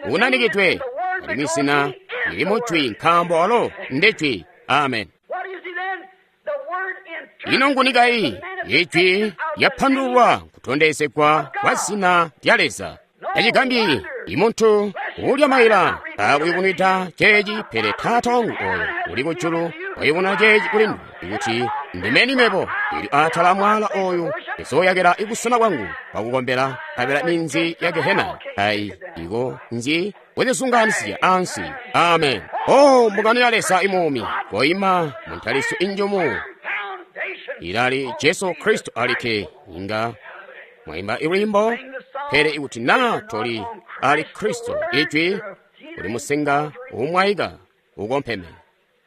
the name unanikidwe is the Word alimwi because zina he is lili the mu Jwi Word. nkaambo walo ndi Jwi. Amen. What is he then? The Word Ino nguni kayi interpreted the ijwi manifestation of the lyapandululwa name kutondezegwa kwa zina lya Leza. Tacigambyi imuntu uulya maila akuyubunwida ceeci, pele Taata wangu oyo uli kujulu wayubununa ceeci kuli nduwe, ikuti ndimeni mebo ili atala amwala oyu ndizooyakila ibusena bwangu bwakukombela, nkabela minzi ya Gehena ayi iko nzi kuzisunganisya ansi. Amen. O mbungano ya Leza imuumi, koima mu ntalisyo injumu foundation. ilali Jesu Kristo alikke. Inga mwaimba ilwimbo, pele ikuti na toli ali Kristo ijwi uli musenga umwaika ukompheme,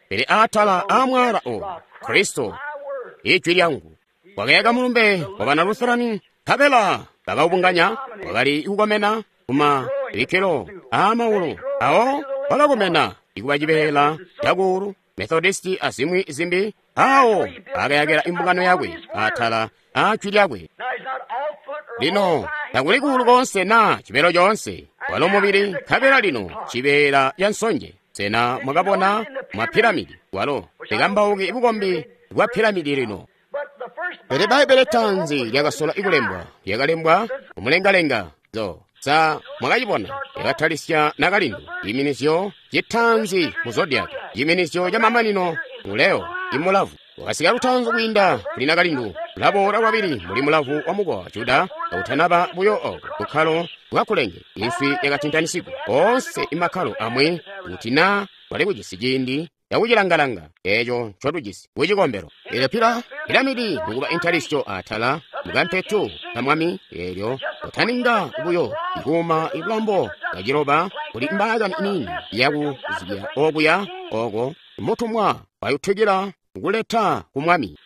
pele atala amwala oyu Kristo My word. ijwi lyangu. Wakayaka mulumbe wa bana Lutherani, nkabela bakawubunganya, wakali kukomena kuma bikkelo aamaulu awo wakakomena ikuba cibeela cakuulu Methodisti azimwi zimbi, awo akayakila imbungano yakwe atala a jwi lyakwe. Now he's not all foot or all Lino thigh. takuli kuulu konse na cibeelo conse, walo mubili, nkabela lino cibeela ca nsonje. Sena mwakabona mwa piramidi walo likambauki bukombi bwa piramidi lino. But the first Pele Bbaibele tanzi lyakasola ikulembwa, lyakalembwa mumulengalenga zo sa mwakacibona lyakatalisya nakalindu ciiminizyo citanzi mu zodiac, ciiminizyo ca mamanino mu Leo imulavu. Wakasika lutanzi kwiinda kuli nakalindu, ulaboola lwabili muli mulavu wa mukowa wa Juda, kautanaba buyo oko bukkalo bwakulenge inswi yakatintanisigwa onse imakkalo amwi kuti na wali kujisi ciindi yakucilangalanga eco ncotujisi kucikombelo. Eelyo pila piramidi mukuba intalisyo atala mukampetu ka mwami, eelyo utaninga buyo ikuuma ibulambo bwaciloba kuli mbaakani iniini yakuzibya okuya oko mutumwa wayutukila kuleta ku mwami.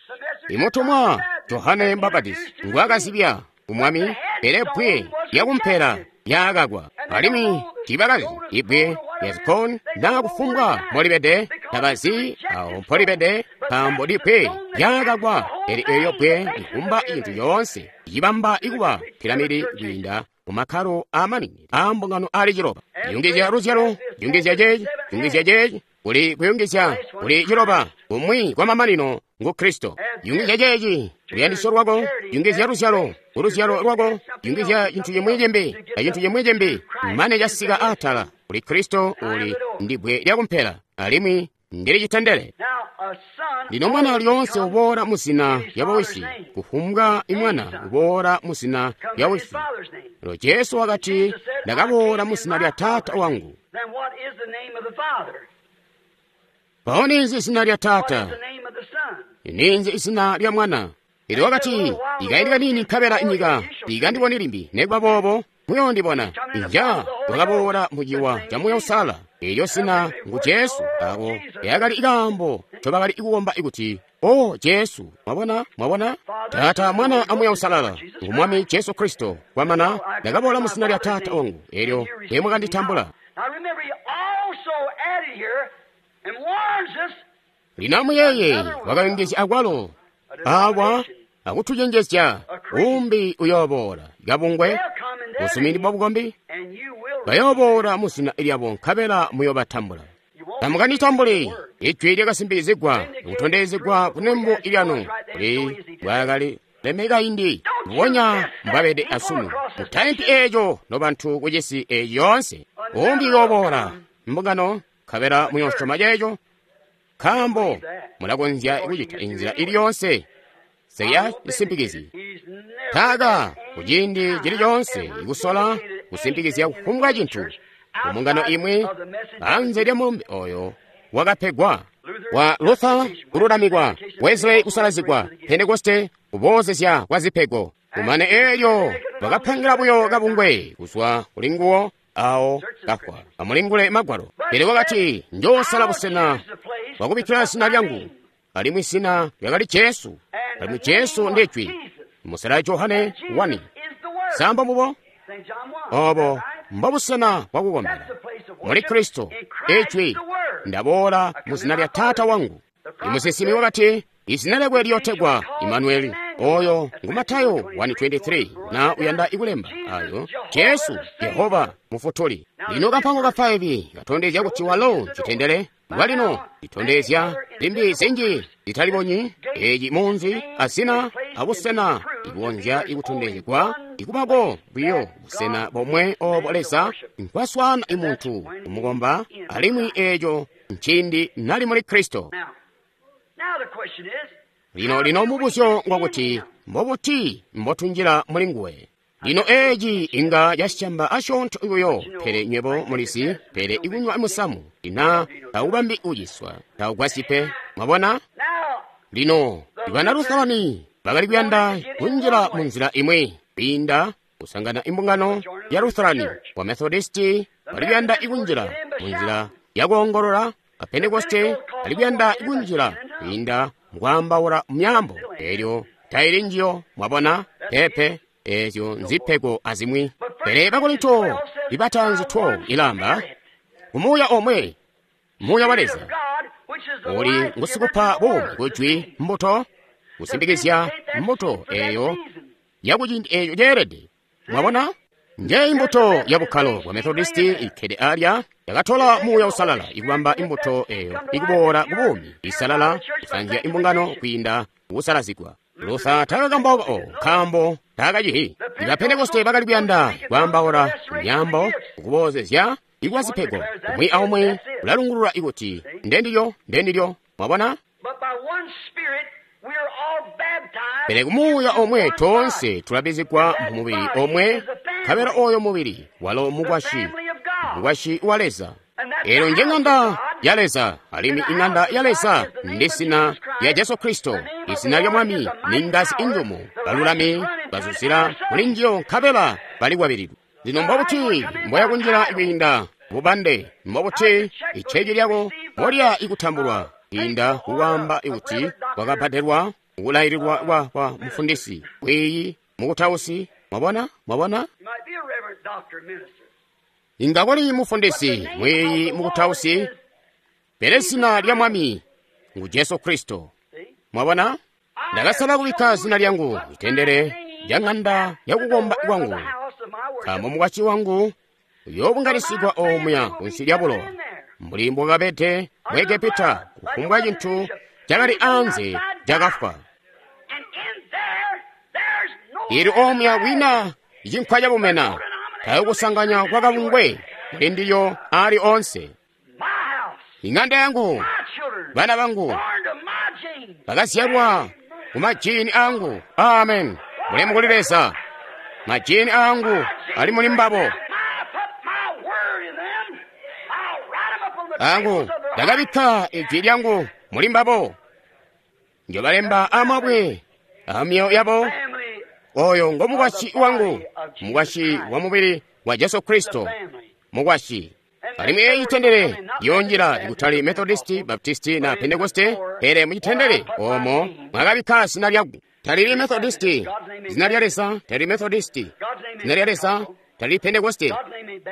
Imutumwa Johane Mbapatizi ngwakazibya ku mwami, pele bbwe lyakumpela lyakakwa, alimwi tiibakazi ibbwe lya zikoni naa kufumbwa molibede, tabazi awo mpolibede, nkaambo libbwe lyakakwa, pele eelyo bbwe likumba cintu coonse cibamba ikuba piramidi kwiinda mu makkalo aamaningi aambungano ali ciloba. Yungizya luzyalo, yungizya ceeci, yungizya ceeci, kuli kuyungizya kuli ciloba, kumwi kwa mamanino ngu Kristo. Yungizya ceeci luyandisyo lwako, yungizya luzyalo kuluzyalo lwako, yungizya cintu cimwi cimbi na cintu cimwi cimbi, mane casika atala kuli Kristo uli ndi bbwe lyakumpela alimwi ndili citendele. Now a son Lino mwana lyoonse uboola mu zina lya bawisi, kufumbwa imwana uboola mu zina comes lya in his wisi. father's name. Lino Jesu wakati, ndakaboola mu zina lya Taata wangu. Then what is the name of the Father? Mpawo ninzi zina lya What Taata? is the name of the Son? Ninzi zina lya Mwana? Elyo wakati, ikaindi kanini nkabela inyika tikandiboni limbi, nekuba boobo muyondibona. Inja wakaboola muciwa ca Muuya Uusalala. Eelyo zina ngu Jesu. Ako lyakali ikaambo ncobakali kukomba ikuti, O Jesu. Mwabona, mwabona? Taata, Mwana a Muuya Uusalala ngu Mwami Jesu Kristo. Kwamana ndakaboola mu zina lya Taata wangu, eelyo teemwakanditambula. Now remember, he also added here and warns us Lino amuyeeye wakayungizya akwalo awa akutucenjezya umbi uyooboola kabungwe they'll come in their busumini name, bwa bukombi and you will bayooboola mu zina lyabo nkabela muyoobatambula. You won't Tamukanditambuli ijwi lyakasimbikizigwa kutondezegwa kunembo lyanu kuli bwakali lemeka indi mbubonya mbwabede asunu. Mutaimpi eeco nobantu kucisi eeci yoonse. Umbi uyooboola mbungano nkabela muyoosyoma ceeco, nkaambo mulakonzya kucita inzila ili yoonse. Seya cisimpikizyi. Taaka kuciindi cili coonse ikusola kusimpikizya kufumbwa cintu mu mbungano imwi anze lya mulumbe oyo wakapegwa wa Luther kululamikwa, Wesley kusalazigwa, Pentekoste kuboozezya kwa zipego. Kumane eelyo bakapangila buyo kabungwe kuzwa kuli nguwo awo kafwa. Amulingule Magwalo. Pele wakati, njoosala busena bwakubikkila zina lyangu, alimwi zina lyakali Jesu, alimwi Jesu ndi Jwi. Musela Johane wani. Samba mubo? Obo mbobusena bwakukombela muli Kristo, Ijwi. Ndaboola mu zina lya Taata wangu. Imusinsimi wakati, izina lyakwe liyotegwa Imanueli. Oyo ngu Matayo one twenty-three na uyanda ikulemba ayo Jesu Yehova Mufutuli. Lino kampango ka five katondezya kuti walo citendele lwalino litondezya limbi zinji litalibonyi eci munzi azina abusena ikonzya ikutondezegwa ikubako buyo busena bomwe obo Leza nkwaswana imuntu kumukomba, alimwi eco nciindi nali muli Kristo. Lino lino mubuzyo ngwakuti mbobuti mbotunjila muli nguwe. Lino eci inga casyamba asyoonto buyo, pele nywebo mulizi, pele ikunywa musamu ina taubambi uciswa, taugwasyi pe. Mwabona? Lino ibana Lutherani bakali kuyanda kunjila munzila imwi kwiinda kusangana imbungano ya Lutherani, wa Methodisti bali kuyanda ikunjila munzila yakuongolola, a Pentekoste bali kuyanda ikunjila kwiinda mukwaambaula myaambo. Elyo taili njiyo, mwabona, pepe. Ezyo nzipego azimwi. Pele Bakorinto ibataanzi twelve ilamba kumuuya omwe, muuya wa Leza uli ngusikupa buumi kujwi mbuto, kusimbikizya mbuto eyo yakuciindi eco ceelede. Mwabona? Njeyi imbuto ya bukkalo bwa Methodisti ikkede alya yakatola muuya usalala ikubamba imbuto eyo ikuboola ku buumi isalala kusanzya imbungano kwiinda kusalazigwa. Luther takakambauka o nkaambo takacihi. Iba Pentekoste bakali kuyanda kwaambaula myaambo kuboozezya ikuba zipego. Umwi aumwi ulalungulula ikuti ndendilyo, ndendilyo. Mwabona? Pele kumuuya omwe toonse tulabizigwa mu mubili omwe, nkabela oyo mubili walo mukwasyi, mukwasyi wa Leza. Elo nje ng'anda ya Leza, alimwi ing'anda ya Leza ndi zina lya Jesu Kristo. Izina lya Mwami ni ngazi injumu, balulami bazuzila muli njiyo nkabela balikwabilidwe. Lino mbobuti mboyakunjila kwiinda bubande, mbobuti icheki lyako mbolya ikutambulwa kwiinda kukwaamba ikuti kwakabbadelwa kulaililwa kwa, kwa mufundisi kwiiyi mukutausi. Mwabona? Mwabona? Inga koli mufundisi mwiiyi mukutausi, pele zina lya Mwami ngu Jesu Kristo. Mwabona? Ndakasala kubikka zina lyangu itendele lya ng'anda yakukomba kwangu, nkaambo mukwasyi wangu uyoobunganisigwa omuya kunsi lya bulowa, mbuli mbwakabede mu Egepita. Kufumbwa cintu cakali anze cakafwa. Ili omuya kwina cinkwa cabumena, tayokusanganya kwa kabungwe muli ndilyo ali onse. Ing'anda yangu, bana bangu bakazyalwa ku majini angu. Amen. Mulemu kuli Leza. Majini angu ali muli mbabo. Angu ndakabikka ijwi lyangu muli mbabo, njobalemba amabwe amyoyo yabo. Oyo ngo mukwasyi wangu, mukwasyi wa mubili wa Jesu Kristo, mukwasyi. Alimwi eyi itendele yonjila ikutali Methodisti, Baptisti na Pentekoste, pele mucitendele omo mwakabikka zina lyangu. Talili Methodisti, zina lya Leza, talili Methodisti, zina lya Leza, talili Pentekoste,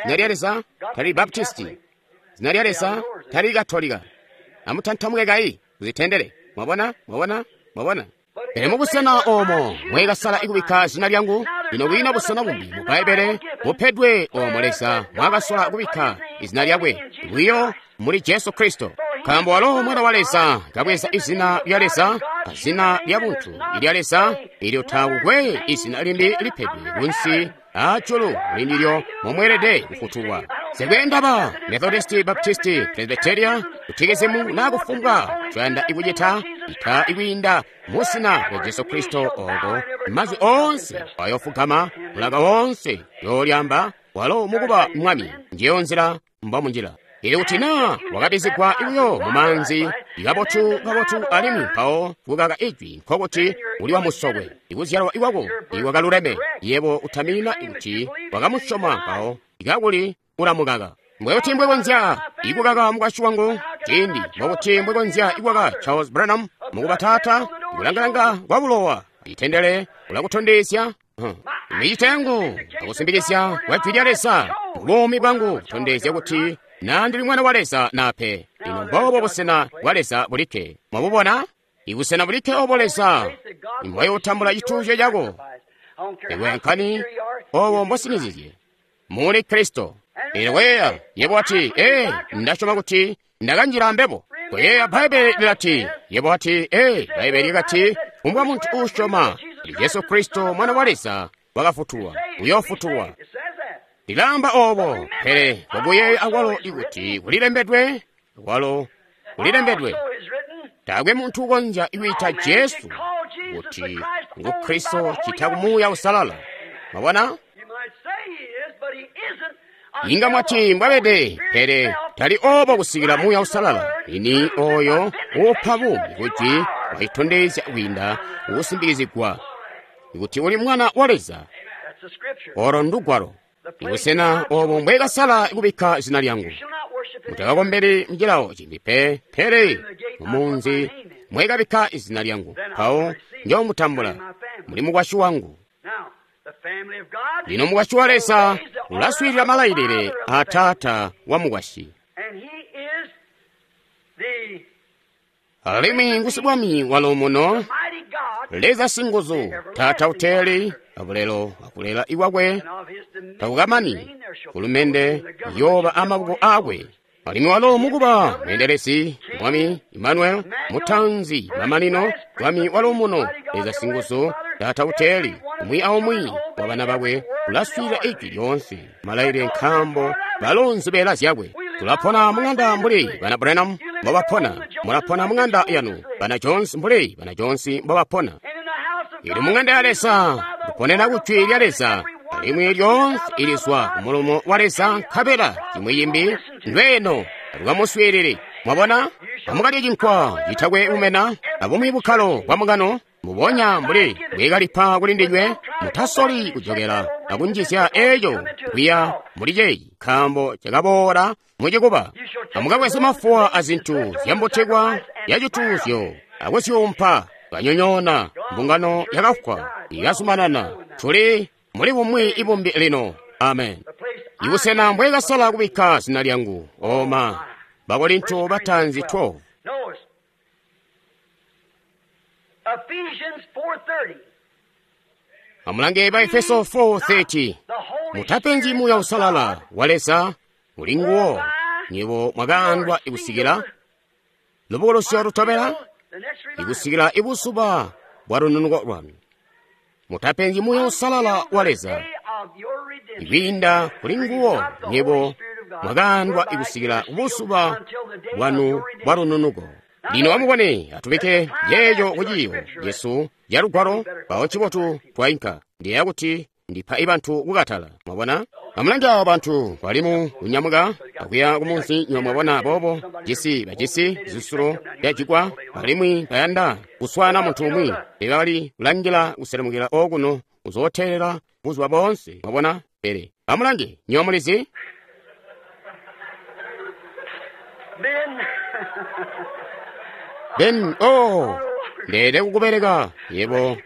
zina lya Leza, talili Baptisti, zina lya Leza, talili Katolika. Amutantamuke kayi kuzitendele. Mwabona? Mwabona? Mwabona? Pele mubusena omo mwekasala ikubikka zina lyangu. Lino kwina busena bumbi mu Bbaibbele bupedwe omo Leza mwakasola kubikka izina lyakwe, bwiyo muli Jesu Kristo. Nkaambo walo Mwana wa Leza kabweza izina lya Leza, azina lya buntu ilya Leza, ilyo taakwe izina limbi lipedwe kunsi ajulu mulindilyo momweelede kufutulwa. Nsikwe Methodisti, Baptisti, Presbyteria, kutikezimu na kufumbwa coyanda ikucita ita ikwiinda musina lya Jesu Kristo oko mazwi onse ayofugama mulaka wonse yolyamba walo mukuba mwami ndiyo nzila mbomunjila. Ili kuti na wakabizigwa ibuyo mumanzi ikabotu kabotu alimwi mpawo kukaka ijwi nkokuti uli wa musokwe ikuzyalwa iwako iwakaluleme yebo utamina kuti wakamusyoma mpawo ikakuli ulamukaka. Mbwekuti mbwekonzya ikukaka mukwasyi wangu ciindi mbokuti mbwekonzya ikukaka Charles Branham mukuba taata ikulangalanga kwa bulowa itendele ulakutondezya huh. Micito yangu akusimbikizya kwa jwi lya Leza buumi bwangu kutondezya kuti na ndili mwana wa Leza nape. Ino mbobo busena bwa Leza bulikke. Mwabubona? Ibusena bulikke obo Leza mbwayotambula cituuzyo cako. Iwe nkani obo mbosinizizye muli Kristo. Ino koyeeya yebo ati ee ndasyoma kuti ndakanjila mbebo. Koyeeya Bbaibele lilati yebo ati ee Bbaibele likati kumbwa muntu uusyoma Jesu Kristo mwana wa Leza wakafutulwa uyofutulwa. Lilamba obo pele kokuyeeya akwalo ikuti kulilembedwe akwalo kulilembedwe taakwe muntu ukonzya ikwiita Jesu kuti ngu Kristo chita kumuuya usalala. Mwabona? Inga mwati mbwabede pele tali obo kusikila muuya usalala ini oyo upa buumi kuti waitondezya kwiinda kusimbikizigwa kuti uli mwana wa Leza. Olo ndugwalo ibusena obo mbwekasala kubikka zina lyangu. Mutakakombeli mcilawo cimbi pe pele mumunzi mwekabikka izina lyangu mpawo njomutambula muli mukwasyi wangu. Lino mukwasyi wa Leza ulaswiilila malayilile a taata wa mukwasyi. Alimwi ngusibwami waluumuno, Leza singuzu, taata uteli abulelo akulela iwakwe takukamani kulumende yoba amaboko akwe. Alimwi walo mukuba mweendelezi mwami Emmanuel mutanzi mamanino mwami waluumuno Leza singuzu taata uteli umwi aumwi wa bana bakwe ulaswiilila ijwi lyoonse malayilile nkambo balo nzibeela zyakwe. Tulapona mung'anda mbuli bana Branham mbobapona, mulapona mung'anda yanu bana Jones mbuli bana Jones mbobapona. Ili mung'anda ya Leza tuponena kujwi lya Leza alimwi lyoonse ilizwa kumulomo wa Leza nkabela cimwi cimbi ndweno atukamuswiilile. Mwabona? Amukalye cinkwa citakwe bumena abumwi bukkalo bwa mukano mbubonya mbuli bwekalipa kuli ndinywe. Mutasoli kujokela akunjizya eco kwiya muli ceyi nkambo cakaboola mucikuba. Amukabweze mafuwa azintu zyambutikwa ya cituuzyo akusyumpa kanyonyoona mbungano yakafwa ikazumanana. Tuli muli bumwi ibumbi lino. Amen. Ibusena mbwekasala kubikka zina lyangu. Oma Bakorinto batanzi twelve. Ephesians four thirty. Amulange ba Efeso four thirty. Mutapenzi muuya usalala wa Leza uli nguwo nyibo mwakaandwa ikusikila lubukulusyo lutobela ikusikila ibusuba bwa lununuko lwanu. Mutapenzi muuya usalala wa Leza ikwiinda kuli nguwo nyibo mwakaandwa ikusikila ubusuba bwanu bwa lununuko. Lino amubone atubike yeeyo kuciyo Yesu ya lugwalo pawo cibotu twainka ndiyeeya kuti ndipa ibantu kukatala. Mwabona? Amulange awo bantu balimu kunyamuka akuya kumunsi nywe mwabona boobo jisi bajisi zisulo byajikwa alimwi bayanda kuswana muntu umwi ebali kulangila kuselemukila okuno kuzootera buzuba boonse. Mwabona? Pele amulange nywe mulizi Ben. Ben, oh, ndele kukubereka yebo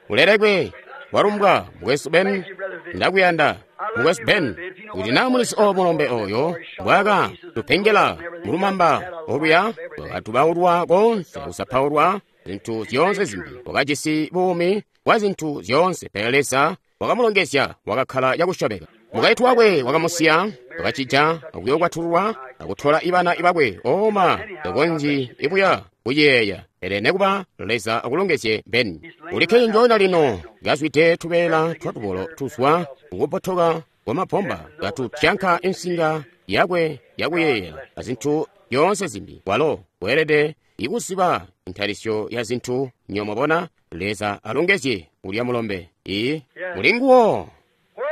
ulelekwe walumbwa mukwesu Ben, ndakuyanda mukwesu Ben. Kuti naa mulisi o mulombe oyo mbwaka tupengela mulumamba oluya wakatubaulwa konse kusapaulwa zintu zyoonse zimbi, wakajisi buumi bwa zintu zyoonse, pele Leza wakamulongezya wakakkala cakusyomeka. Mukaintu wakwe wakamusiya, wakacija akuyokwatulwa akutola ibana ibakwe oma tokonzyi ibuya kuyeeya. Pele nekuba Leza akulongezye Ben. Ulikke njoona lino kazwide tubeela twatubolo tuzwa kukupotoka wa mabomba katu tyanka insinga yakwe yakuyeeyela azintu zyoonse zimbi. Walo weelede ikuziba intalisyo ya zintu. Nyo mwabona, Leza alongezye ulya mulombe. Ii muli nguwo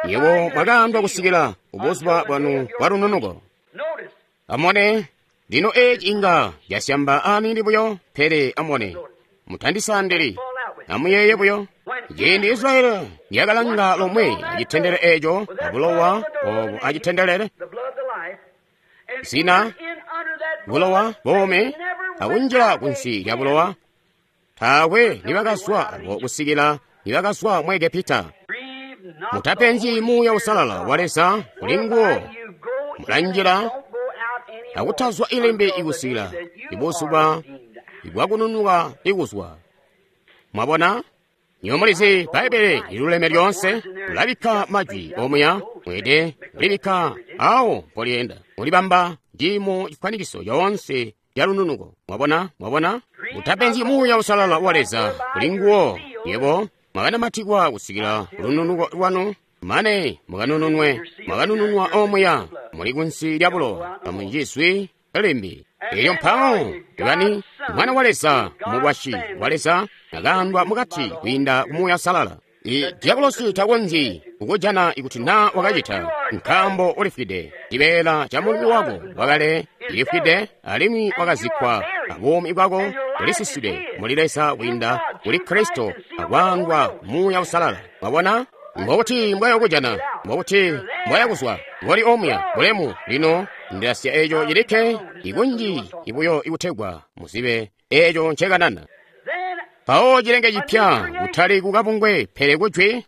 yebo mwakaandwa kusikila ubuzuba bwanu bwa lununuko. Amone lino eci inga yasyamba aniini buyo, pele amone mutandisandili, amuyeeye buyo ciindi Israyeli yakalanga lomwe acitendele eco abulowa obo acitendelele zina bulowa bome akunjila kunsi lya bulowa, taakwe nibakazwa abo kusikila nibakazwa mu Egepita. Mutapenzi Muuya Usalala wa Leza kuli nguwo mulanjila akutazwa ilembe ikusikila ibuzuba ibwakununuka ikuzwa. Mwabona? Nyo mulizi Bbaibbele liluleme lyoonse mulabikka majwi omuya, mwede mulibikka awo mpolyenda, mulibamba ndi mu chifwanikiso yoonse ya lununuko. Mwabona? Mwabona? Mutapenzi Muuya Usalala wa Leza kuli nguwo yebo mwakanamatikwa kusikila lununuko lwanu mane mukanununwe, mwakanununwa omuya muli kunsi lya bulowa amunjizwi limbi. Elyo mpawo ibani mwana wa Leza, mukwasyi wa Leza akaandwa mukati kwiinda ku Muuya Usalala. I diabolosi takonzyi kukujana ikuti naa wakacita, nkaambo ulifwide. Cibeela ca mulumi wako wakale cilifwide alimwi wakazikkwa, abuumi bwako bulisiside muli Leza kwiinda kuli Kristo akwaangwa Muuya Usalala. Mwabona? Mbokuti mbwayokujana, mbokuti mbwayakuzwa ngoli omuya bulemu. Lino ndilasiya eco cilikke ikunji ibuyo ikutegwa muzibe eco ncekanana. Mpawo cilenge cipya, kutali kukabungwe pele kujwi,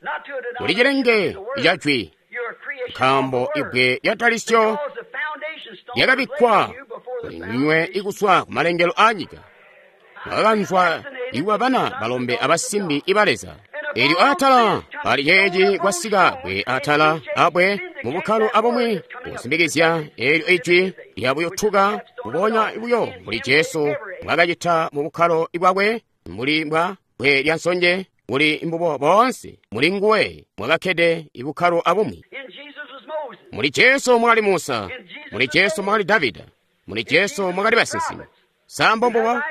kuli cilenge ca jwi, nkaambo ibbwe lya talisyo lyakabikkwa kuli ndinywe ikuswa ku malengelo a nyika. Mwakakanzwa iwa bana balombe abasimbi iba Leza. Elyo atala pali ceeci kwasika bwe atala abwe mu bukkalo abumwi kusimbikizya elyo ijwi lyabuyotuka kubonya buyo mbuli Jesu mbwakacita mu bukkalo bwakwe, mbuli mbwa bwe lya nsonje buli mbubo boonse muli nguwe mwakakkede ibukkalo abumwi. Muli Jesu mwakali Musa, muli Jesu mwakali Davida, muli Jesu mwakali basinsimi. Sambo mbubo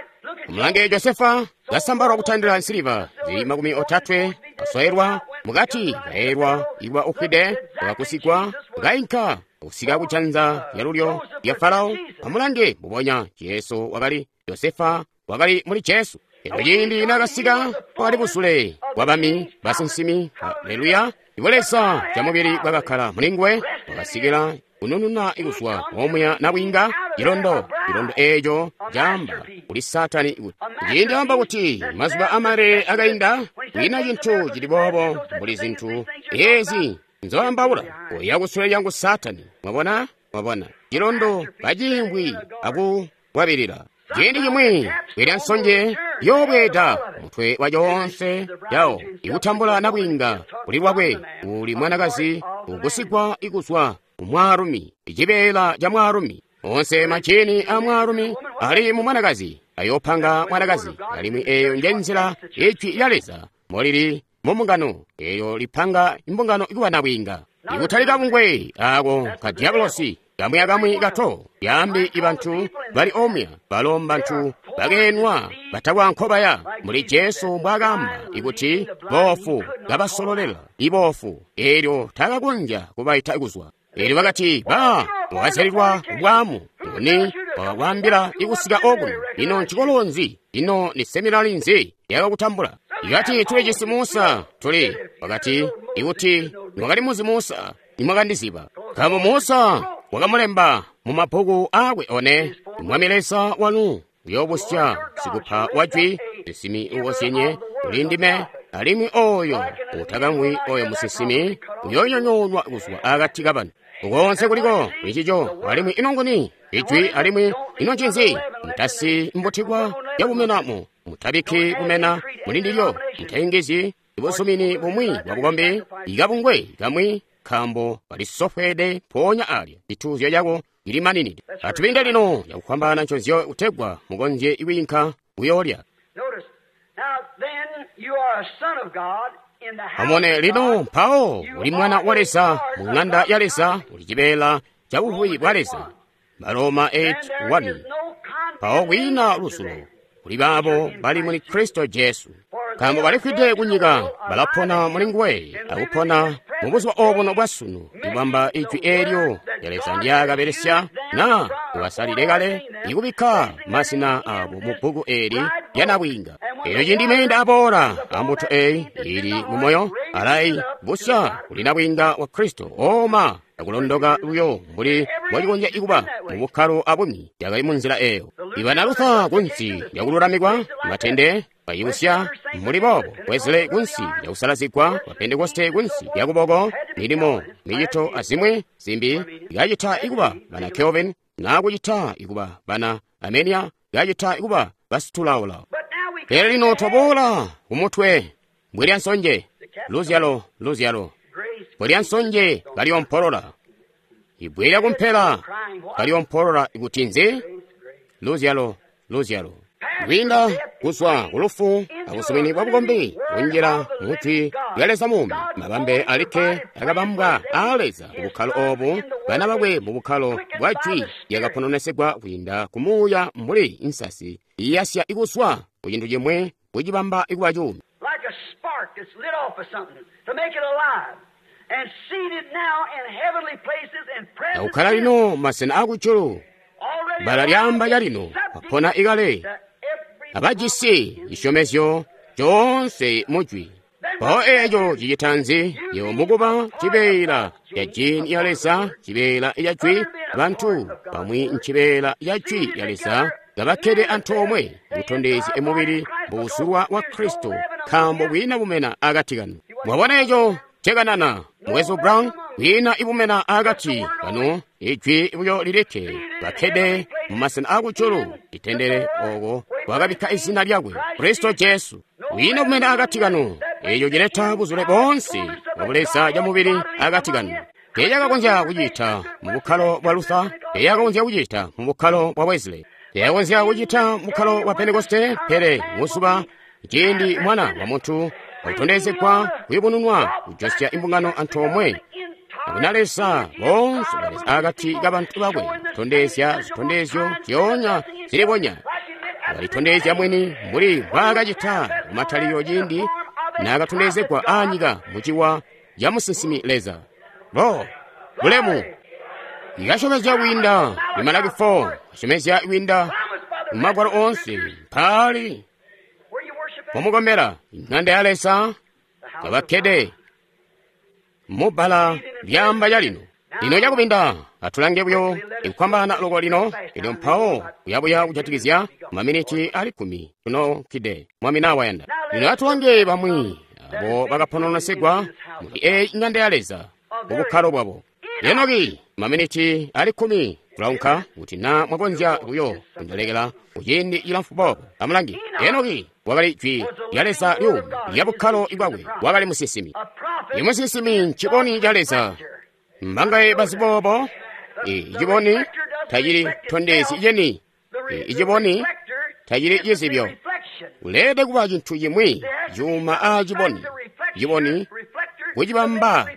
mulange Josefa kasambalwa kutandila nsiliva zili makumi otatwe, kasoyelwa mukati, kaelwa iwa ufwide, wakakusigwa, kainka kusika kujanza lyalulyo lya Farao. Amulange mbubonya Jesu wakali Josefa wakali muli Jesu. Elyo ciindi nakasika wakali busule bwa bami basinsimi. Haleluya! Ibo Leza ca mubili bwakakkala muli nguwe, wakasikila kunununa ikuzwa omuya nabwiinga cilondo. Cilondo eeco caamba kuli Satani kuti ciindi amba kuti mazuba amale akainda kwiina cintu cili boobo mbuli zintu eezi nzoambaula, oya kusule lyangu Satani. Mwabona? Mwabona cilondo kaciimvwi akukwabilila. Ciindi cimwi bwelya nsonje yoobweeda mutwe wa coonse yawo ikutambula nabwiinga kuli lwakwe uli mwanakazi ukusigwa ikuzwa kumwaalumi, icibeela ca mwaalumi. Onse majini a mwaalumi ali mu mwanakazi ayoopanga mwanakazi, alimwi eyo nje nzila ijwi lya Leza molili mu mbungano eyo lipanga imbungano ikuba nabwiinga. Ikutali kabungwe ako ka diabolosi kamwi akamwi kato yambi ibantu bali omya balo mbantu bakeenwa batakwa nkobaya muli Jesu mbwakaamba ikuti boofu kabasololela iboofu elyo takakonzya kubaita kuzwa. Elyo bakati ba wakazyalilwa bwamu nguni wakakwambila ikusika okuno? Ino ncikolo nzi? Ino ni seminari nzi yakakutambula? Ikati tuli cisi Musa tuli wakati ikuti mwakali muzi Musa nimwakandiziba, nkaambo Musa wakamulemba mu mabbuku akwe one. Mwami Leza wanu uyoobusya sikupa wajwi musinsimi ukozyenye kuli ndime, alimwi oyo utakamwi oyo musinsimi uyoonyonyoonwa kuzwa akati kabantu. Ukonse kuliko kulincico, alimwi ino nguni ijwi, alimwi ino ncinzi? Mutasi mbutikwa yakumenamo, mutabikki kumena muli ndilyo, mutayungizyi ibuzumini bumwi bwa bukombi ikabungwe kamwi, nkaambo kalisofweede mpoonya alya cituuzyo cako cilimaninide. Atubinde lino cakufwambaana nconzyo kutegwa mukonzye kwiinka kuyoolya. Notice, now then you are a son of God Amone lino mpawo uli mwana wa Leza mu ng'anda ya Leza, uli cibeela ca buvubi bwa Leza. Baroma eight one. Mpawo kwiina lusulo kuli baabo bali muli Kristo Jesu, nkaambo balifwide kunyika balapona muli nguwe akupona mu buzuba obuno bwasunu, ikubamba ijwi eelyo lya Leza ndyakabelesya na ubasalile kale ikubikka mazina abo mu bbuku eeli lya nabwiinga. Elyo ciindi meenda aboola ambuto eyi ili mu moyo alayi busya kuli nabwiinga wa Kristo ooma akulondoka luyo mbuli mbwacikonzya ikuba mu bukkalo abumwi yakali mu nzila eyo. Ibana Luther kunsi lyakululamikwa matende bayibusya mbuli boobo, Wesley kunsi lyakusalazigwa, wa Pentekoste kunsi lyakuboko, milimo micito azimwi zimbi ikacita ikuba bana Calvin na kucita ikuba bana Armenia, ikacita ikuba basitulaula. Pele lino twaboola kumutwe mbwe lya nsonje, luzyalo luzyalo mbwe lya nsonje kalyompolola, ibwe lya kumpela kalyompolola ikuti nzi? Luzyalo luzyalo. Kwiinda kuzwa kulufu akuzumini bwa bukombi kunjila mujwi lya Leza muumi, mabambe alikke akabambwa aa Leza mu bukkalo obu, bana bakwe mu bukkalo bwa jwi lyakapononesegwa kwiinda ku muuya mbuli insasi iyasya ikuzwa ku cintu cimwe kucibamba ikuba cuumi. Like a spark that's lit off of something to make it alive. And seated now in heavenly places and present Akukhala lino masena akujulu, bbala lyaamba calino apona ikale abajisi cisyomezyo coonse mujwi. Mpawo eeco cicita nzi? Yebo mukuba cibeela ca jini ya Leza, cibeela ca jwi, bantu bamwi ncibeela ca jwi lya Leza kabakkede antoomwe kutondezya mubili mbuusulwa wa Kristo, nkaambo kwiina bumena akati kanu. Mwabona eco cekanana Mukwesu Brown, kwiina ibumena akati kanu, ijwi buyo lilikke bakkede mu masena akujulu itendele oko wakabikka izina lyakwe Kristo Jesu. Kwiina bumena akati kanu, eco cileta buzule boonse bwa Buleza ca mubili akati kanu. Teeyakakonzya kucita mu bukkalo bwa Luther, teeyakakonzya kucita mu bukkalo bwa Wesley, teeyakakonzya kucita mu bukkalo bwa Pentekoste, pele muzuba ciindi Mwana wa Muntu akutondezegwa kuyubununwa kujosya imbungano antoomwe akuna Leza boonse baleza akati kabantu bakwe, kutondezya zitondezyo zyoonya zilibonya. Walitondezya mwini mbuli mbwaakacita kumatalikilo ciindi naakatondezegwa aanyika muciwa ca musinsimi Leza. Bo bulemu ikasyomezya kwiinda mu Malaki four, kasyomezya kwiinda mu Magwalo oonse mpaali pomukomera iŋanda ya Leza kabakkede mubbala lyaamba calino. Lino cakubinda atulange buyo ikukwambana loko lino elyo mpawo kuyabuya kujatikizya maminiti ali kkumi tunokide Mwami nawayanda. Lino atulange bamwi abo bakapononosegwa muli eyi iŋanda ya Leza mu bukkalo bwabo. Enoki maminiti ali kkumi tulaunka kuti na mwakonzya buyo kundilekela kuciindi cilamfu boobo. Amulange, Enoki wakali jwi lya Leza lyuumi lya bukkalo bwakwe, wakali musinsimi. Imusinsimi nciboni ca Leza. Mbangaye bazi boobo? Iciboni tacili tondezyi ceni, iciboni tacili cizibyo. Uleelede kuba cintu cimwi cuuma aa ciboni, ciboni kucibamba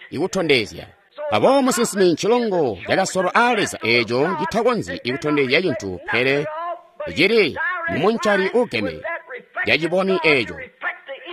ikutondezya. Aboobo musinsimi ncilongo cakasolwa aa Leza eeco citakonzyi ikutondezya cintu, pele cili mumuncali ugeme ca ciboni eeco.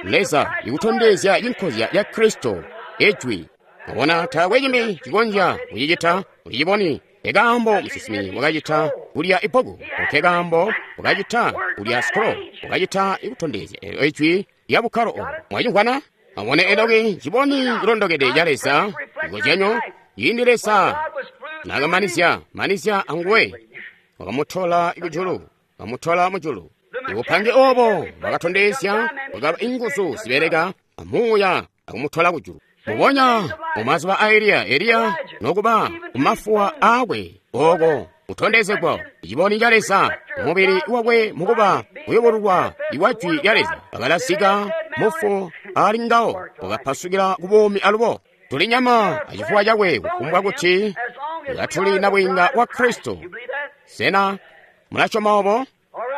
Leza ikutondezya cinkozya ca Kristo, ijwi. Mwabona, taakwe cimbi cikonzya kucicita kuli ciboni. Nkekaambo musinsimi wakacita kulya ibbuku, nkekaambo wakacita kulya scroll, wakacita ikutondezya eelyo ijwi lya bukkalo obo. Mwacimvwana? Amubone Enoki ciboni cilondokede ca Leza, cikozyanyo ciindi Leza naakamanizya manizya anguwe, wakamutola kujulu, wakamutola mujulu. Ibupange obo bwakatondezya bwakaba inguzu zibeleka amuuya akumutola kujulu. Mubonya mumazuba a Eliya, Eliya nokuba kumafuwa aakwe oko kutondezegwa ciboni ca Leza mubili wakwe mukuba kuyubululwa iwa jwi lya Leza, bakalazika mufu ali ngawo wakapasukila ku buumi alubo. Tuli nyama acifuwa cakwe kufumbwa kuti katuli nabwiinga wa Kristo. Sena mulasyoma obo?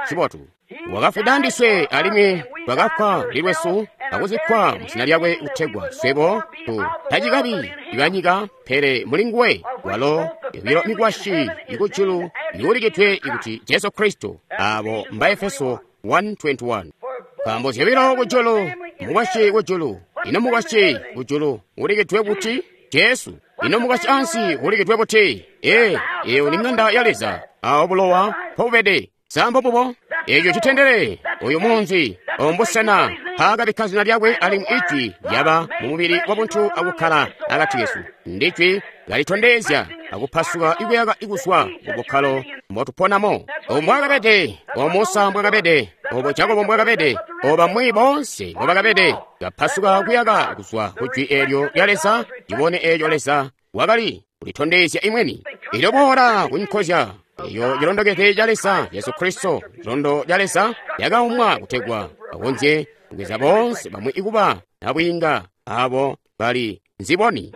Cibotu. Wakafwida ndiswe alimwi twakafwa kuli lwesu akuzikkwa mu zina lyakwe kutegwa swebo tu tacikabi ibanyika pele muli nguwe walo yobilo mikwasyi ikujulu yuulikidwe ikuti Jesu Kristo abo mba Efeso one twenty-one. Nkaambo zyobilo kujulu mukwasyi kujulu ino mukwasyi kujulu ulikidwe buti Jesu ino mukwasyi ansi ulikidwe buti ee eyo ni ng'anda ya Leza awo bulowa mpobubede sambo bubo eco citendere uyu munzi ombusena paakabikka zina lyakwe alimwi ijwi lyaba mu mubiri wa buntu akukkala akati kesu ndijwi lalitondezya akupasuka ikuyaka ikuswa mu bukkalo mbotuponamo obo mbwakabede obo Musa mbwakabede obo Jakobo mbwakabede obo bamwi bonse mbobakabede kapasuka kuyaka kuzwa ku jwi eelyo lya Leza libone eelyo Leza wakali kulitondezya imweni ilyo boola kunkozya eyo cilondokete ca Leza Yesu Kristo cilondo ca Leza yakaumwa kutegwa akonzye kugweza bonse bamwi ikuba nabwiinga abo bali nziboni.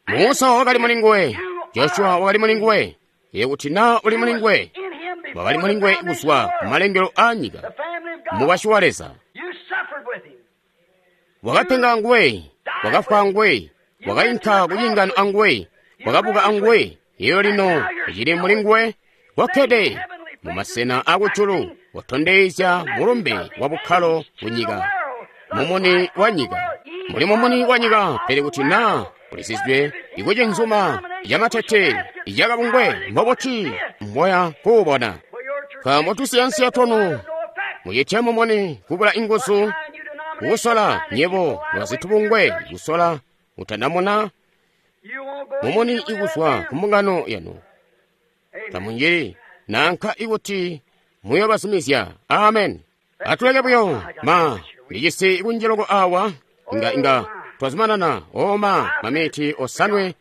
Musa wakali muli nguwe, Joshua wakali muli nguwe, iye kuti na uli muli nguwe, wakali muli nguwe kuzwa ku malengelo a nyika, mukwasyi wa Leza. Wakapenga nguwe, wakafwa nguwe, wakainka kucingano anguwe, wakabuka anguwe, iyo lino icili muli nguwe, wakkede mu masena akujulu, watondezya mulumbe wa bukkalo ku nyika, mumuni wa nyika. Muli mumuni wa nyika, pele kuti na ulisizwe ikucinzuma yamatete yakabungwe mbobuti mboya kuubona. Nkaambo tusiyansiya twanu mucitya mumuni kubula inguzu kusola nyebo lwazitubungwe kusola utandamuna mumuni ikuzwa ku mbungano yanu tamunjili nanka ikuti muyobazumizya. Amen. Atuleke buyo ma lijisi kunjiloko awa inga inga twazumanana oma mamiti osanwe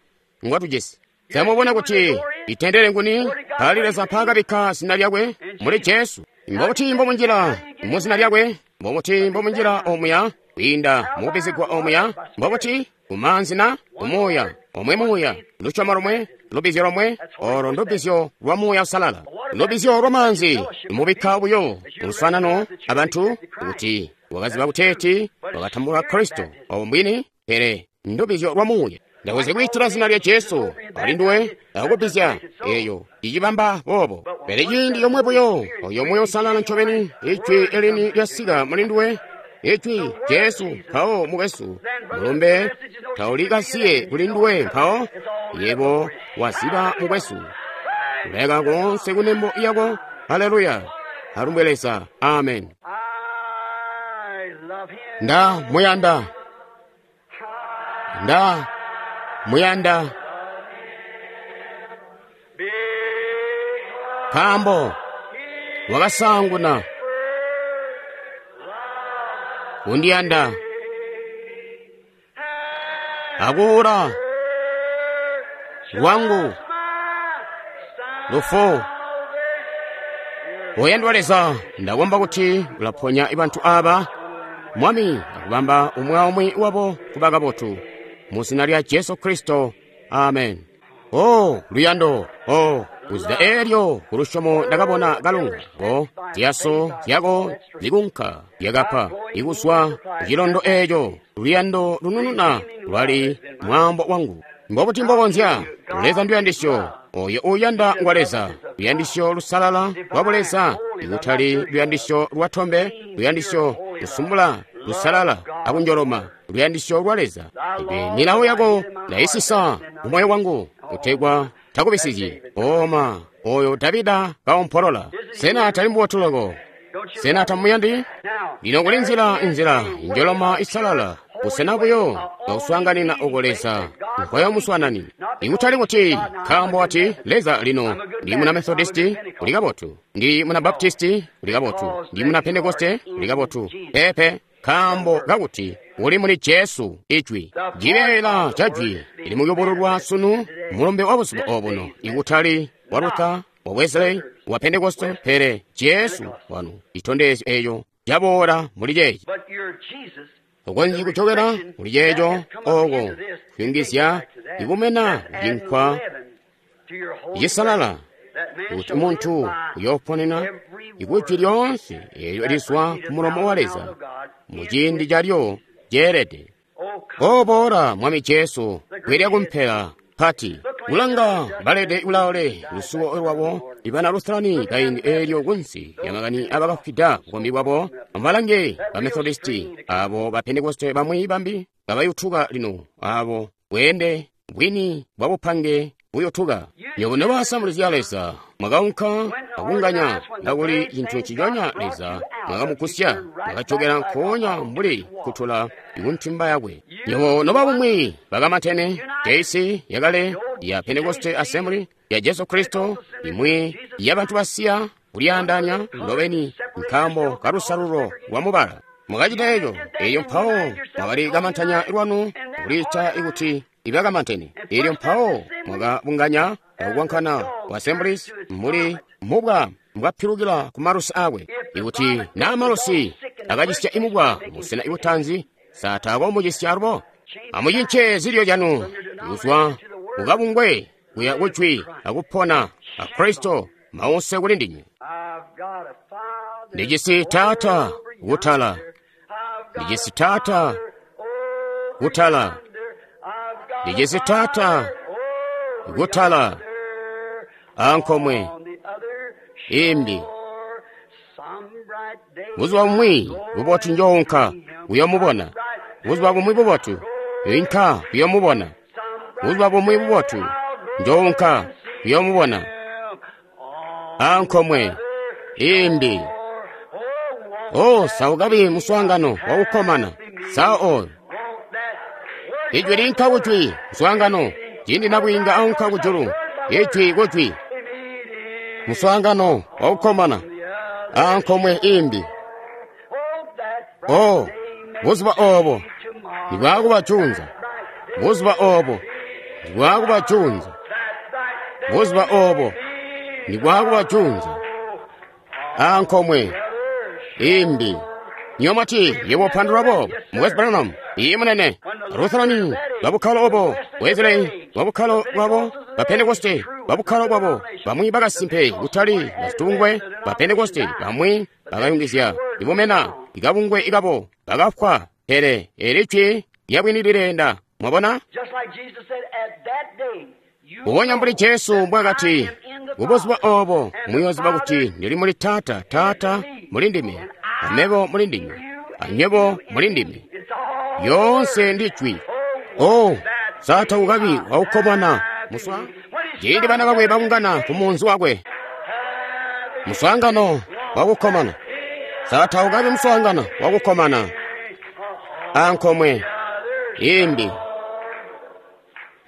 ngwatujisi. Zamubona kuti itendere nguni pali Leza paakabikka zina lyakwe muli Jesu. Mbobuti mbomunjila mu zina lyakwe, mbobuti mbomunjila omuya kwiinda mukubizigwa omuya, mbobuti kumanzi na kumuuya omwe muuya lusyomo lomwe lubizyo lomwe olo ndubizyo lwa muuya usalala lubizyo lwa manzi mubikka buyo luswanano abantu kuti wakaziba kuteeti wakatambula Kristo obo mbwini pele ndubizyo lwa muuya. Ndakuzi kwiitila zina lya Jesu ali nduwe akubizya eyo icibamba bobo pele ciindi yomwe buyo oyo muuya usalala ncobeni ijwi elini lyasika muli nduwe ijwi Jesu mpawo mukwesu mulumbe taulikasiye kuli nduwe mpawo yebo waziba mukwesu kuleka konse kunembo yako. Haleluya, alumbwe Leza. Amen. Nda muyanda, nda muyanda nkaambo wakasanguna kundiyanda akuula lwangu lufu. Oyandwa Leza, ndakomba kuti ulaponya bantu aba Mwami akubamba umwe aumwi wabo kuba kabotu mu zina lya Jesu Kristo. Amen. Oh, luyando, oh, kuzida elyo kulusyomo ndakabona kalunga ko ziyaso zyako zikunka zyakapa ikuswa kucilondo eco luyando lunununa lwali mwambo wangu. Mbobuti mbokonzya Leza nduyandisyo oyo uyanda ngwa Leza luyandisyo lusalala lwa buleza ikutali luyandisyo lwa tombe luyandisyo lusumbula lusalala akunjoloma luyandisyo lwa Leza. Ibe milawo yako ndayisisa mumoyo wangu kutegwa takubisizyi. Oma oyo Davida kaompolola sena tali mbubotu loko? Sena tamuyandi? Lino kuli nzila inzila injoloma isalala busena buyo bwakuswaanganina oko Leza nkoyo muswanani ikutali kuti nkaambo wati Leza lino ndi muna Methodisti uli kabotu, ndi muna Baptisti uli kabotu, ndi muna Pentekoste uli kabotu. Pepe, nkaambo kakuti uli muli Jesu ijwi cibeela ca jwi ili muyubululwa sunu mulumbe wa buzuba obuno ikutali wa Luther wa Wesley wa Pentekoste pele Jesu wanu itondezyo eyo yaboola muli ceeci. Ukonzyi kucokera muli ceeco oko kuyungizya ikumena cinkwa cisalala Kuti muntu uyooponena ikujwi lyoonse eelyo lizwa ku mulomo wa Leza mu ciindi calyo ceelede. Oboola Mwami Jesu kwilya kumpela pati kulanga balede kulaole lusuwo lwabo ibana Lutherani kaindi eelyo kunsi ya makani abakafwida bukombi bwabo. Amubalange ba Methodisti abo ba Pentekoste bamwi bambi kabayutuka lino abo bweende bwini bwa bupange buyotuka. Nywebo noba Assemblies ya Leza mwakaunka akunganya nakuli cintu nciconya Leza mwakamukusya mwakajokera nkoonya mbuli kutula ikuntimba yakwe. Nywebo noba bumwi bakamantene J C yakale ya Pentecost Assembly ya Jesu Kristo imwi yabantu basiya kulyaandanya ndobeni nkambo kalusalulo lwa mubala. Mwakacita eco eyo mpawo mwakali kamantanya lwanu kuliita ikuti ibakamantene. Elyo mpawo mwakabunganya akukwankana ku Assemblies muli mubwa mbwapilukila ku malusi akwe. Ikuti naa malusi akacisya imubwa musena ibutanzi saatako mucisya alubo. Amucince zilyo zyanu kuzwa kukabungwe kuya kujwi akupona a Kristo mause kuli ndinywe. Ndijisi Taata kutala, ndijisi Taata kutala, ndijisi Taata kutala ankomwe imbi. Buzuba bumwi bubotu njounka kuyomubona. Buzuba bumwi bubotu inka kuyomubona. Buzuba bumwi bubotu njounka kuyomubona ankomwe imbi. Oh, saukabi muswaangano wakukomana saa oyo ijwi linka kujwi muswaangano ciindi nabwiinga aunka kujulu ijwi kujwi muswaangano wakukomana ankomwe imbi. Oh, buzuba obo ndibwakubajunza, buzuba obo ndibwakubajunza, buzuba obo ndibwakubajunza ankomwe imbi. Nyomati yebo pandula bo Mukwesu Branham iye munene Lutherani babukhalo obo Wesley babukhalo bwabo ba Pentecoste babukhalo bwabo bamwi bakasimpe kutali basitungwe ba Pentecoste bamwi bakayungizya ibumena ikabungwe ikabo bakafwa pele elijwi lyabwini lilenda. Mwabona kubonya mbuli Jesu mbwakati kubuzuba obo muyoziba kuti ndili muli Taata, Taata muli ndime, amebo muli ndinywe, anywebo muli ndime. Yonse ndi jwi. Oh, sata ukabi wakukomana muswa ciindi bana bakwe bakungana ku munzi wakwe muswaangano wakukomana. Sata ukabi muswaangano wakukomana ankomwe imbi.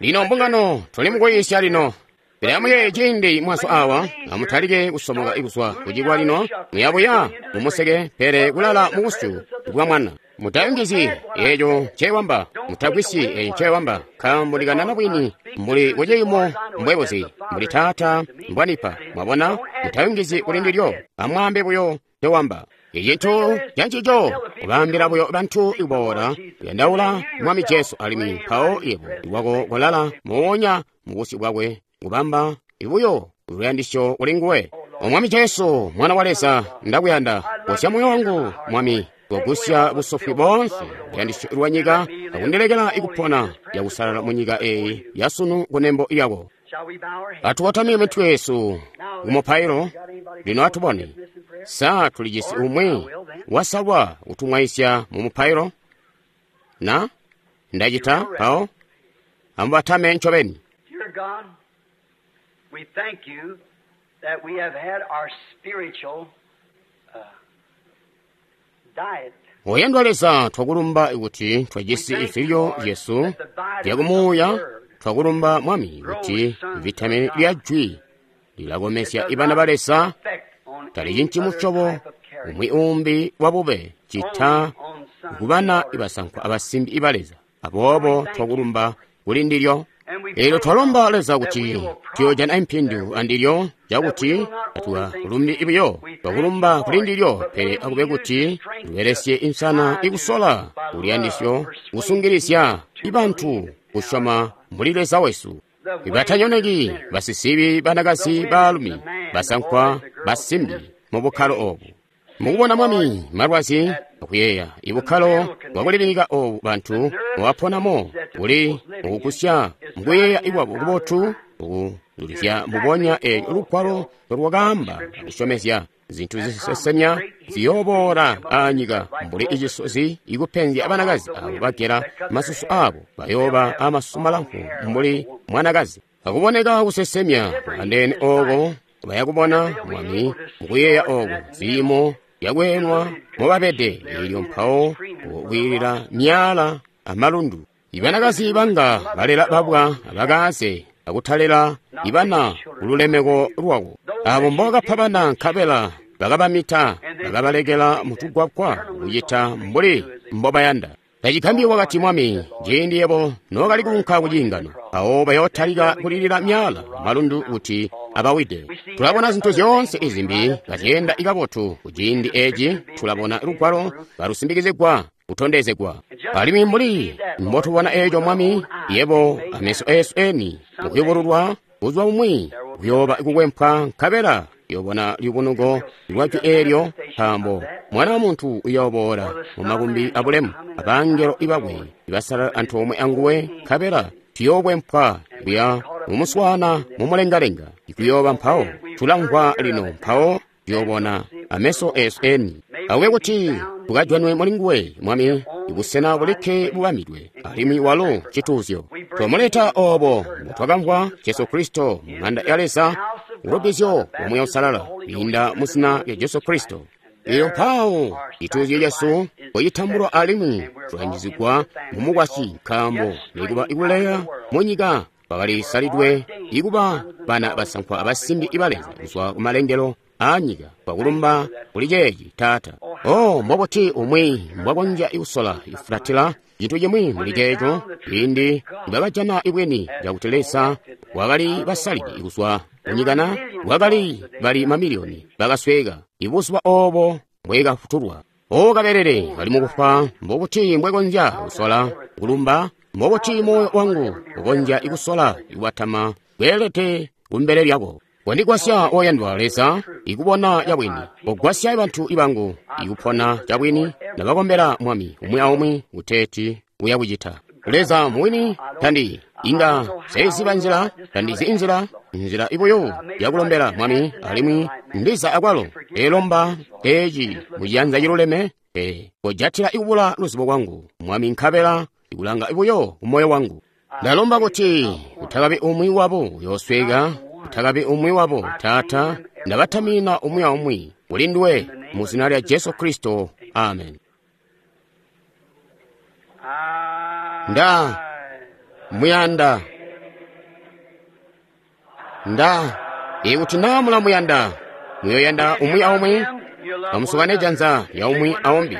Lino mbungano tuli mukuyisya lino. Pele amuyeeye ciindi mwaso awa amutalike kusomoka ikuzwa kucikwa lino muyabuya mumuseke pele kulala mubusyu bwa mwana. Mutayungizyi eeco ncewamba, mutagwisyi eeco ncewamba, nkaambo ndikanana bwini mbuli kuciimo mbwebuzi mbuli Taata mbwanipa. Mwabona, mutayungizyi kuli ndilyo, amwaambe buyo ncewamba. Icintu cancico kubaambila buyo bantu ikuboola kuyandaula Mwami Jesu alimwi mpawo yebo iwako kolala moonya mubusyu bwakwe kubamba ibuyo luyandisyo kuli nguwe. O Mwami Jesu, Mwana wa Leza, ndakuyanda. Gusya moyo wangu, Mwami, kugusya busofwi boonse luyandisyo lwa nyika akundilekela ikupona yakusalala mu nyika eyi yasunu kunembo yako. Atukotamike mitwe yesu kumupailo lino atubone sa tulijisi umwi wasalwa kutumwaisya mu mupailo na ndacita mpawo amubatame ncobeni. Dear God, we thank you that we have had our spiritual uh, diet. Oyandwa Leza, twakulumba kuti twajisi izilyo zyesu zyakumuuya. Twakulumba Mwami kuti vitamini lya jwi lilakomesya ibana ba Leza talicinci musyobo umwi umbi wa bube cita kubana ibasankwa abasimbi iba Leza. Aboobo twakulumba kuli ndilyo. Eelyo twalomba Leza kuti tuyojana impindu andilyo cakuti tatukalumbi buyo twakulumba kuli ndilyo, pele akube kuti tubelesye insana ikusola kuluyandisyo kusungilisya ibantu kusyoma muli Leza wesu. Batanyoneki, basisibi, banakazi, baalumi, basankwa, basimbi mu bukkalo obu. Mukubona Mwami malwazi akuyeeya ibukkalo bwakulibilika obu bantu mubaponamo buli mukugusya mukuyeeya ikwabo kubotu ukuzulizya mbubonya eelyo lugwalo lwakaamba akusyomezya zintu zisesemya ziyooboola aanyika mbuli icisozi ikupenzya abanakazi abo bagela masusu abo bayooba amasusu malamfu mbuli mwanakazi. Akuboneka kusesemya andeene ooko bayakubona Mwami mukuyeeya ooko ziimo zyakweenwa mobabede eelyo mpawo kwiilila myaala amalundu. Ibanakazi banga balela babwa abakaze akutalela ibana kululemeko lwako. Abo mbokapa bana nkabela bakabamita bakabalekela mutugwagwa kucita mbuli mbobayanda. Tacigambyi wakati Mwami, ciindi yebo nookali kuunka kuciingano, mpawo bayootalika kulilila myaala malundu kuti abawide. Tulabona zintu zyoonse izimbi kazyeenda kabotu kuciindi eci. Tulabona lugwalo kalusimbikizigwa kutondezegwa. Alimwi mbuli mbotubona eeco Mwami, yebo ameso eesu eni mukuyubululwa kuzwa bumwi kuyooba kukwempwa nkabela uyobona lubunuko lwa jwi eelyo, nkaambo Mwana wa Muntu uyooboola mu makumbi abulemu abangelo ibakwe ibasalala antoomwe anguwe, nkabela tuyookwempwa kuya mumuswaana mumulengalenga. Ikuyooba mpawo tulamvwa lino, mpawo tuyoobona ameso eesu eni. Akube kuti tukajwanwe mulinguwe Mwami, ibusena bulikke bubamidwe, alimwi walo cituuzyo. Twamuleta obo mbutwakamvwa Jesu Kristo mu ng'anda ya Leza, ulubbizyo lwa Muuya Uusalala kwiinda mu zina lya Jesu Kristo. Eyo mpawo cituuzyo cesu bwecitambulwa alimwi tulanjizigwa mu mukwasyi, nkaambo nikuba ikuleya mu nyika bakalisalidwe ikuba bana basankwa abasimbi iba Leza kuzwa kumalengelo aanyika. Twakulumba kuli ceeci, Taata. Oh, mbobuti umwi mbwakonzya kusola ifulatila cintu cimwi muli ceeco, ciindi nibakajana ibwini cakuti Leza wakali basalide kuzwa kunyikana, wakali bali mamiliyoni bakasweeka ibuzuba obo mbwekafutulwa. O kabelele kali mukufa, mbobuti mbwekonzya kusola kulumba? Mbobuti moyo wangu ukonzya kusola kubatama kweelede kumbele lyako? Kondigwasya oyandwa Leza ikubona cabwini, kogwasya bantu ibangu ikupona cabwini. Ndabakombela Mwami umwi aumwi kuteeti uya kucita. Leza muwini tandi inga seiziba nzila, tandizi inzila, nzila ibuyo yakulombela Mwami, alimwi ndiza akwalo elomba eci muciyanza ciluleme. E kojatila ikubula luzibo kwangu Mwami, nkabela ikulanga ibuyo kumoyo wangu. Ndalomba kuti kutakabi umwi wabo uyoosweka, kutakabi umwi wabo, Taata. Ndabatamina umwi aumwi kuli nduwe mu zina lya Jesu Kristo, amen. Nda muyanda, nda ikuti naa mulamuyanda, muyoyanda umwi aumwi, amusukane janza lya umwi aumbi.